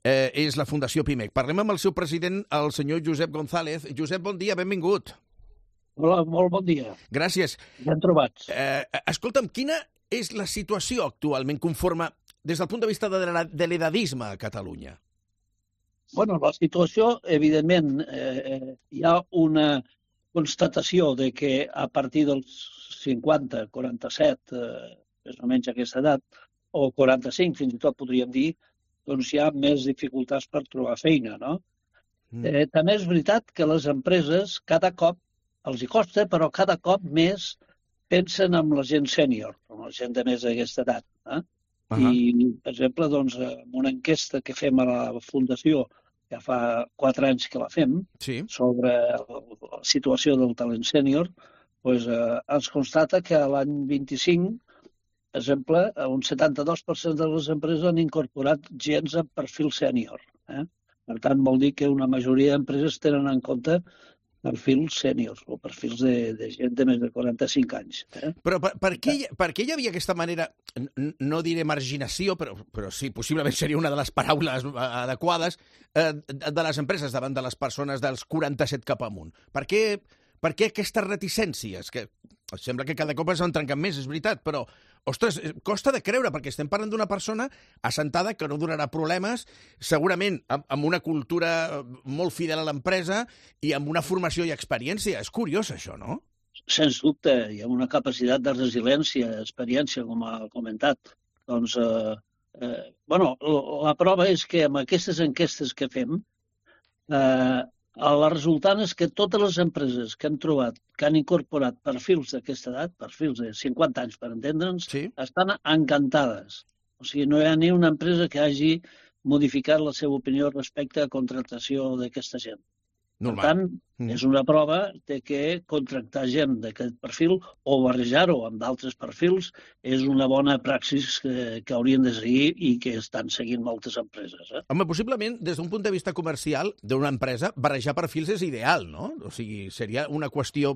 eh, és la Fundació Pimec. Parlem amb el seu president, el senyor Josep González. Josep, bon dia, benvingut. Hola, molt bon dia. Gràcies. Ben trobats. Eh, escolta'm, quina és la situació actualment conforme des del punt de vista de l'edadisme a Catalunya? Bueno, la situació, evidentment, eh, hi ha una constatació de que a partir dels cinquanta, quaranta-set, eh, més o menys aquesta edat, o quaranta-cinc, fins i tot podríem dir, doncs hi ha més dificultats per trobar feina, no? Mm. Eh, també és veritat que les empreses cada cop els hi costa, però cada cop més pensen en la gent sènior, en la gent de més d'aquesta edat. Eh? Uh -huh. I, per exemple, doncs, en una enquesta que fem a la Fundació, ja fa quatre anys que la fem, sí, sobre la situació del talent sènior, doncs, eh, ens constata que l'any vint-i-cinc, per exemple, un setanta-dos per cent de les empreses han incorporat gens amb perfil sènior. Eh? Per tant, vol dir que una majoria d'empreses tenen en compte perfils sèniors o perfils de, de gent de més de quaranta-cinc anys. Eh? Però per, per, què, per què hi havia aquesta manera, no diré marginació, però, però sí, possiblement seria una de les paraules adequades, eh, de les empreses davant de les persones dels quaranta-set cap amunt? Per què, per què aquestes reticències? Que sembla que cada cop s'han trencat més, és veritat, però, ostres, costa de creure, perquè estem parlant d'una persona assentada que no donarà problemes, segurament amb, amb una cultura molt fidel a l'empresa i amb una formació i experiència. És curiós, això, no? Sens dubte, hi ha una capacitat de resiliència, experiència, com ha comentat. Doncs, eh, eh, bueno, la prova és que amb aquestes enquestes que fem, eh, la resultant és que totes les empreses que han trobat, que han incorporat perfils d'aquesta edat, perfils de cinquanta anys per entendre'ns, sí. estan encantades. O sigui, no hi ha ni una empresa que hagi modificat la seva opinió respecte a contractació d'aquesta gent. Normal. Per tant, mm. és una prova de que contractar gent d'aquest perfil o barrejar-ho amb d'altres perfils és una bona praxis que, que haurien de seguir i que estan seguint moltes empreses. Eh? Home, possiblement, des d'un punt de vista comercial d'una empresa, barrejar perfils és ideal, no? O sigui, seria una qüestió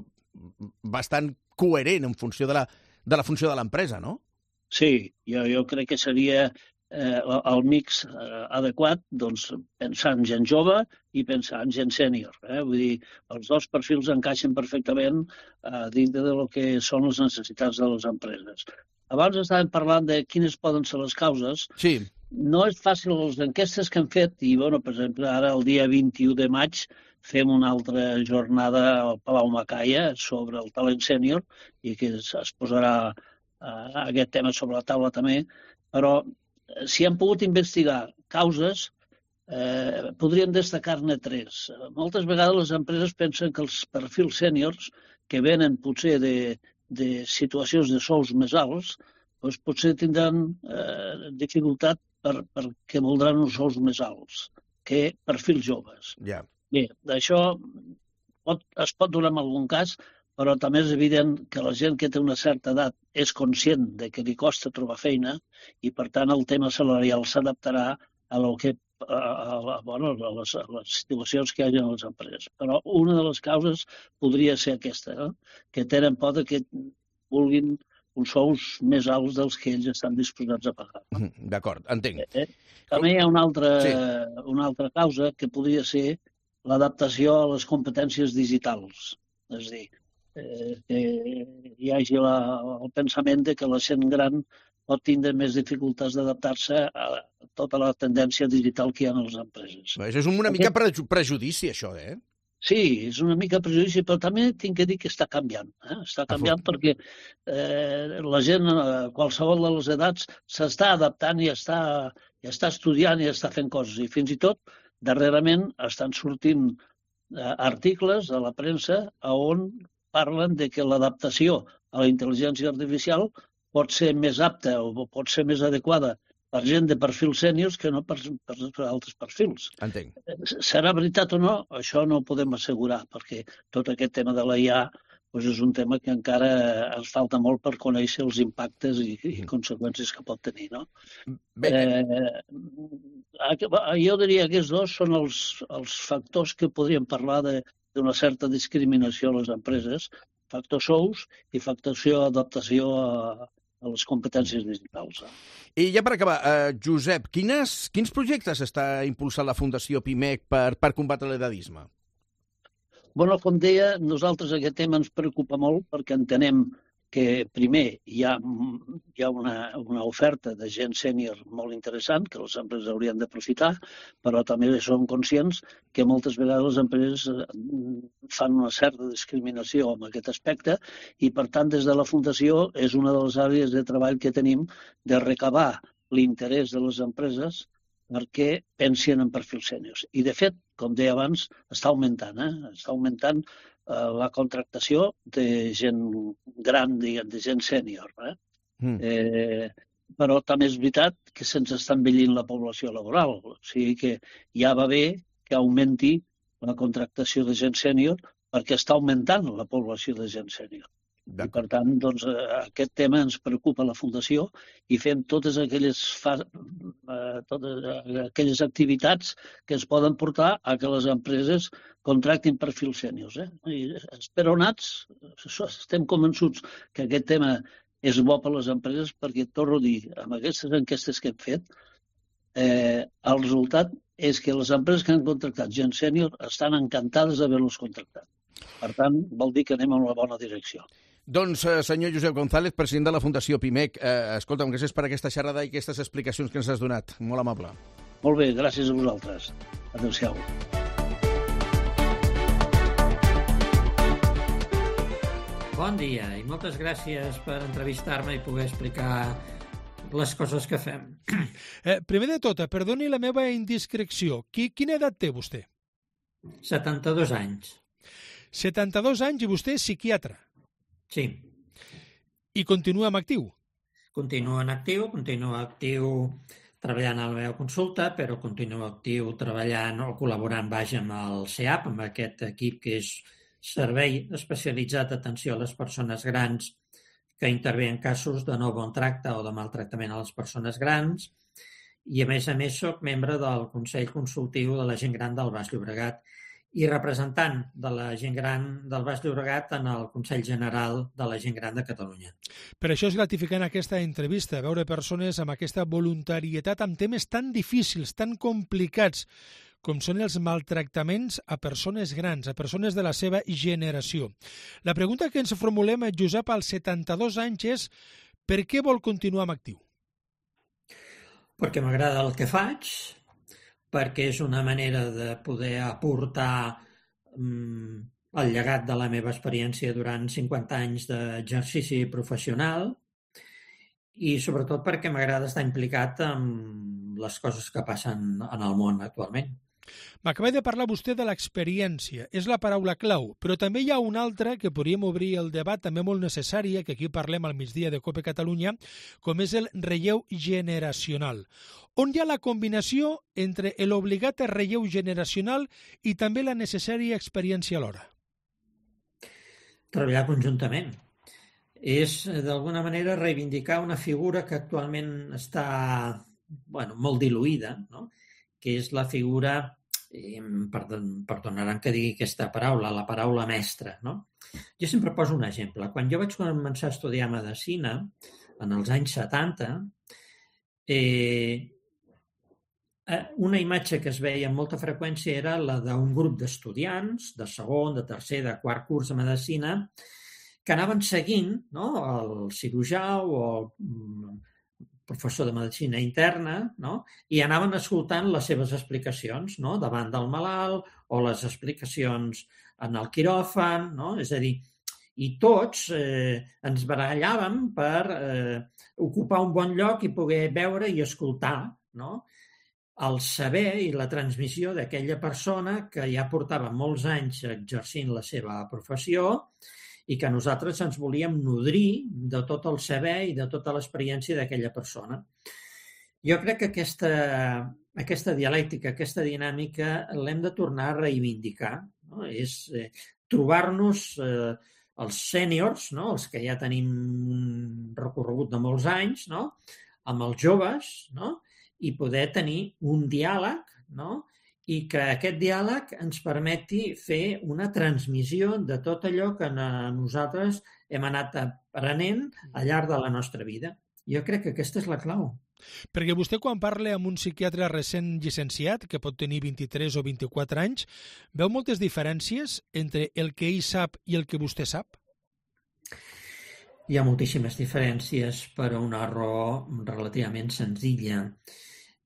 bastant coherent en funció de la, de la funció de l'empresa, no? Sí, jo, jo crec que seria eh, el mix eh, adequat, doncs, pensar en gent jove i pensar en gent sènior. Eh? Vull dir, els dos perfils encaixen perfectament eh, dintre de lo que són les necessitats de les empreses. Abans estàvem parlant de quines poden ser les causes. Sí. No és fàcil les enquestes que hem fet i, bueno, per exemple, ara el dia vint-i-u de maig fem una altra jornada al Palau Macaya sobre el talent sènior i que es, es posarà uh, aquest tema sobre la taula també, però si han pogut investigar causes, eh, podríem destacar-ne tres. Moltes vegades les empreses pensen que els perfils sèniors que venen potser de, de situacions de sous més alts, doncs potser tindran eh, dificultat per, perquè voldran uns sous més alts que perfils joves. Yeah. Bé, d'això pot, es pot donar en algun cas, però també és evident que la gent que té una certa edat és conscient de que li costa trobar feina i, per tant, el tema salarial s'adaptarà a, lo que, a, a, bueno, a, les, a les situacions que hi ha en les empreses. Però una de les causes podria ser aquesta, eh? Que tenen por de que vulguin uns sous més alts dels que ells estan disposats a pagar. D'acord, entenc. Eh? També hi ha una altra, sí. una altra causa que podria ser l'adaptació a les competències digitals. És a dir, eh, que hi hagi la, el pensament de que la gent gran pot tindre més dificultats d'adaptar-se a tota la tendència digital que hi ha en les empreses. Això és una mica Aquest... prejudici, això, eh? Sí, és una mica prejudici, però també tinc que dir que està canviant. Eh? Està canviant Afort. perquè eh, la gent, a qualsevol de les edats, s'està adaptant i està, i està estudiant i està fent coses. I fins i tot, darrerament, estan sortint eh, articles a la premsa on parlen de que l'adaptació a la intel·ligència artificial pot ser més apta o pot ser més adequada per gent de perfils sèniors que no per, per, per altres perfils. Entenc. Serà veritat o no? Això no ho podem assegurar, perquè tot aquest tema de la I A doncs és un tema que encara ens falta molt per conèixer els impactes i, i conseqüències que pot tenir. No? Eh, jo diria que aquests dos són els, els factors que podríem parlar de, d'una certa discriminació a les empreses, factor sous i factor adaptació a, a les competències digitals. I ja per acabar, eh, Josep, quines, quins projectes està impulsant la Fundació Pimec per, per combatre l'edadisme? Bueno, com deia, nosaltres aquest tema ens preocupa molt perquè entenem que, primer, hi ha, hi ha una, una oferta de gent sènior molt interessant que les empreses haurien d'aprofitar, però també som conscients que moltes vegades les empreses fan una certa discriminació en aquest aspecte i, per tant, des de la Fundació és una de les àrees de treball que tenim de recabar l'interès de les empreses perquè pensin en perfils sèniors. I, de fet, com deia abans, està augmentant, eh? Està augmentant eh, la contractació de gent gran, diguem, de gent sènior. Eh? Mm. Eh, però també és veritat que se'ns està envellint la població laboral. O sigui que ja va bé que augmenti la contractació de gent sènior perquè està augmentant la població de gent sènior. I, per tant, doncs, aquest tema ens preocupa a la Fundació i fem totes aquelles, fa... totes aquelles activitats que es poden portar a que les empreses contractin perfils sèniors. Eh? I esperonats, estem convençuts que aquest tema és bo per a les empreses perquè, torno a dir, amb aquestes enquestes que hem fet, eh, el resultat és que les empreses que han contractat gent sènior estan encantades d'haver-los contractat. Per tant, vol dir que anem en la bona direcció. Doncs, eh, senyor Josep González, president de la Fundació Pimec, eh, escolta'm, gràcies per aquesta xerrada i aquestes explicacions que ens has donat. Molt amable. Molt bé, gràcies a vosaltres. Adéu-siau. Bon dia i moltes gràcies per entrevistar-me i poder explicar les coses que fem. Eh, primer de tot, perdoni la meva indiscreció. Qui, quina edat té vostè? setanta-dos anys. setanta-dos anys i vostè és psiquiatre? Sí. I continua en actiu? Continuo en actiu, continuo actiu treballant a la meva consulta, però continuo actiu treballant o col·laborant vaja amb el C E A P, amb aquest equip que és Servei Especialitzat d'Atenció a les Persones Grans, que intervé en casos de no bon tracte o de maltractament a les persones grans, i a més a més soc membre del Consell Consultiu de la Gent Gran del Baix Llobregat i representant de la gent gran del Baix Llobregat en el Consell General de la Gent Gran de Catalunya. Per això és gratificant aquesta entrevista, veure persones amb aquesta voluntarietat amb temes tan difícils, tan complicats, com són els maltractaments a persones grans, a persones de la seva generació. La pregunta que ens formulem a Josep als setanta-dos anys és per què vol continuar en actiu? Perquè m'agrada el que faig, perquè és una manera de poder aportar mm, el llegat de la meva experiència durant cinquanta anys d'exercici professional i sobretot perquè m'agrada estar implicat en les coses que passen en el món actualment. M'acaba de parlar vostè de l'experiència, és la paraula clau, però també hi ha una altra que podríem obrir el debat, també molt necessària, que aquí parlem al migdia de COPE Catalunya, com és el relleu generacional. On hi ha la combinació entre l'obligat relleu generacional i també la necessària experiència alhora? Treballar conjuntament. És, d'alguna manera, reivindicar una figura que actualment està bueno, molt diluïda, no? Que és la figura, eh, perdonaran que digui aquesta paraula, la paraula mestra. No? Jo sempre poso un exemple. Quan jo vaig començar a estudiar medicina, en els anys setanta, eh, una imatge que es veia amb molta freqüència era la d'un grup d'estudiants de segon, de tercer, de quart curs de medicina que anaven seguint, no?, el cirurgià o el professor de medicina interna, no?, i anaven escoltant les seves explicacions, no?, davant del malalt o les explicacions en el quiròfan, no?, és a dir, i tots eh, ens barallàvem per eh, ocupar un bon lloc i poder veure i escoltar, no?, el saber i la transmissió d'aquella persona que ja portava molts anys exercint la seva professió i que nosaltres ens volíem nodrir de tot el saber i de tota l'experiència d'aquella persona. Jo crec que aquesta, aquesta dialèctica, aquesta dinàmica, l'hem de tornar a reivindicar. No? És eh, trobar-nos eh, els sèniors, no? Els que ja tenim un recorregut de molts anys, no? Amb els joves, no? I poder tenir un diàleg, no? I que aquest diàleg ens permeti fer una transmissió de tot allò que nosaltres hem anat aprenent al llarg de la nostra vida. Jo crec que aquesta és la clau. Perquè vostè, quan parla amb un psiquiatre recent llicenciat, que pot tenir vint-i-tres o vint-i-quatre anys, veu moltes diferències entre el que ell sap i el que vostè sap? Hi ha moltíssimes diferències per una raó relativament senzilla,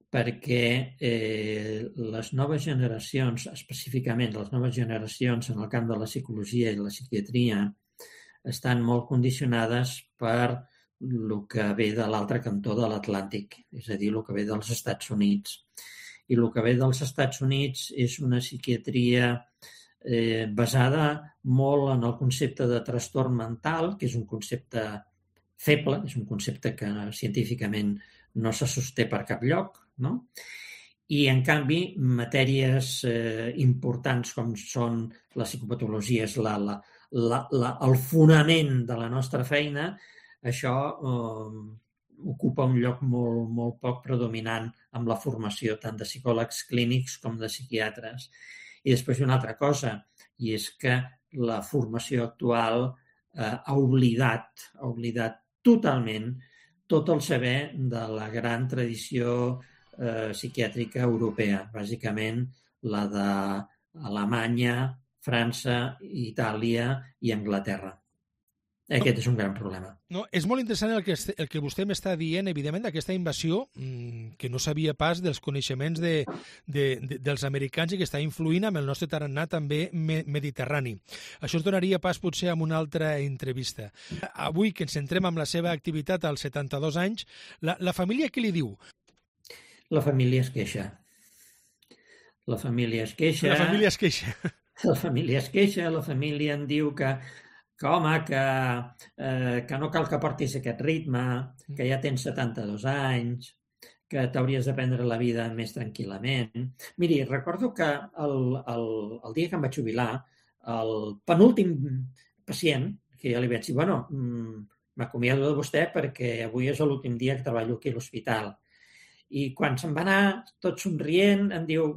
perquè eh, les noves generacions, específicament les noves generacions en el camp de la psicologia i la psiquiatria, estan molt condicionades per el que ve de l'altre cantó de l'Atlàntic, és a dir, el que ve dels Estats Units. I el que ve dels Estats Units és una psiquiatria eh, basada molt en el concepte de trastorn mental, que és un concepte feble, és un concepte que científicament no se sosté per cap lloc, no? I, en canvi, matèries eh, importants com són la psicopatologia, és la, la, la, la, el fonament de la nostra feina, això eh, ocupa un lloc molt, molt poc predominant amb la formació tant de psicòlegs clínics com de psiquiatres. I després una altra cosa, i és que la formació actual eh, ha oblidat, ha oblidat totalment tot el saber de la gran tradició eh, psiquiàtrica europea, bàsicament la d'Alemanya, França, Itàlia i Anglaterra. Aquest és un gran problema. No, és molt interessant el que, el que vostè m'està dient, evidentment, d'aquesta invasió que no sabia pas dels coneixements de, de, de, dels americans i que està influint amb el nostre tarannà també me, mediterrani. Això es donaria pas potser amb una altra entrevista. Avui que ens centrem en la seva activitat als setanta-dos anys, la, la família què li diu? La família es queixa. La família es queixa. La família es queixa. La família es queixa, la família em diu que que home, que, eh, que no cal que portis aquest ritme, que ja tens setanta-dos anys, que t'hauries de prendre la vida més tranquil·lament. Miri, recordo que el, el, el dia que em vaig jubilar, el penúltim pacient, que ja li vaig dir, bueno, m'acomiado de vostè perquè avui és l'últim dia que treballo aquí a l'hospital. I quan se'n va anar, tot somrient, em diu,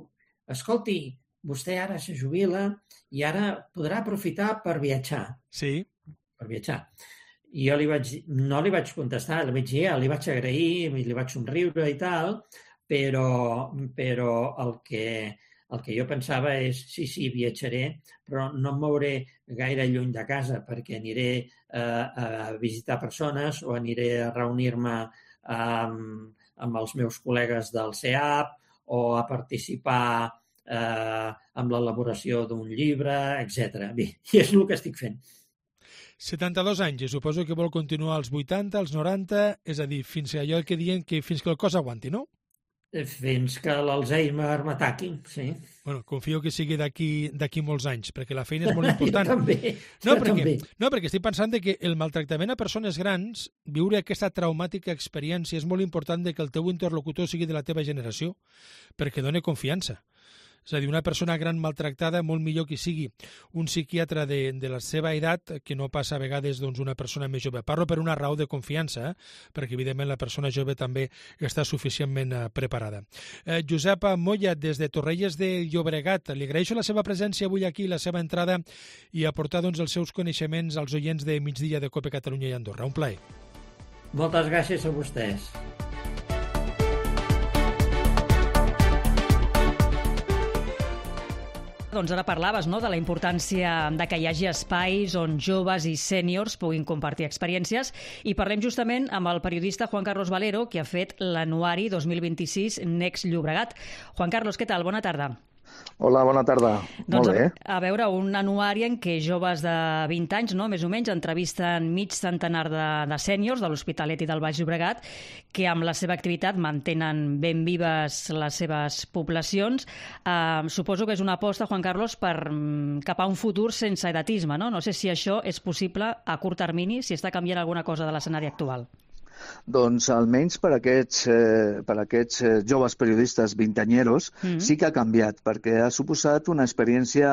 escolti, vostè ara se jubila i ara podrà aprofitar per viatjar. Sí. Per viatjar. I jo li vaig, no li vaig contestar, li vaig dir, li vaig agrair, li vaig somriure i tal, però, però el, que, el que jo pensava és, sí, sí, viatjaré, però no em mouré gaire lluny de casa perquè aniré a, a visitar persones o aniré a reunir-me amb, amb els meus col·legues del C E A P o a participar Eh, amb l'elaboració d'un llibre, etcètera. Bé, i és el que estic fent. setanta-dos anys, i suposo que vol continuar als vuitanta, als noranta, és a dir, fins a allò que diuen que fins que el cos aguanti, no? Fins que l'Alzheimer m'ataqui, sí. Bueno, confio que sigui d'aquí d'aquí molts anys, perquè la feina és molt important. Jo també, no, jo perquè, també. No, perquè estic pensant que el maltractament a persones grans, viure aquesta traumàtica experiència, és molt important que el teu interlocutor sigui de la teva generació, perquè dona confiança. És a dir, una persona gran maltractada, molt millor que sigui un psiquiatre de, de la seva edat que no passa a vegades doncs, una persona més jove. Parlo per una raó de confiança, eh? Perquè evidentment la persona jove també està suficientment eh, preparada. Eh, Josep Moya, des de Torrelles de Llobregat, li agraeixo la seva presència avui aquí, la seva entrada i aportar doncs, els seus coneixements als oients de Migdia de COPE Catalunya i Andorra. Un plaer. Moltes gràcies a vostès. Doncs ara parlaves, no?, de la importància de que hi hagi espais on joves i sèniors puguin compartir experiències i parlem justament amb el periodista Juan Carlos Valero, que ha fet l'anuari dos mil vint-i-sis Next Llobregat. Juan Carlos, què tal? Bona tarda. Hola, bona tarda. Doncs Molt bé. A, a veure, un anuari en què joves de vint anys, no?, més o menys, entrevisten mig centenar de, de sèniors de l'Hospitalet i del Baix Llobregat que amb la seva activitat mantenen ben vives les seves poblacions. Eh, suposo que és una aposta, Juan Carlos, per, cap a un futur sense edatisme, no? No sé si això és possible a curt termini, si està canviant alguna cosa de l'escenari actual. Doncs almenys per aquests, eh, per aquests eh, joves periodistes vintanyeros mm. sí que ha canviat, perquè ha suposat una experiència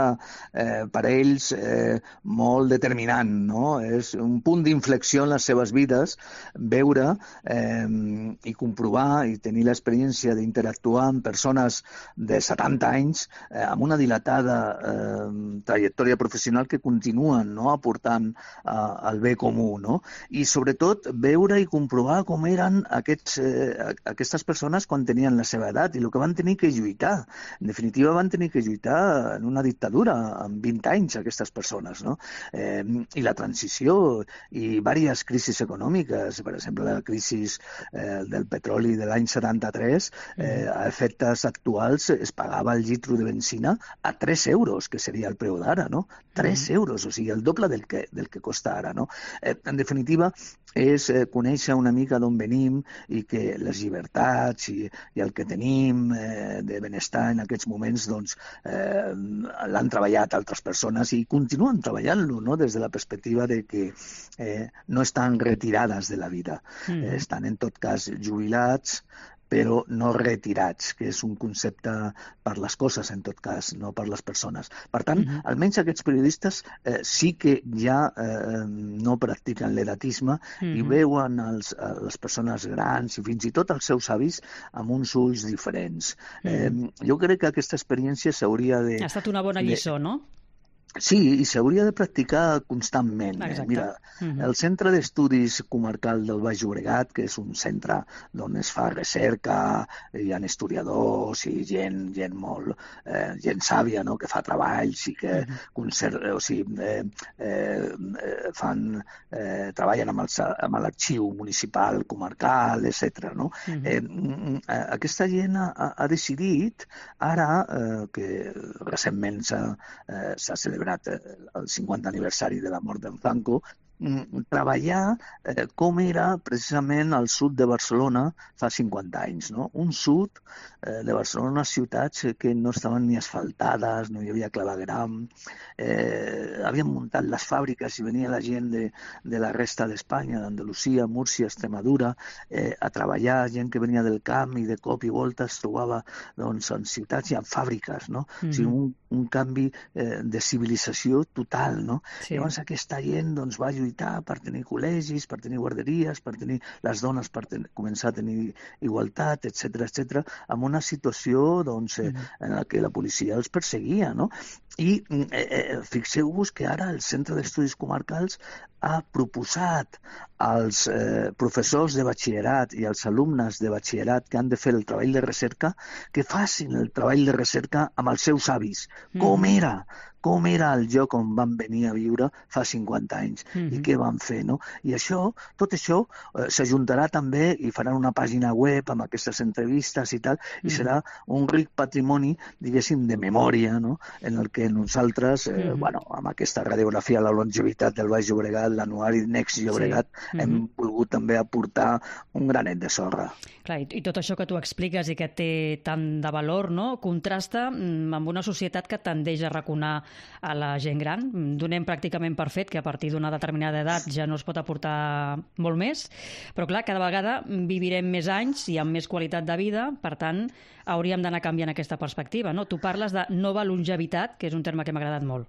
eh, per a ells eh, molt determinant, no? És un punt d'inflexió en les seves vides, veure eh, i comprovar i tenir l'experiència d'interactuar amb persones de setanta anys eh, amb una dilatada eh, trajectòria professional que continuen, no?, aportant eh, el bé comú, no? I sobretot veure i comprovar com eren aquests, eh, aquestes persones quan tenien la seva edat i el que van tenir que lluitar. En definitiva, van tenir que lluitar en una dictadura amb vint anys, aquestes persones, no? Eh, I la transició i diverses crisis econòmiques, per exemple, la crisi eh, del petroli de l'any setanta-tres, eh, a efectes actuals es pagava el litro de benzina a tres euros, que seria el preu d'ara, no? tres euros, o sigui, el doble del que, del que costa ara, no? Eh, en definitiva, és eh, conèixer una mica d'on venim i que les llibertats i, i el que tenim eh, de benestar en aquests moments doncs, eh, l'han treballat altres persones i continuen treballant-lo, no?, des de la perspectiva de que eh, no estan retirades de la vida. Mm. Eh, estan en tot cas jubilats, però no retirats, que és un concepte per les coses, en tot cas, no per les persones. Per tant, uh-huh. almenys aquests periodistes eh, sí que ja eh, no practiquen l'edatisme uh-huh. i veuen els, les persones grans i fins i tot els seus avis amb uns ulls diferents. Uh-huh. Eh, jo crec que aquesta experiència s'hauria de... Ha estat una bona lliçó, de... no? Sí, i s'hauria de practicar constantment. Eh? Mira, uh-huh. el Centre d'Estudis Comarcal del Baix Llobregat, que és un centre on es fa recerca, hi ha historiadors i gent, gent molt, eh, gent sàvia, no?, que fa treballs i que uh-huh. conser- o sigui, eh, eh, fan, eh, treballen amb, el, amb l'arxiu municipal, comarcal, etcètera. No? Uh-huh. Eh, aquesta gent ha, ha decidit, ara eh, que recentment s'ha, eh, s'ha celebrat el cinquanta aniversari de la mort d'en Franco, treballar eh, com era precisament el sud de Barcelona fa cinquanta anys. No? Un sud eh, de Barcelona, unes ciutats que no estaven ni asfaltades, no hi havia clavegueram, eh, havien muntat les fàbriques i venia la gent de, de la resta d'Espanya, d'Andalusia, Múrcia, Extremadura, eh, a treballar, gent que venia del camp i de cop i volta es trobava doncs, en ciutats i en fàbriques. No? Mm-hmm. O sigui, un, un canvi eh, de civilització total. No? Sí. Llavors aquesta gent doncs, va lluitar per tenir col·legis, per tenir guarderies, per tenir les dones per ten- començar a tenir igualtat, etcètera, etcètera, amb una situació doncs, eh, en la que la policia els perseguia. No? I eh, eh, fixeu-vos que ara el Centre d'Estudis Comarcals ha proposat als eh, professors de batxillerat i als alumnes de batxillerat que han de fer el treball de recerca que facin el treball de recerca amb els seus avis. Mm. Com era? Com era el lloc on van venir a viure fa cinquanta anys mm-hmm. i què van fer, no? I això, tot això eh, s'ajuntarà també i faran una pàgina web amb aquestes entrevistes i tal, mm-hmm. i serà un ric patrimoni, diguéssim, de memòria, no? En el que nosaltres, eh, mm-hmm. bueno, amb aquesta radiografia a la longevitat del Baix Llobregat, l'anuari Next Llobregat, sí. mm-hmm. hem volgut també aportar un granet de sorra. Clar, i tot això que tu expliques i que té tant de valor, no?, contrasta amb una societat que tendeix a raconar a la gent gran. Donem pràcticament per fet que a partir d'una determinada edat ja no es pot aportar molt més, però clar, cada vegada vivirem més anys i amb més qualitat de vida, per tant, hauríem d'anar canviant aquesta perspectiva, no? Tu parles de nova longevitat, que és un terme que m'ha agradat molt.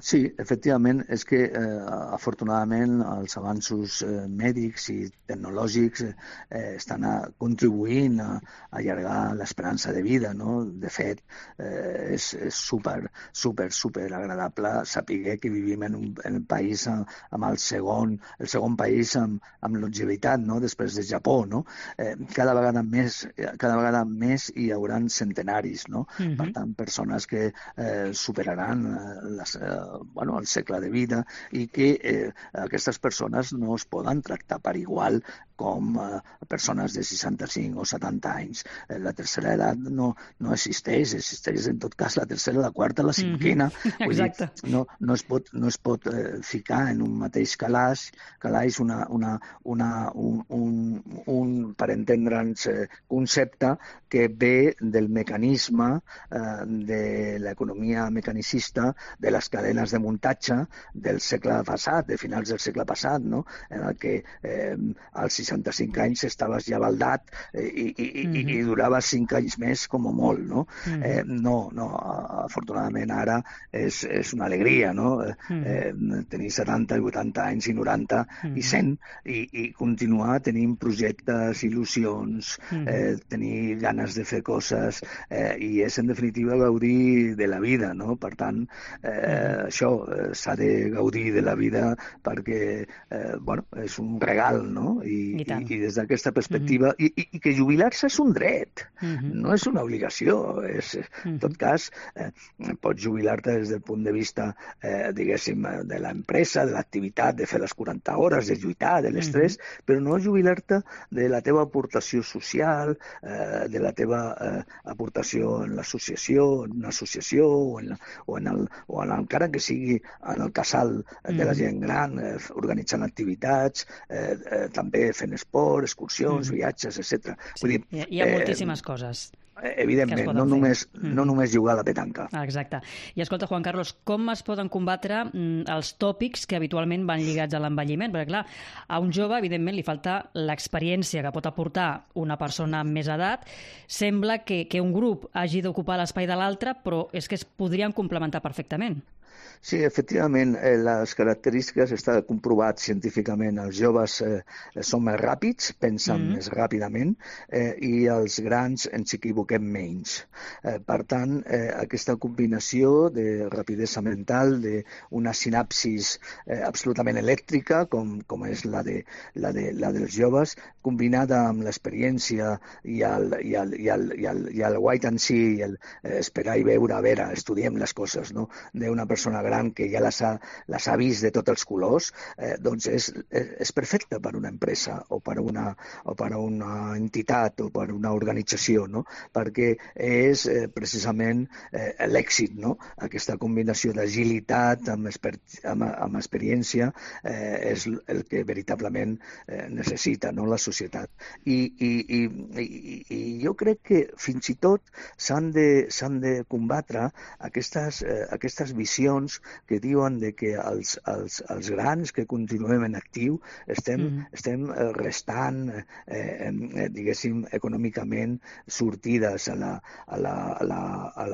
Sí, efectivament, és que eh, afortunadament els avanços eh, mèdics i tecnològics eh, estan a, contribuint a, a allargar l'esperança de vida, no? De fet, eh, és, és super, super, super agradable saber que vivim en un, en un país amb, amb el segon, el segon país amb, amb longevitat, no? Després de Japó, no? Eh, cada vegada més, cada vegada més hi haurà centenaris, no? Mm-hmm. Per tant, persones que eh, superaran eh, les eh, bueno, el segle de vida i que eh, aquestes persones no es poden tractar per igual com eh, persones de seixanta-cinc o setanta anys. Eh, la tercera edat no, no existeix, existeix en tot cas la tercera, la quarta, la cinquena. Mm-hmm. Vull dir, no, no es pot, no es pot eh, ficar en un mateix calaix, calaix una, una, una, un, un, un, per entendre'ns, eh, concepte que ve del mecanisme eh, de l'economia mecanicista, de les cadenes de muntatge del segle passat, de finals del segle passat, no? En el que eh, als seixanta-cinc anys estaves ja baldat eh, i, i, mm-hmm. i, i duraves cinc anys més com a molt, no? Mm-hmm. Eh, no, no, afortunadament ara és, és una alegria, no? Mm-hmm. Eh, tenir setanta i vuitanta anys i noranta mm-hmm. i cent i, i continuar tenint projectes, il·lusions, mm-hmm. eh, tenir ganes de fer coses eh, i és en definitiva gaudir de la vida, no? Per tant, eh, mm-hmm. això eh, s'ha de gaudir de la vida perquè eh, bueno, és un regal, no? I, I, i, i des d'aquesta perspectiva mm-hmm. i, i, i que jubilar-se és un dret, mm-hmm. no és una obligació. És, en tot cas, eh, pots jubilar-te des del punt de vista eh, diguéssim, de l'empresa, de l'activitat, de fer les quaranta hores, de lluitar, de l'estrès, mm-hmm. però no jubilar-te de la teva aportació social, eh, de la teva eh, aportació en l'associació, en una associació o, en la, o, en el, o en, encara que sigui en el casal de la gent gran, eh, organitzant activitats, eh, eh, també fent esport, excursions, mm. viatges, etcètera. Sí, Vull dir, hi ha, hi ha eh, moltíssimes coses. Evidentment, no només, mm. no només jugar a la petanca. Exacte. I escolta, Juan Carlos, com es poden combatre mm, els tòpics que habitualment van lligats a l'envelliment? Perquè, clar, a un jove, evidentment, li falta l'experiència que pot aportar una persona amb més edat. Sembla que, que un grup hagi d'ocupar l'espai de l'altre, però és que es podrien complementar perfectament. Sí, efectivament, eh, les característiques està comprovat científicament. Els joves eh, són més ràpids, pensen mm. més ràpidament, eh, i els grans ens equivoquem menys. Eh, per tant, eh, aquesta combinació de rapidesa mental, d'una sinapsis eh, absolutament elèctrica, com, com és la, de, la, de, la dels joves, combinada amb l'experiència i el, i, el, i, el, i, el, i el wait and see, i el eh, esperar i veure, a veure, estudiem les coses, no?, d'una persona gran que ja les ha, les ha vist de tots els colors, eh, doncs és, és perfecte per una empresa o per una, o per una entitat o per una organització, no? Perquè és eh, precisament eh, l'èxit, no? Aquesta combinació d'agilitat amb, exper amb, amb experiència eh, és el que veritablement eh, necessita, no?, la societat. I, i, i, i, i jo crec que fins i tot s'han de, s'han de combatre aquestes, eh, aquestes visions que diuen de que els, els, els grans que continuem en actiu estem, mm. estem restant, eh, diguéssim, econòmicament sortides a la, a la, a la,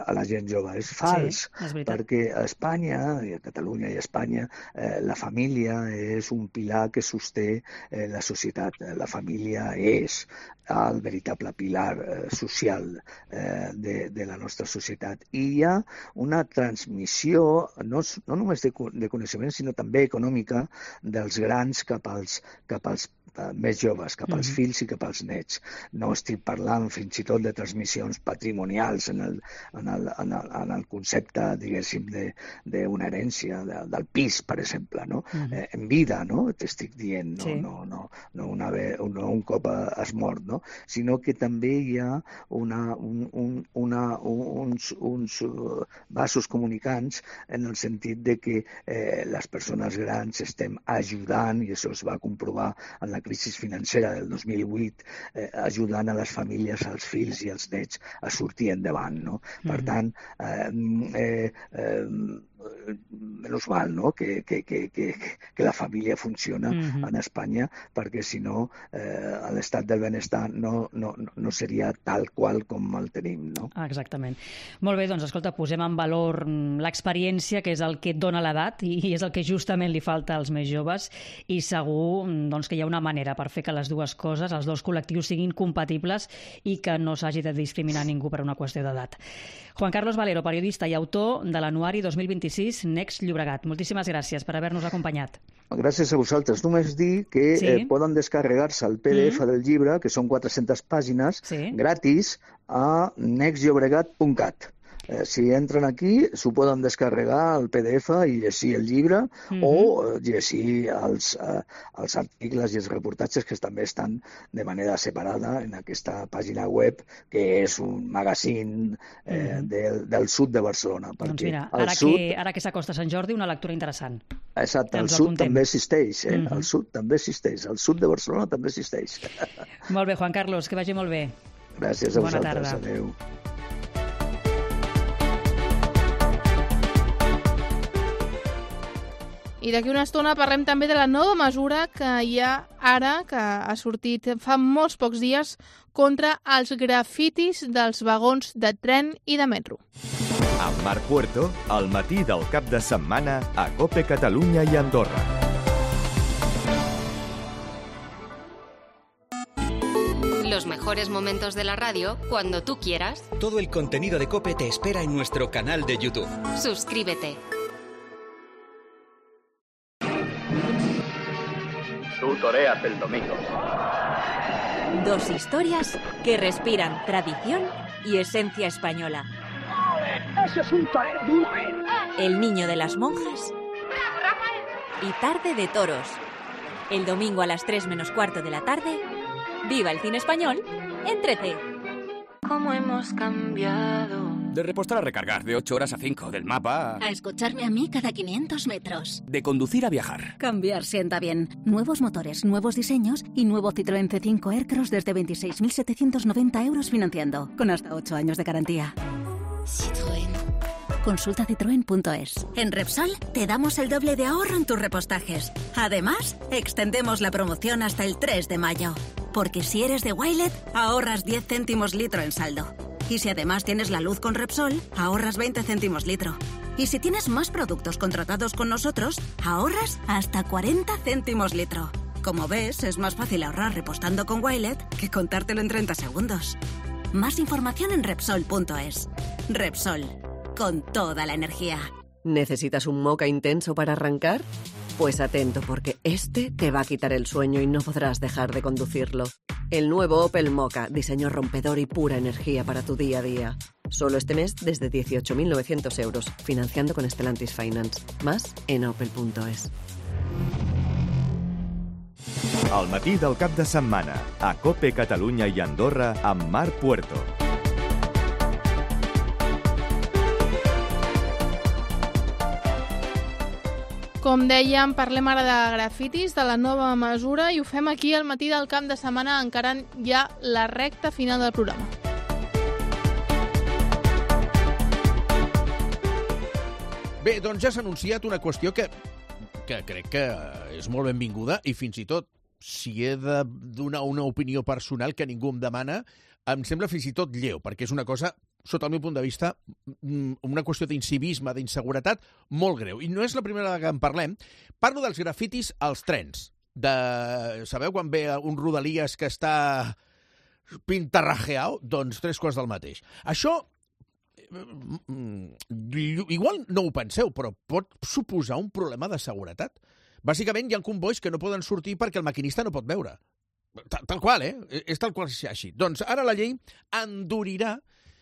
a la gent jove. És fals, sí, és perquè a Espanya, i a Catalunya i a Espanya, eh, la família és un pilar que sosté eh, la societat. La família és el veritable pilar eh, social eh, de, de la nostra societat. I hi ha una transmissió, no, no només de, de coneixement, sinó també econòmica, dels grans cap als, cap als més joves, cap als fills i cap als nets. No estic parlant fins i tot de transmissions patrimonials en el, en el, en el, en el concepte, diguéssim, d'una herència, de, del pis, per exemple, no? Uh-huh. eh, en vida, no? T'estic dient, no, sí. no, no, no, una ve, no un cop has mort, no? Sinó que també hi ha una, un, un, una, uns, uns vasos comunicants en el sentit de que eh, les persones grans estem ajudant, i això es va comprovar en la crisi financera del dos mil vuit, eh, ajudant a les famílies, als fills i als nets a sortir endavant, no? Per tant, eh, eh, eh, menys mal, no?, que, que, que, que, que la família funciona uh-huh. en Espanya, perquè si no eh, l'estat del benestar no, no, no seria tal qual com el tenim, no? Exactament. Molt bé, doncs escolta, posem en valor l'experiència, que és el que et dona l'edat i és el que justament li falta als més joves, i segur doncs, que hi ha una manera per fer que les dues coses, els dos col·lectius, siguin compatibles i que no s'hagi de discriminar ningú per una qüestió d'edat. Juan Carlos Valero, periodista i autor de l'anuari dos mil vint-i-sis Next Llobregat. Moltíssimes gràcies per haver-nos acompanyat. Gràcies a vosaltres. Només dir que sí? eh, poden descarregar-se el P D F mm. del llibre, que són quatre-centes pàgines, sí. gratis, a next llobregat punt cat. Eh, si entren aquí, s'ho poden descarregar el P D F i llegir el llibre mm-hmm. o llegir els, eh, els articles i els reportatges que també estan de manera separada en aquesta pàgina web, que és un magazín eh, mm-hmm. del, del sud de Barcelona. Doncs mira, ara, sud... que, ara que s'acosta Sant Jordi, una lectura interessant. Exacte, el sud també existeix, eh? Mm-hmm. el sud també existeix, el sud de Barcelona també existeix. Molt bé, Juan Carlos, que vagi molt bé. Gràcies a Bona vosaltres, tarda. Adéu. I d'aquí una estona parlem també de la nova mesura que hi ha ara, que ha sortit fa molts pocs dies, contra els grafitis dels vagons de tren i de metro. Amb Marc Puerto, al matí del cap de setmana a COPE Catalunya i Andorra. Los mejores momentos de la radio cuando tú quieras. Todo el contenido de COPE te espera en nuestro canal de YouTube. Suscríbete. Tú toreas el domingo. Dos historias que respiran tradición y esencia española. ¡Eso es un torero duro! El niño de las monjas y Tarde de toros. El domingo a las tres menos cuarto de la tarde, viva el cine español en trece. ¿Cómo hemos cambiado? De repostar a recargar, de ocho horas a cinco, del mapa a escucharme a mí cada quinientos metros. De conducir a viajar. Cambiar sienta bien. Nuevos motores, nuevos diseños y nuevo Citroën C cinco Aircross desde veintiséis mil setecientos noventa euros financiando, con hasta ocho años de garantía. Citroën. Consulta citroen punto es. En Repsol te damos el doble de ahorro en tus repostajes. Además, extendemos la promoción hasta el tres de mayo. Porque si eres de Wilet, ahorras diez céntimos litro en saldo. Y si además tienes la luz con Repsol, ahorras veinte céntimos litro. Y si tienes más productos contratados con nosotros, ahorras hasta cuarenta céntimos litro. Como ves, es más fácil ahorrar repostando con Wilet que contártelo en treinta segundos. Más información en Repsol punto es. Repsol, con toda la energía. ¿Necesitas un moca intenso para arrancar? Pues atento, porque este te va a quitar el sueño y no podrás dejar de conducirlo. El nuevo Opel Mokka, diseño rompedor y pura energía para tu día a día. Solo este mes desde dieciocho mil novecientos euros, financiando con Stellantis Finance. Más en opel punto es. El matí del cap de setmana, a COPE Catalunya i Andorra, amb Marc Puerto. Com dèiem, parlem ara de grafitis, de la nova mesura, i ho fem aquí al matí del cap de setmana, encarant ja la recta final del programa. Bé, doncs ja s'ha anunciat una qüestió que, que crec que és molt benvinguda i fins i tot, si he de donar una opinió personal que ningú em demana, em sembla fins i tot lleu, perquè és una cosa, sota el meu punt de vista, una qüestió d'incivisme, d'inseguretat, molt greu. I no és la primera vegada que en parlem. Parlo dels grafitis als trens. De... Sabeu quan ve un Rodalies que està pintarrajeado? Doncs tres quarts del mateix. Això, igual no ho penseu, però pot suposar un problema de seguretat. Bàsicament, hi ha convois que no poden sortir perquè el maquinista no pot veure. Tal, tal qual, eh? És tal qual així. Doncs ara la llei endurirà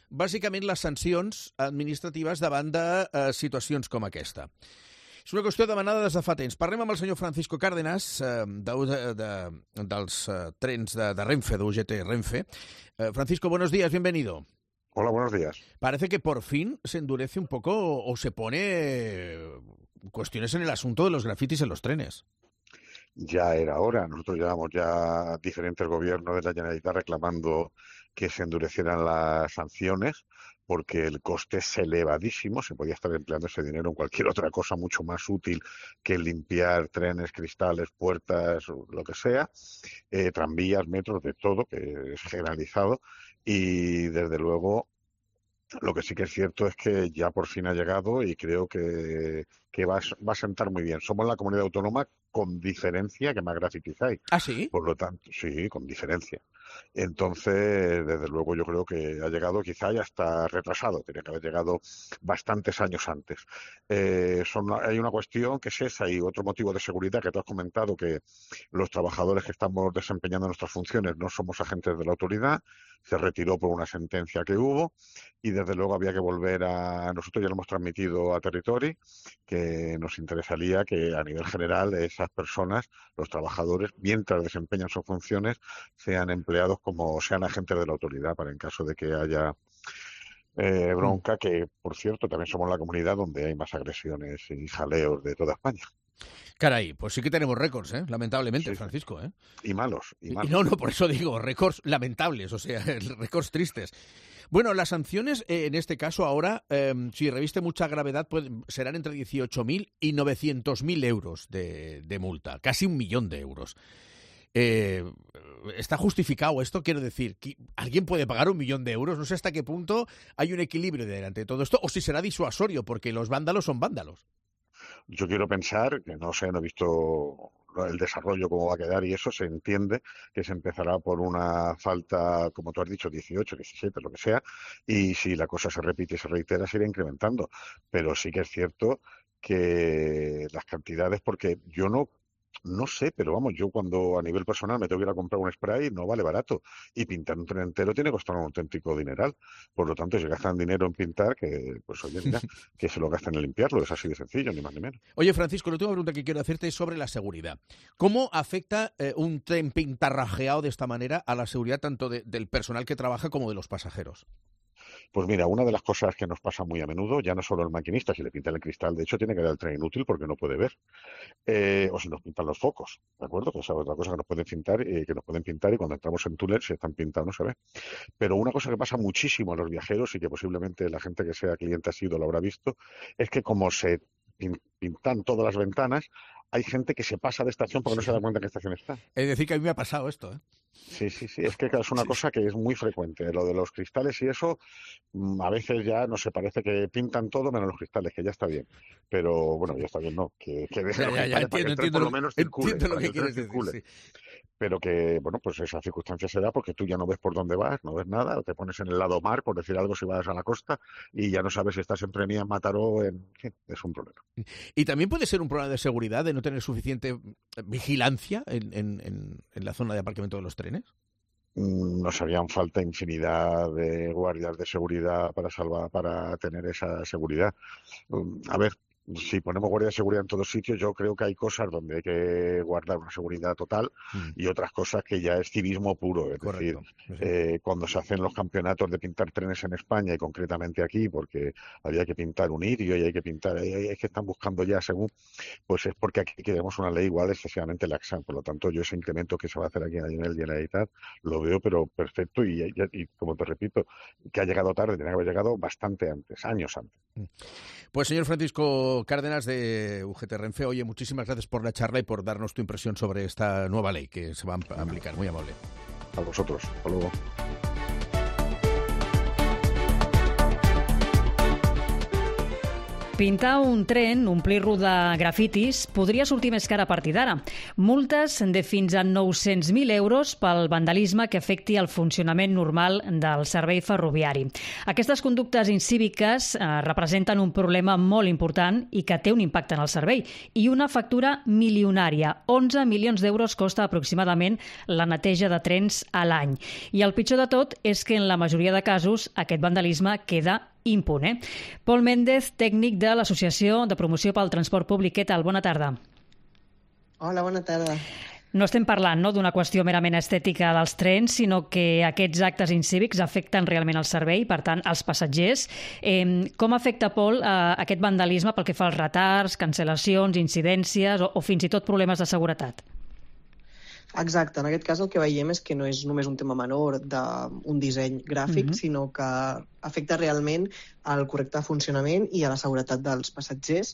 bàsicament les sancions administratives davant de eh, situacions com aquesta. És una qüestió demanada des de fa temps. Parlem amb el senyor Francisco Cárdenas, eh, de, de, de, dels eh, trens de, de Renfe, de U G T Renfe. Eh, Francisco, buenos días, bienvenido. Hola, buenos días. Parece que por fin se endurece un poco o, o se pone cuestiones en el asunto de los grafitis en los trenes. Ya era hora. Nosotros llevamos ya diferentes gobiernos de la Generalitat reclamando que se endurecieran las sanciones porque el coste es elevadísimo. Se podía estar empleando ese dinero en cualquier otra cosa mucho más útil que limpiar trenes, cristales, puertas, lo que sea, eh, tranvías, metros, de todo, que es generalizado. Y desde luego lo que sí que es cierto es que ya por fin ha llegado y creo que, que va, va a sentar muy bien. Somos la comunidad autónoma con diferencia que más grafitis hay. ¿Ah, sí? Por lo tanto, sí, con diferencia. Entonces, desde luego yo creo que ha llegado, quizá ya está retrasado, tenía que haber llegado bastantes años antes. Eh, son, hay una cuestión que es esa y otro motivo de seguridad que tú has comentado, que los trabajadores que estamos desempeñando nuestras funciones no somos agentes de la autoridad, se retiró por una sentencia que hubo y desde luego había que volver a... Nosotros ya lo hemos transmitido a Territori, que nos interesaría que a nivel general esas personas, los trabajadores, mientras desempeñan sus funciones, sean empleados como sean agentes de la autoridad para en caso de que haya eh, bronca, que por cierto también somos la comunidad donde hay más agresiones y jaleos de toda España. Caray, pues sí que tenemos récords, ¿eh? Lamentablemente, sí, Francisco, ¿eh? Y malos, y malos. No, no, por eso digo, récords lamentables, o sea, récords tristes. Bueno, las sanciones, eh, en este caso ahora, eh, si reviste mucha gravedad, pues, serán entre dieciocho mil y novecientos mil euros de, de multa, casi un millón de euros. Eh, ¿Está justificado esto? Quiero decir, ¿alguien puede pagar un millón de euros? No sé hasta qué punto hay un equilibrio delante de todo esto, o si será disuasorio, porque los vándalos son vándalos. Yo quiero pensar, que no sé, no he visto el desarrollo, cómo va a quedar, y eso se entiende que se empezará por una falta, como tú has dicho, dieciocho, diecisiete, lo que sea, y si la cosa se repite y se reitera, se irá incrementando. Pero sí que es cierto que las cantidades, porque yo no No sé, pero vamos, yo cuando a nivel personal me tengo que ir a comprar un spray, no vale barato. Y pintar un tren entero tiene que costar un auténtico dineral. Por lo tanto, si gastan dinero en pintar, que pues oye, mira, que se lo gasten en limpiarlo. Es así de sencillo, ni más ni menos. Oye, Francisco, la última pregunta que quiero hacerte es sobre la seguridad. ¿Cómo afecta eh, un tren pintarrajeado de esta manera a la seguridad tanto de, del personal que trabaja como de los pasajeros? Pues mira, una de las cosas que nos pasa muy a menudo, ya no solo el maquinista, si le pintan el cristal, de hecho tiene que dar el tren inútil porque no puede ver, eh, o si nos pintan los focos, ¿de acuerdo? Que esa es otra cosa que nos pueden pintar, eh, que nos pueden pintar y cuando entramos en túnel si están pintados no se ve. Pero una cosa que pasa muchísimo a los viajeros y que posiblemente la gente que sea cliente ha sido lo habrá visto, es que como se pintan todas las ventanas, hay gente que se pasa de estación porque sí. no se da cuenta en qué estación está. Es decir, que a mí me ha pasado esto, ¿eh? Sí, sí, sí, es que es una sí. cosa que es muy frecuente. Lo de los cristales y eso, a veces ya no se parece que pintan todo menos los cristales, que ya está bien. Pero bueno, ya está bien, no, que, que deje ya, los ya, ya, cristales para que el tren por lo menos circule. Entiendo lo que quieres decir, sí. Pero que, bueno, pues esa circunstancia se da porque tú ya no ves por dónde vas, no ves nada, te pones en el lado mar, por decir algo, si vas a la costa, y ya no sabes si estás en Premia, en Mataró, en... Sí, es un problema. Y también puede ser un problema de seguridad, de no tener suficiente vigilancia en, en, en, en la zona de aparcamiento de los trenes. Nos harían falta infinidad de guardias de seguridad para salvar, para tener esa seguridad. A ver, si ponemos guardia de seguridad en todos sitios, yo creo que hay cosas donde hay que guardar una seguridad total mm. y otras cosas que ya es civismo puro. Es Correcto. decir, sí. eh, cuando se hacen los campeonatos de pintar trenes en España y concretamente aquí, porque había que pintar un irio y hay que pintar, es que están buscando ya según, pues es porque aquí queremos una ley igual excesivamente laxa. Por lo tanto, yo ese incremento que se va a hacer aquí a nivel de Generalitat lo veo, pero perfecto y, y, y como te repito, que ha llegado tarde, tenía que haber llegado bastante antes, años antes. Pues señor Francisco Cárdenas de U G T Renfe, oye, muchísimas gracias por la charla y por darnos tu impresión sobre esta nueva ley que se va a aplicar. Muy amable. A vosotros. Hasta luego. Pintar un tren, omplir-lo de grafitis, podria sortir més car a partir d'ara. Multes de fins a nou-cents mil euros pel vandalisme que afecti el funcionament normal del servei ferroviari. Aquestes conductes incíviques eh, representen un problema molt important i que té un impacte en el servei i una factura milionària. onze milions d'euros costa aproximadament la neteja de trens a l'any. I el pitjor de tot és que en la majoria de casos aquest vandalisme queda impune. Pol Méndez, tècnic de l'Associació de Promoció pel Transport Públic. Què tal? Bona tarda. Hola, bona tarda. No estem parlant no, d'una qüestió merament estètica dels trens, sinó que aquests actes incívics afecten realment el servei, per tant, els passatgers. Eh, com afecta, Pol, eh, aquest vandalisme pel que fa als retards, cancel·lacions, incidències o, o fins i tot problemes de seguretat? Exacte, en aquest cas el que veiem és que no és només un tema menor d'un disseny gràfic, uh-huh. sinó que afecta realment al correcte funcionament i a la seguretat dels passatgers,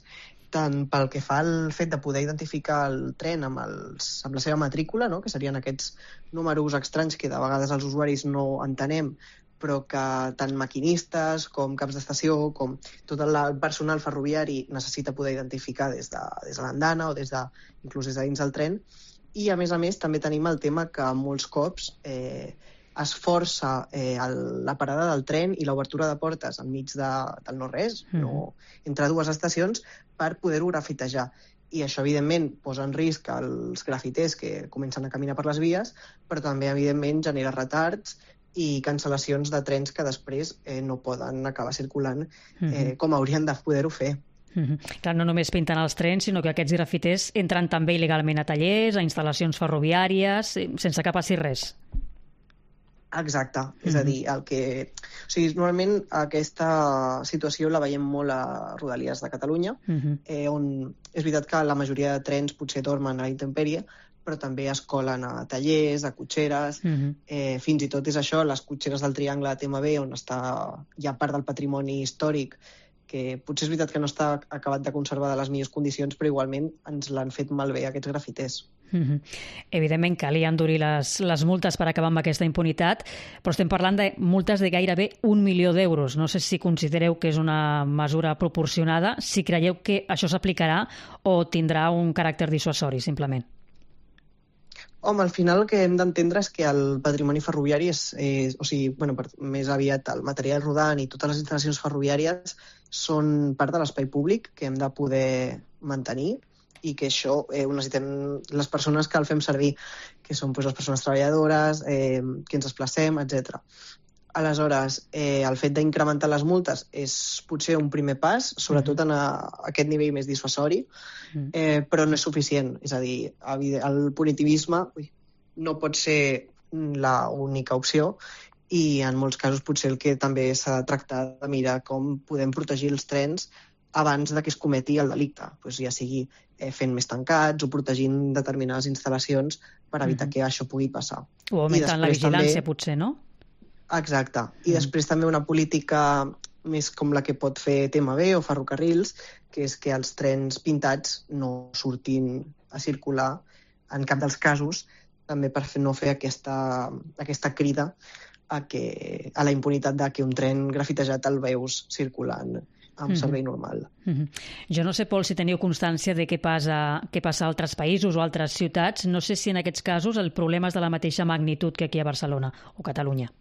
tant pel que fa al fet de poder identificar el tren amb, els, amb la seva matrícula, no? Que serien aquests números estranys que de vegades els usuaris no entenem, però que tant maquinistes com caps d'estació, com tot el personal ferroviari necessita poder identificar des de, des de l'andana o des de, inclús des de dins del tren. I, a més a més, també tenim el tema que molts cops eh, es força eh, el, la parada del tren i l'obertura de portes enmig de, del no-res, mm. no, entre dues estacions, per poder-ho grafitejar. I això, evidentment, posa en risc els grafiters que comencen a caminar per les vies, però també, evidentment, genera retards i cancel·lacions de trens que després eh, no poden acabar circulant eh, mm-hmm. com haurien de poder-ho fer. Mm-hmm. Clar, no només pinten els trens, sinó que aquests grafiters entren també il·legalment a tallers, a instal·lacions ferroviàries, sense que passi res. Exacte, mm-hmm. és a dir, el que... O sigui, normalment aquesta situació la veiem molt a Rodalies de Catalunya, mm-hmm. eh, on és veritat que la majoria de trens potser dormen a la intempèrie, però també es colen a tallers, a cotxeres, mm-hmm. eh, fins i tot és això, les cotxeres del Triangle de T M B, on està ja part del patrimoni històric, que potser és veritat que no està acabat de conservar de les millors condicions, però igualment ens l'han fet malbé aquests grafiters. Mm-hmm. Evidentment calia endurir les, les multes per acabar amb aquesta impunitat, però estem parlant de multes de gairebé un milió d'euros. No sé si considereu que és una mesura proporcionada, si creieu que això s'aplicarà o tindrà un caràcter dissuasori, simplement. Home, al final el que hem d'entendre és que el patrimoni ferroviari és, és o sigui, bueno, per, més aviat el material rodant i totes les instal·lacions ferroviàries són part de l'espai públic que hem de poder mantenir i que això eh, ho necessitem les persones que el fem servir, que són pues, les persones treballadores, eh, que ens desplacem, etcètera. Aleshores, eh, el fet d'incrementar les multes és potser un primer pas, sobretot en a, a aquest nivell més dissuasori, eh, però no és suficient. És a dir, el punitivisme ui, no pot ser l'única opció i en molts casos potser el que també s'ha de tractar de mirar com podem protegir els trens abans de que es cometi el delicte, pues ja sigui eh, fent més tancats o protegint determinades instal·lacions per evitar mm-hmm. que això pugui passar. O augmentant la vigilància, també... potser, no? Exacte. I mm. després també una política més com la que pot fer T M B o Ferrocarrils, que és que els trens pintats no surtin a circular en cap dels casos, també per no fer aquesta, aquesta crida a, que, a la impunitat de que un tren grafitejat el veus circulant amb servei normal. Mm-hmm. Jo no sé, Pol, si teniu constància de què passa, què passa a altres països o altres ciutats. No sé si en aquests casos el problema és de la mateixa magnitud que aquí a Barcelona o Catalunya.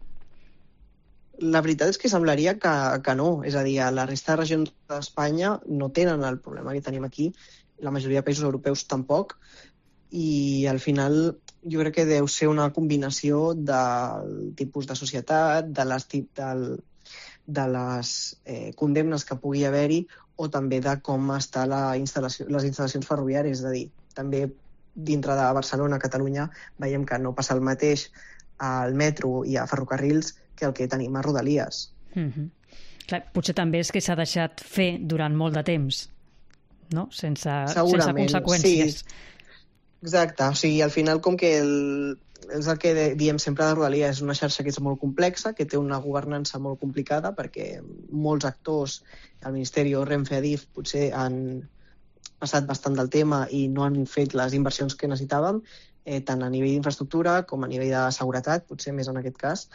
La veritat és que semblaria que, que no. És a dir, a la resta de regions d'Espanya no tenen el problema que tenim aquí. La majoria de països europeus tampoc. I al final jo crec que deu ser una combinació del tipus de societat, de les, del, de les eh, condemnes que pugui haver-hi o també de com està la instal·lació, les instal·lacions ferroviàries. És a dir, també dintre de Barcelona, Catalunya, veiem que no passa el mateix al metro i a ferrocarrils que el que tenim a Rodalies. Mm-hmm. Clar, potser també és que s'ha deixat fer durant molt de temps, no? Sense, sense conseqüències. Sí. Exacte, o sigui, al final com que el, és el que diem sempre de Rodalies, és una xarxa que és molt complexa, que té una governança molt complicada perquè molts actors, el Ministeri o Renfe, Adif, potser han passat bastant del tema i no han fet les inversions que necessitàvem, eh, tant a nivell d'infraestructura com a nivell de seguretat, potser més en aquest cas,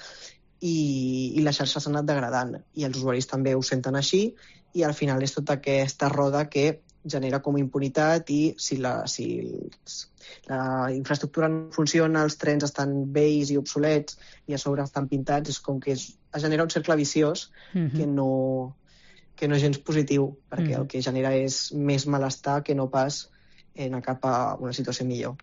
i, i la xarxa s'ha anat degradant i els usuaris també ho senten així i al final és tota aquesta roda que genera com impunitat i si la, si la infraestructura no funciona, els trens estan vells i obsolets i a sobre estan pintats, és com que es, es genera un cercle viciós mm-hmm. que, no, que no és gens positiu, perquè mm-hmm. el que genera és més malestar que no pas anar cap a una situació millor.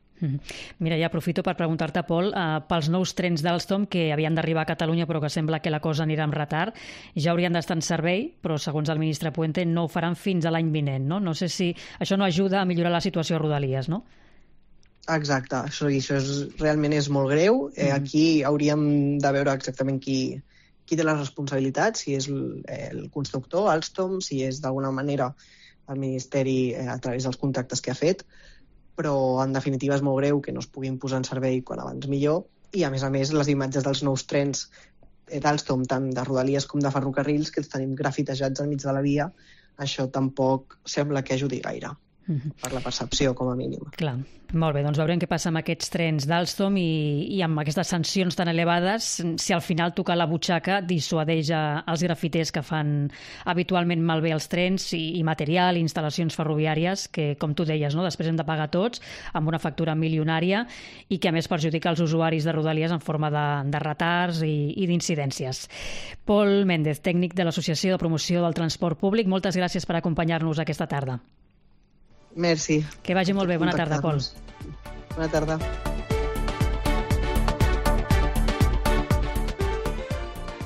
Mira, ja aprofito per preguntar-te, Pol, uh, pels nous trens d'Alstom que havien d'arribar a Catalunya però que sembla que la cosa anirà amb retard, ja haurien d'estar en servei, però segons el ministre Puente no ho faran fins a l'any vinent, no? No sé si això no ajuda a millorar la situació a Rodalies, no? Exacte, això, això és, realment és molt greu. Eh, mm. Aquí hauríem de veure exactament qui, qui té les responsabilitats, si és el, el constructor, Alstom, si és d'alguna manera el Ministeri eh, a través dels contractes que ha fet, però en definitiva és molt greu que no es puguin posar en servei quan abans millor i a més a més les imatges dels nous trens d'Alstom, tant de Rodalies com de ferrocarrils, que els tenim grafitejats al mig de la via, això tampoc sembla que ajudi gaire. Mm-hmm. Per la percepció, com a mínim. Clar, molt bé, doncs veurem què passa amb aquests trens d'Alstom i, i amb aquestes sancions tan elevades, si al final tocar la butxaca dissuadeix els grafiters que fan habitualment malbé els trens i, i material, i instal·lacions ferroviàries, que, com tu deies, no? Després hem de pagar tots amb una factura milionària i que a més perjudica els usuaris de Rodalies en forma de, de retards i, i d'incidències. Pol Méndez, tècnic de l'Associació de Promoció del Transport Públic, moltes gràcies per acompanyar-nos aquesta tarda. Merci. Que vagi molt bé. Bona tarda, Pol. Bona tarda.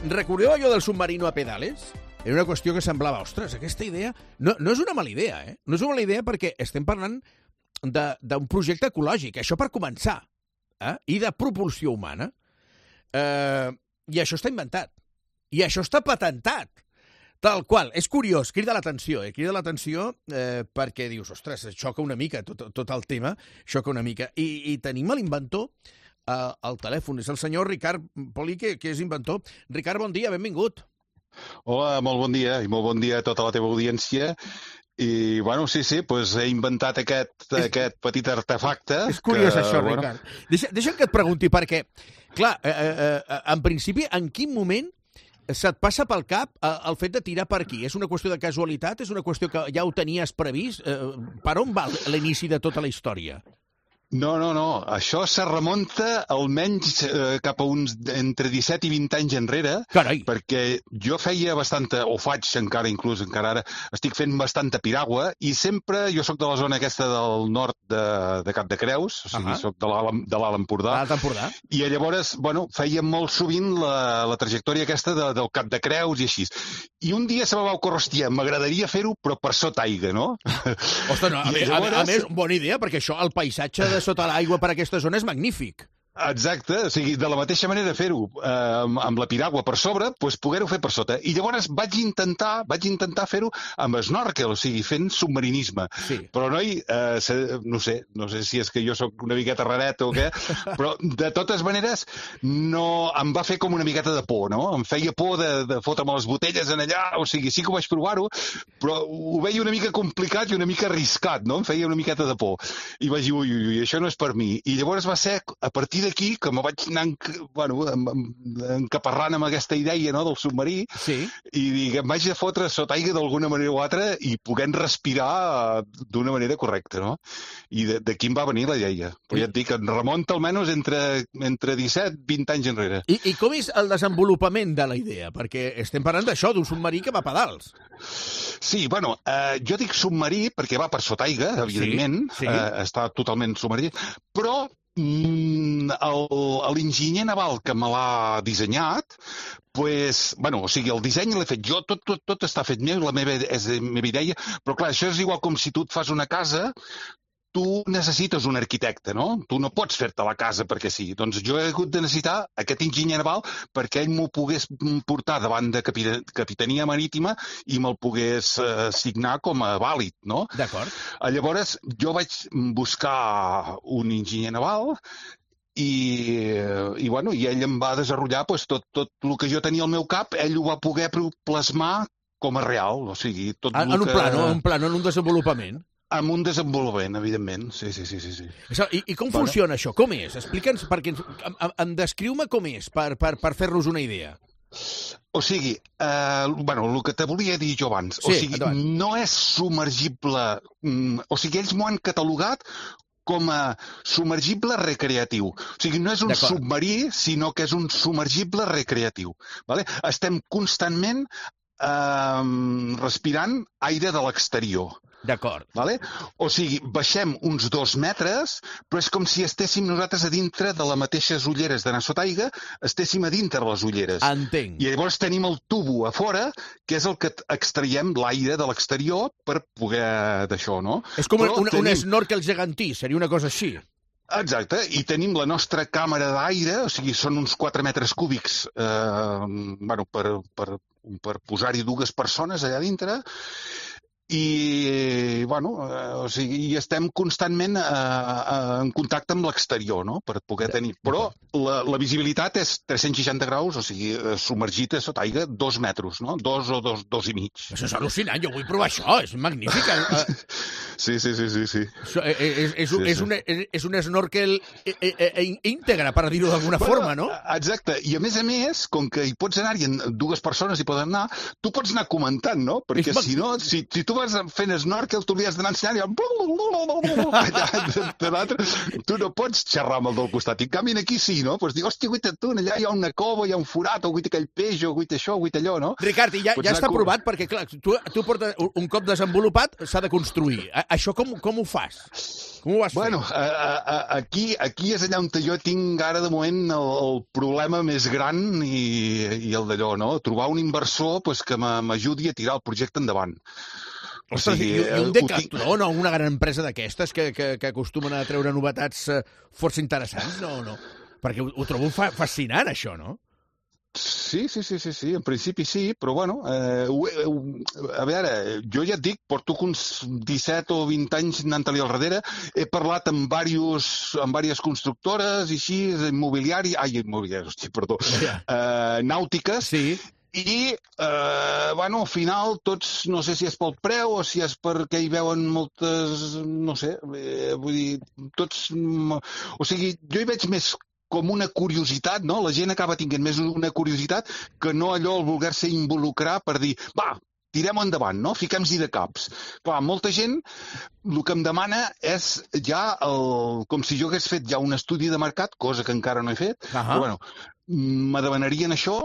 Recordeu allò del submarino a pedales? Era una qüestió que semblava, ostres, aquesta idea... No, no és una mala idea, eh? No és una mala idea perquè estem parlant d'un projecte ecològic, això per començar, eh? I de propulsió humana. Eh, I això està inventat. I això està patentat. Tal qual. És curiós, crida l'atenció, eh? crida l'atenció eh, perquè dius, ostres, xoca una mica tot, tot el tema, xoca una mica. I, i tenim l'inventor eh, al telèfon, és el senyor Ricard Poli, que, que és inventor. Ricard, bon dia, benvingut. Hola, molt bon dia, i molt bon dia a tota la teva audiència. I, bueno, sí, sí, doncs he inventat aquest, és, aquest petit artefacte. És curiós que, això, bueno... Ricard. Deixa, deixa'm que et pregunti, perquè, clar, eh, eh, en principi, en quin moment se't passa pel cap el fet de tirar per aquí? És una qüestió de casualitat? És una qüestió que ja ho tenies previst? Per on va l'inici de tota la història? No, no, no. Això se remunta almenys eh, cap a uns entre disset i vint anys enrere. Carai! Perquè jo feia bastanta, o faig encara, inclús encara ara, estic fent bastanta piragua i sempre, jo sóc de la zona aquesta del nord de, de Cap de Creus, o sigui, uh -huh. sóc de l'Alt Empordà. L'Alt Empordà. I llavors, bueno, feia molt sovint la, la trajectòria aquesta de, del Cap de Creus i així. I un dia se me va ocórrer, hòstia, m'agradaria fer-ho, però per sota aigua, no? Ostres, no, a, més, llavors... a, a més, bona idea, perquè això, el paisatge de sota l'aigua per aquesta zona és magnífic. Exacte, o sigui, de la mateixa manera fer-ho eh, amb, amb la piragua per sobre, doncs poder-ho fer per sota. I llavors vaig intentar vaig intentar fer-ho amb snorkel, o sigui, fent submarinisme. Sí. Però, noi, eh, se, no sé, no sé si és que jo sóc una miqueta raret o què, però de totes maneres no, em va fer com una miqueta de por, no? Em feia por de, de fotre'm les botelles en allà, o sigui, sí que ho vaig provar-ho, però ho veia una mica complicat i una mica arriscat, no? Em feia una miqueta de por. I vaig dir, ui, ui, ui, això no és per mi. I llavors va ser a partir d'aquí que me vaig anar enc bueno, encaparrant amb aquesta idea, no?, del submarí, sí. I dic, em vaig a fotre sota aigua d'alguna manera o altra i puguem respirar d'una manera correcta, no? I d'aquí em va venir la idea. Però ja et dic, em remunta almenys entre, entre disset i vint anys enrere. I, I com és el desenvolupament de la idea? Perquè estem parlant d'això, d'un submarí que va a pedals. Sí, bueno, eh, jo dic submarí perquè va per sota aigua, evidentment, sí, sí. Eh, està totalment submarí, però mm, l'enginyer naval que me l'ha dissenyat, pues, bueno, o sigui, el disseny l'he fet jo, tot, tot, tot està fet meu, la meva, és la meva idea, però clar, això és igual com si tu et fas una casa, tu necessites un arquitecte, no? Tu no pots fer-te la casa perquè sí. Doncs jo he hagut de necessitar aquest enginyer naval perquè ell m'ho pogués portar davant de Capitania Marítima i me'l pogués eh, signar com a vàlid, no? D'acord. Llavors, jo vaig buscar un enginyer naval i, i, bueno, i ell em va desenvolupar pues, tot, tot el que jo tenia al meu cap, ell ho va poder plasmar com a real, o sigui... Tot en, en un que... plano, en un plano, en un desenvolupament. Amb un desenvolupament, evidentment. Sí, sí, sí. sí, sí. Això, i, I com bueno. funciona això? Com és? Explica'ns, perquè ens, em, em descriu-me com és, per, per, per fer-nos una idea. O sigui, eh, bueno, el que te volia dir jo abans, sí, o sigui, endavant. No és submergible, mm, o sigui, ells m'ho han catalogat com a submergible recreatiu. O sigui, no és un submarí, sinó que és un submergible recreatiu. Vale? Estem constantment eh, respirant aire de l'exterior. D'acord. Vale? O sigui, baixem uns dos metres, però és com si estéssim nosaltres a dintre de les mateixes ulleres d'anar sota aigua, estéssim a dintre les ulleres. Entenc. I llavors tenim el tubo a fora, que és el que extraiem l'aire de l'exterior per poder d'això, no? És com però un, tenim... un snorkel gegantí, seria una cosa així. Exacte, i tenim la nostra càmera d'aire, o sigui, són uns quatre metres cúbics eh, bueno, per, per, per posar-hi dues persones allà dintre, i, bueno, eh, o sigui, i estem constantment eh, eh, en contacte amb l'exterior, no?, per poder tenir... Però la, la visibilitat és tres-cents seixanta graus, o sigui, submergit a sota aigua dos metres, no?, dos o dos, dos i mig. Això és al·lucinant, jo vull provar això, és magnífic. Sí, sí, sí, sí, sí. Això és, és, és, sí, és, sí. Un, és un snorkel íntegre, per dir-ho d'alguna bueno, forma, no? Exacte, i a més a més, com que hi pots anar-hi, dues persones hi poden anar, tu pots anar comentant, no?, perquè és si no, si, si tu vas fent snorkel, tu li has d'anar ensenyant i tu no pots xerrar amb el del costat. I en canvi aquí sí, no? Pues dic, hòstia, guaita tu, allà hi ha una cova, hi ha un forat, o guaita aquell peix, o guaita això, o guaita allò, no? Ricard, i ja, ja està provat, perquè clar, tu, tu portes un cop desenvolupat, s'ha de construir. Això com, com ho fas? Com ho vas fer? Bueno, a, a, aquí, aquí és allà on jo tinc ara de moment el, el problema més gran i, i el d'allò, no? Trobar un inversor pues, que m'ajudi a tirar el projecte endavant. O sigui, i, i un Decathlon o una gran empresa d'aquestes que, que, que acostumen a treure novetats uh, força interessants, no, no? Perquè ho, ho trobo fa, fascinant, això, no? Sí, sí, sí, sí, sí, en principi sí, però bueno, eh, a veure, jo ja et dic, porto uns disset o vint anys anant-li al darrere, he parlat amb diversos, amb diverses constructores i així, immobiliari, ai, immobiliari, hosti, perdó, yeah. eh, nàutiques, sí. I, eh, bueno, al final, tots, no sé si és pel preu o si és perquè hi veuen moltes, no sé, eh, vull dir, tots... O sigui, jo hi veig més com una curiositat, no? La gent acaba tinguent més una curiositat que no allò el voler-se involucrar per dir, va, tirem endavant, no? Fiquem-s'hi de caps. Clar, molta gent el que em demana és ja el, com si jo hagués fet ja un estudi de mercat, cosa que encara no he fet, uh-huh. Però bueno, me demanarien això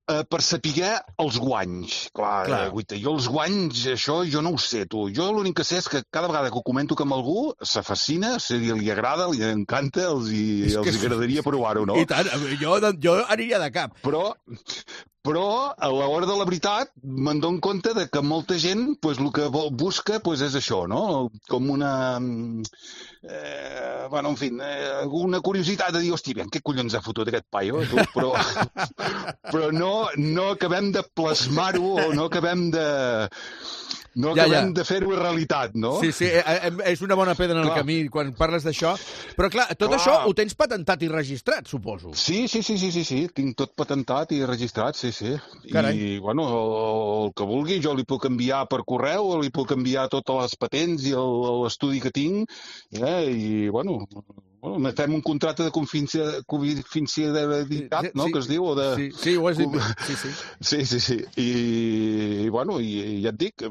eh, per saber els guanys. Clar, Clar. Eh, guaita, jo els guanys, això jo no ho sé, tu. Jo l'únic que sé és que cada vegada que ho comento amb algú se fascina, se li, li agrada, li encanta, els, hi, els hi agradaria provar-ho, no? I tant, jo, jo aniria de cap. Però, Però, a l'hora de la veritat, me'n dono compte de que molta gent pues, el que busca pues, és això, no? Com una... Eh, bueno, en fi, eh, una curiositat de dir, hosti, ben, què collons ha fotut aquest paio, tu? Però, però no, no acabem de plasmar-ho o no acabem de... No ja, acabem ja. de fer-ho realitat, no? Sí, sí, és una bona pedra en el camí quan parles d'això. Però, clar, tot clar. això ho tens patentat i registrat, suposo. Sí, sí, sí, sí, sí, sí. Tinc tot patentat i registrat, sí, sí. Carai. I, bueno, el, el que vulgui, jo li puc enviar per correu, li puc enviar totes les patents i l'estudi que tinc, eh? I, bueno... Bueno, fem un contracte de confidencialitat, no?, sí, que es diu, o de... Sí, sí, ho has dit bé. Sí, sí. Sí, sí, sí. I, bueno, i, i ja et dic, ho,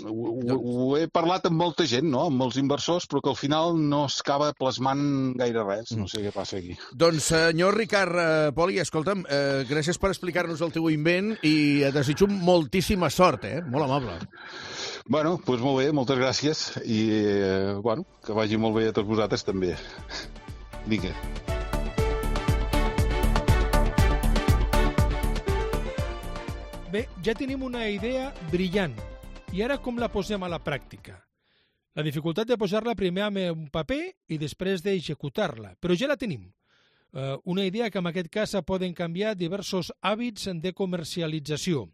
ho, ho he parlat amb molta gent, no?, amb molts inversors, però que al final no es acaba plasmant gaire res. No sé què passa aquí. Doncs, senyor Ricard eh, Poli, escolta'm, eh, gràcies per explicar-nos el teu invent i et desitjo moltíssima sort, eh? Molt amable. Bueno, doncs molt bé, moltes gràcies i, eh, bueno, que vagi molt bé a tots vosaltres també. Vinga. Bé, ja tenim una idea brillant. I ara com la posem a la pràctica? La dificultat de posar-la primer en un paper i després d'executar-la, però ja la tenim. Uh, una idea que en aquest cas poden canviar diversos hàbits de comercialització.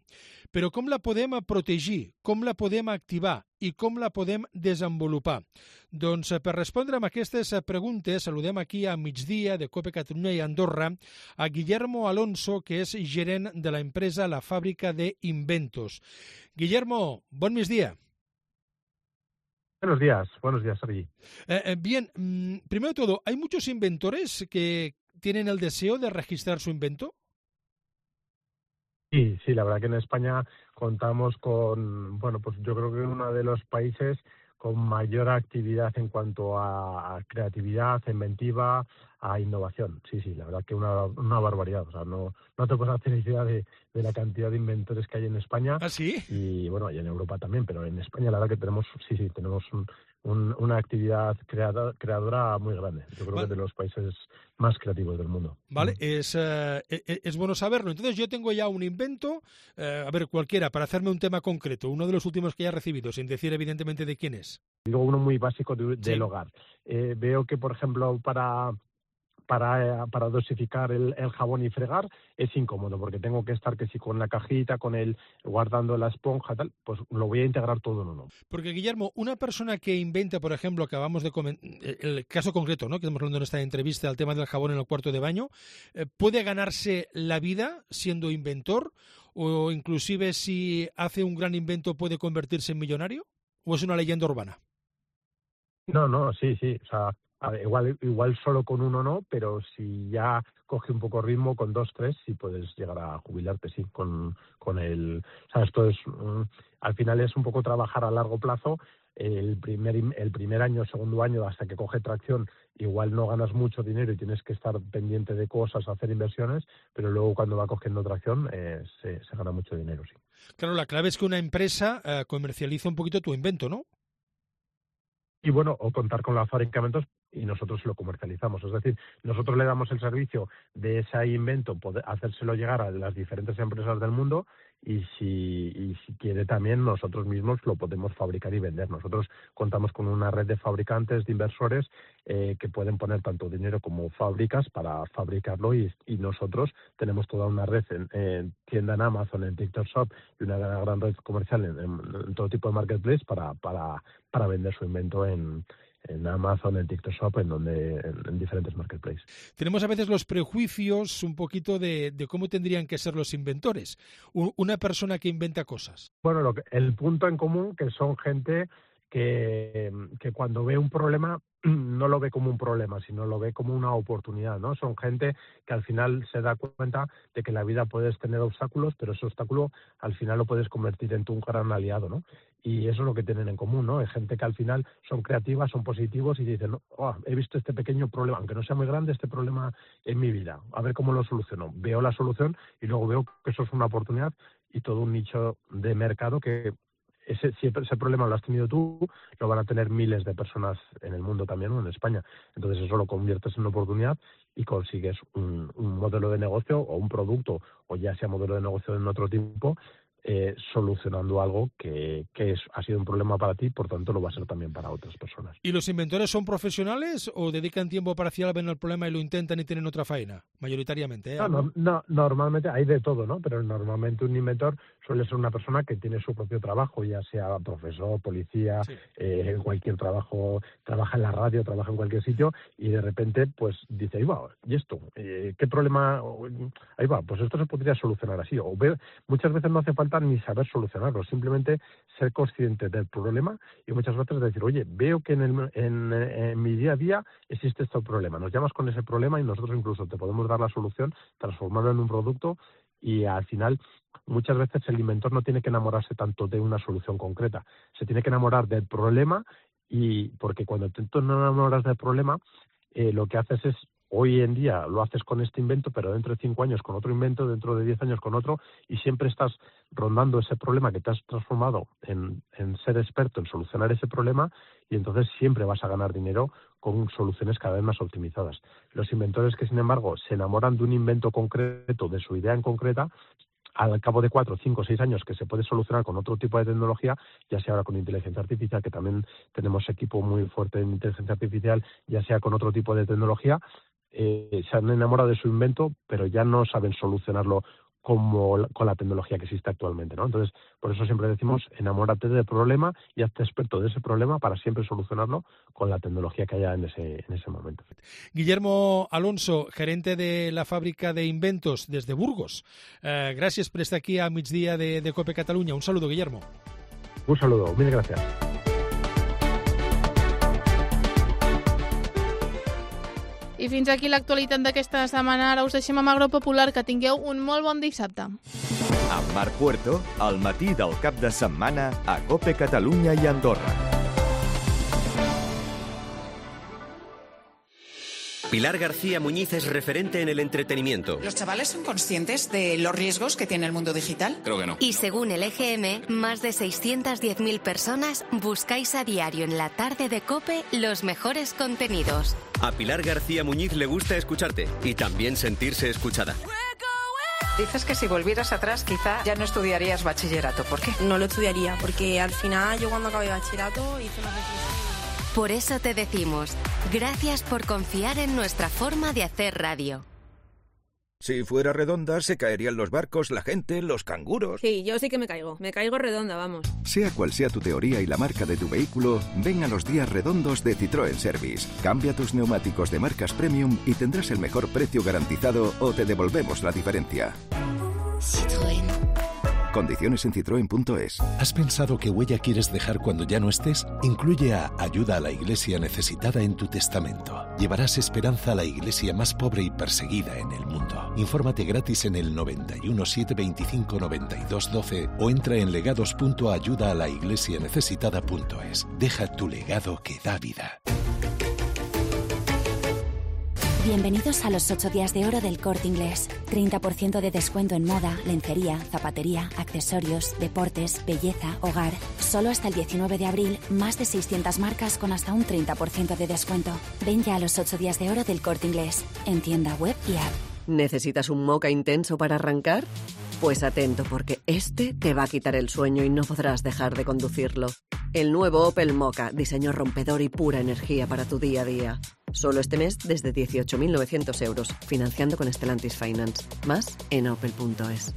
Però com la podem protegir, com la podem activar i com la podem desenvolupar? Doncs per respondre a aquestes preguntes saludem aquí a migdia de COPE Catalunya i Andorra a Guillermo Alonso, que és gerent de la empresa La Fàbrica de Inventos. Guillermo, bon migdia. Buenos días, buenos días, Sergi. Eh, eh, bien, mm, primero de todo, ¿hay muchos inventores que tienen el deseo de registrar su invento? Sí, sí, la verdad que en España contamos con, bueno, pues yo creo que uno de los países con mayor actividad en cuanto a, a creatividad, inventiva, a innovación. Sí, sí, la verdad que una, una barbaridad. O sea, no, no te puedes hacer idea de, de la cantidad de inventores que hay en España. ¿Ah, sí? Y bueno, y en Europa también, pero en España la verdad que tenemos, sí, sí, tenemos un, un, una actividad creada, creadora muy grande. Yo creo vale. que de los países más creativos del mundo. Vale, es, uh, es bueno saberlo. Entonces yo tengo ya un invento, uh, a ver, cualquiera, para hacerme un tema concreto, uno de los últimos que ya he recibido, sin decir evidentemente de quién es. Y luego uno muy básico de, del sí. hogar. Eh, veo que, por ejemplo, para... Para, para dosificar el, el jabón y fregar es incómodo porque tengo que estar que si con la cajita, con el guardando la esponja, tal, pues lo voy a integrar todo en uno. Porque, Guillermo, una persona que inventa, por ejemplo, acabamos de comentar, el caso concreto, ¿no?, que estamos hablando en esta entrevista, el tema del jabón en el cuarto de baño, eh, ¿puede ganarse la vida siendo inventor? ¿O inclusive si hace un gran invento puede convertirse en millonario? ¿O es una leyenda urbana? No, no, sí, sí, o sea... A ver, igual, igual solo con uno no, pero si ya coge un poco ritmo, con dos, tres, sí puedes llegar a jubilarte, sí, con, con el... O sea, esto es... Um, al final es un poco trabajar a largo plazo. El primer, el primer año, segundo año, hasta que coge tracción, igual no ganas mucho dinero y tienes que estar pendiente de cosas, hacer inversiones, pero luego cuando va cogiendo tracción eh, se, se gana mucho dinero, sí. Claro, la clave es que una empresa eh, comercializa un poquito tu invento, ¿no? Y bueno, o contar con la fábrica de inventos y nosotros lo comercializamos. Es decir, nosotros le damos el servicio de ese invento, poder hacérselo llegar a las diferentes empresas del mundo y si, y si quiere también nosotros mismos lo podemos fabricar y vender. Nosotros contamos con una red de fabricantes, de inversores eh, que pueden poner tanto dinero como fábricas para fabricarlo y, y nosotros tenemos toda una red en, en tienda en Amazon, en TikTok Shop y una gran, gran red comercial en, en, en todo tipo de marketplace para, para, para vender su invento en en Amazon, en TikTok Shop, en donde en, en diferentes marketplaces. Tenemos a veces los prejuicios un poquito de, de cómo tendrían que ser los inventores. U, una persona que inventa cosas. Bueno, lo que, el punto en común que son gente que, que cuando ve un problema no lo ve como un problema, sino lo ve como una oportunidad, ¿no? Son gente que al final se da cuenta de que en la vida puedes tener obstáculos, pero ese obstáculo al final lo puedes convertir en tu un gran aliado, ¿no? Y eso es lo que tienen en común, ¿no? Es gente que al final son creativas, son positivos y dicen, oh, he visto este pequeño problema, aunque no sea muy grande, este problema en mi vida, a ver cómo lo soluciono. Veo la solución y luego veo que eso es una oportunidad y todo un nicho de mercado que ese, si ese problema lo has tenido tú, lo van a tener miles de personas en el mundo también, o en España. Entonces eso lo conviertes en una oportunidad y consigues un, un modelo de negocio o un producto, o ya sea modelo de negocio en otro tipo, Eh, solucionando algo que, que es, ha sido un problema para ti, por tanto lo va a ser también para otras personas. ¿Y los inventores son profesionales o dedican tiempo parcial a ver el problema y lo intentan y tienen otra faena? Mayoritariamente, ¿eh? No, no, no, normalmente hay de todo, ¿no? Pero normalmente un inventor suele ser una persona que tiene su propio trabajo, ya sea profesor, policía, sí. eh, en cualquier trabajo, trabaja en la radio, trabaja en cualquier sitio, y de repente pues dice, ahí va, ¿y esto? Eh, ¿Qué problema? Ahí va, pues esto se podría solucionar así. O ve, muchas veces no hace falta ni saber solucionarlo, simplemente ser consciente del problema y muchas veces decir, oye, veo que en, el, en, en mi día a día existe este problema, nos llamas con ese problema y nosotros incluso te podemos dar la solución, transformarlo en un producto, y al final muchas veces el inventor no tiene que enamorarse tanto de una solución concreta, se tiene que enamorar del problema, y porque cuando te enamoras del problema, eh, lo que haces es, hoy en día lo haces con este invento, pero dentro de cinco años con otro invento, dentro de diez años con otro, y siempre estás rondando ese problema que te has transformado en, en ser experto en solucionar ese problema, y entonces siempre vas a ganar dinero con soluciones cada vez más optimizadas. Los inventores que, sin embargo, se enamoran de un invento concreto, de su idea en concreta, al cabo de cuatro, cinco, seis años que se puede solucionar con otro tipo de tecnología, ya sea ahora con inteligencia artificial, que también tenemos equipo muy fuerte en inteligencia artificial, ya sea con otro tipo de tecnología, Eh, se han enamorado de su invento, pero ya no saben solucionarlo como la, con la tecnología que existe actualmente, ¿no? Entonces, por eso siempre decimos, enamórate del problema y hazte experto de ese problema para siempre solucionarlo con la tecnología que haya en ese, en ese momento. Guillermo Alonso, gerente de la fábrica de inventos desde Burgos. Eh, gràcies per estar aquí a migdia de, de COPE Catalunya. Un saludo, Guillermo. Un saludo, mil gracias. I fins aquí l'actualitat d'aquesta setmana. Ara us deixem amb Agropopular. Que tingueu un molt bon dissabte. Amb Marc Puerto, al matí del cap de setmana a COPE Catalunya i Andorra. Pilar García Muñiz es referente en el entretenimiento. ¿Los chavales son conscientes de los riesgos que tiene el mundo digital? Creo que no. Y según el E G M, más de seiscientas diez mil personas buscáis a diario en la tarde de COPE los mejores contenidos. A Pilar García Muñiz le gusta escucharte y también sentirse escuchada. Dices que si volvieras atrás quizá ya no estudiarías bachillerato. ¿Por qué? No lo estudiaría, porque al final yo cuando acabé bachillerato hice una reflexión. Por eso te decimos, gracias por confiar en nuestra forma de hacer radio. Si fuera redonda, se caerían los barcos, la gente, los canguros. Sí, yo sí que me caigo. Me caigo redonda, vamos. Sea cual sea tu teoría y la marca de tu vehículo, ven a los días redondos de Citroën Service. Cambia tus neumáticos de marcas premium y tendrás el mejor precio garantizado o te devolvemos la diferencia. Citroën. Condiciones en citroen punto es. ¿Has pensado qué huella quieres dejar cuando ya no estés? Incluye a Ayuda a la Iglesia Necesitada en tu testamento. Llevarás esperanza a la iglesia más pobre y perseguida en el mundo. Infórmate gratis en el noventa y uno, setecientos veinticinco, noventa y dos, doce o entra en legados punto ayuda a la iglesia necesitada punto es. Deja tu legado que da vida. Bienvenidos a los ocho días de oro del Corte Inglés. treinta por ciento de descuento en moda, lencería, zapatería, accesorios, deportes, belleza, hogar. Solo hasta el diecinueve de abril, más de seiscientas marcas con hasta un treinta por ciento de descuento. Ven ya a los ocho días de oro del Corte Inglés, en tienda web y app. ¿Necesitas un moca intenso para arrancar? Pues atento, porque este te va a quitar el sueño y no podrás dejar de conducirlo. El nuevo Opel Mokka, diseño rompedor y pura energía para tu día a día. Solo este mes desde dieciocho mil novecientos euros, financiando con Stellantis Finance. Más en opel punto es.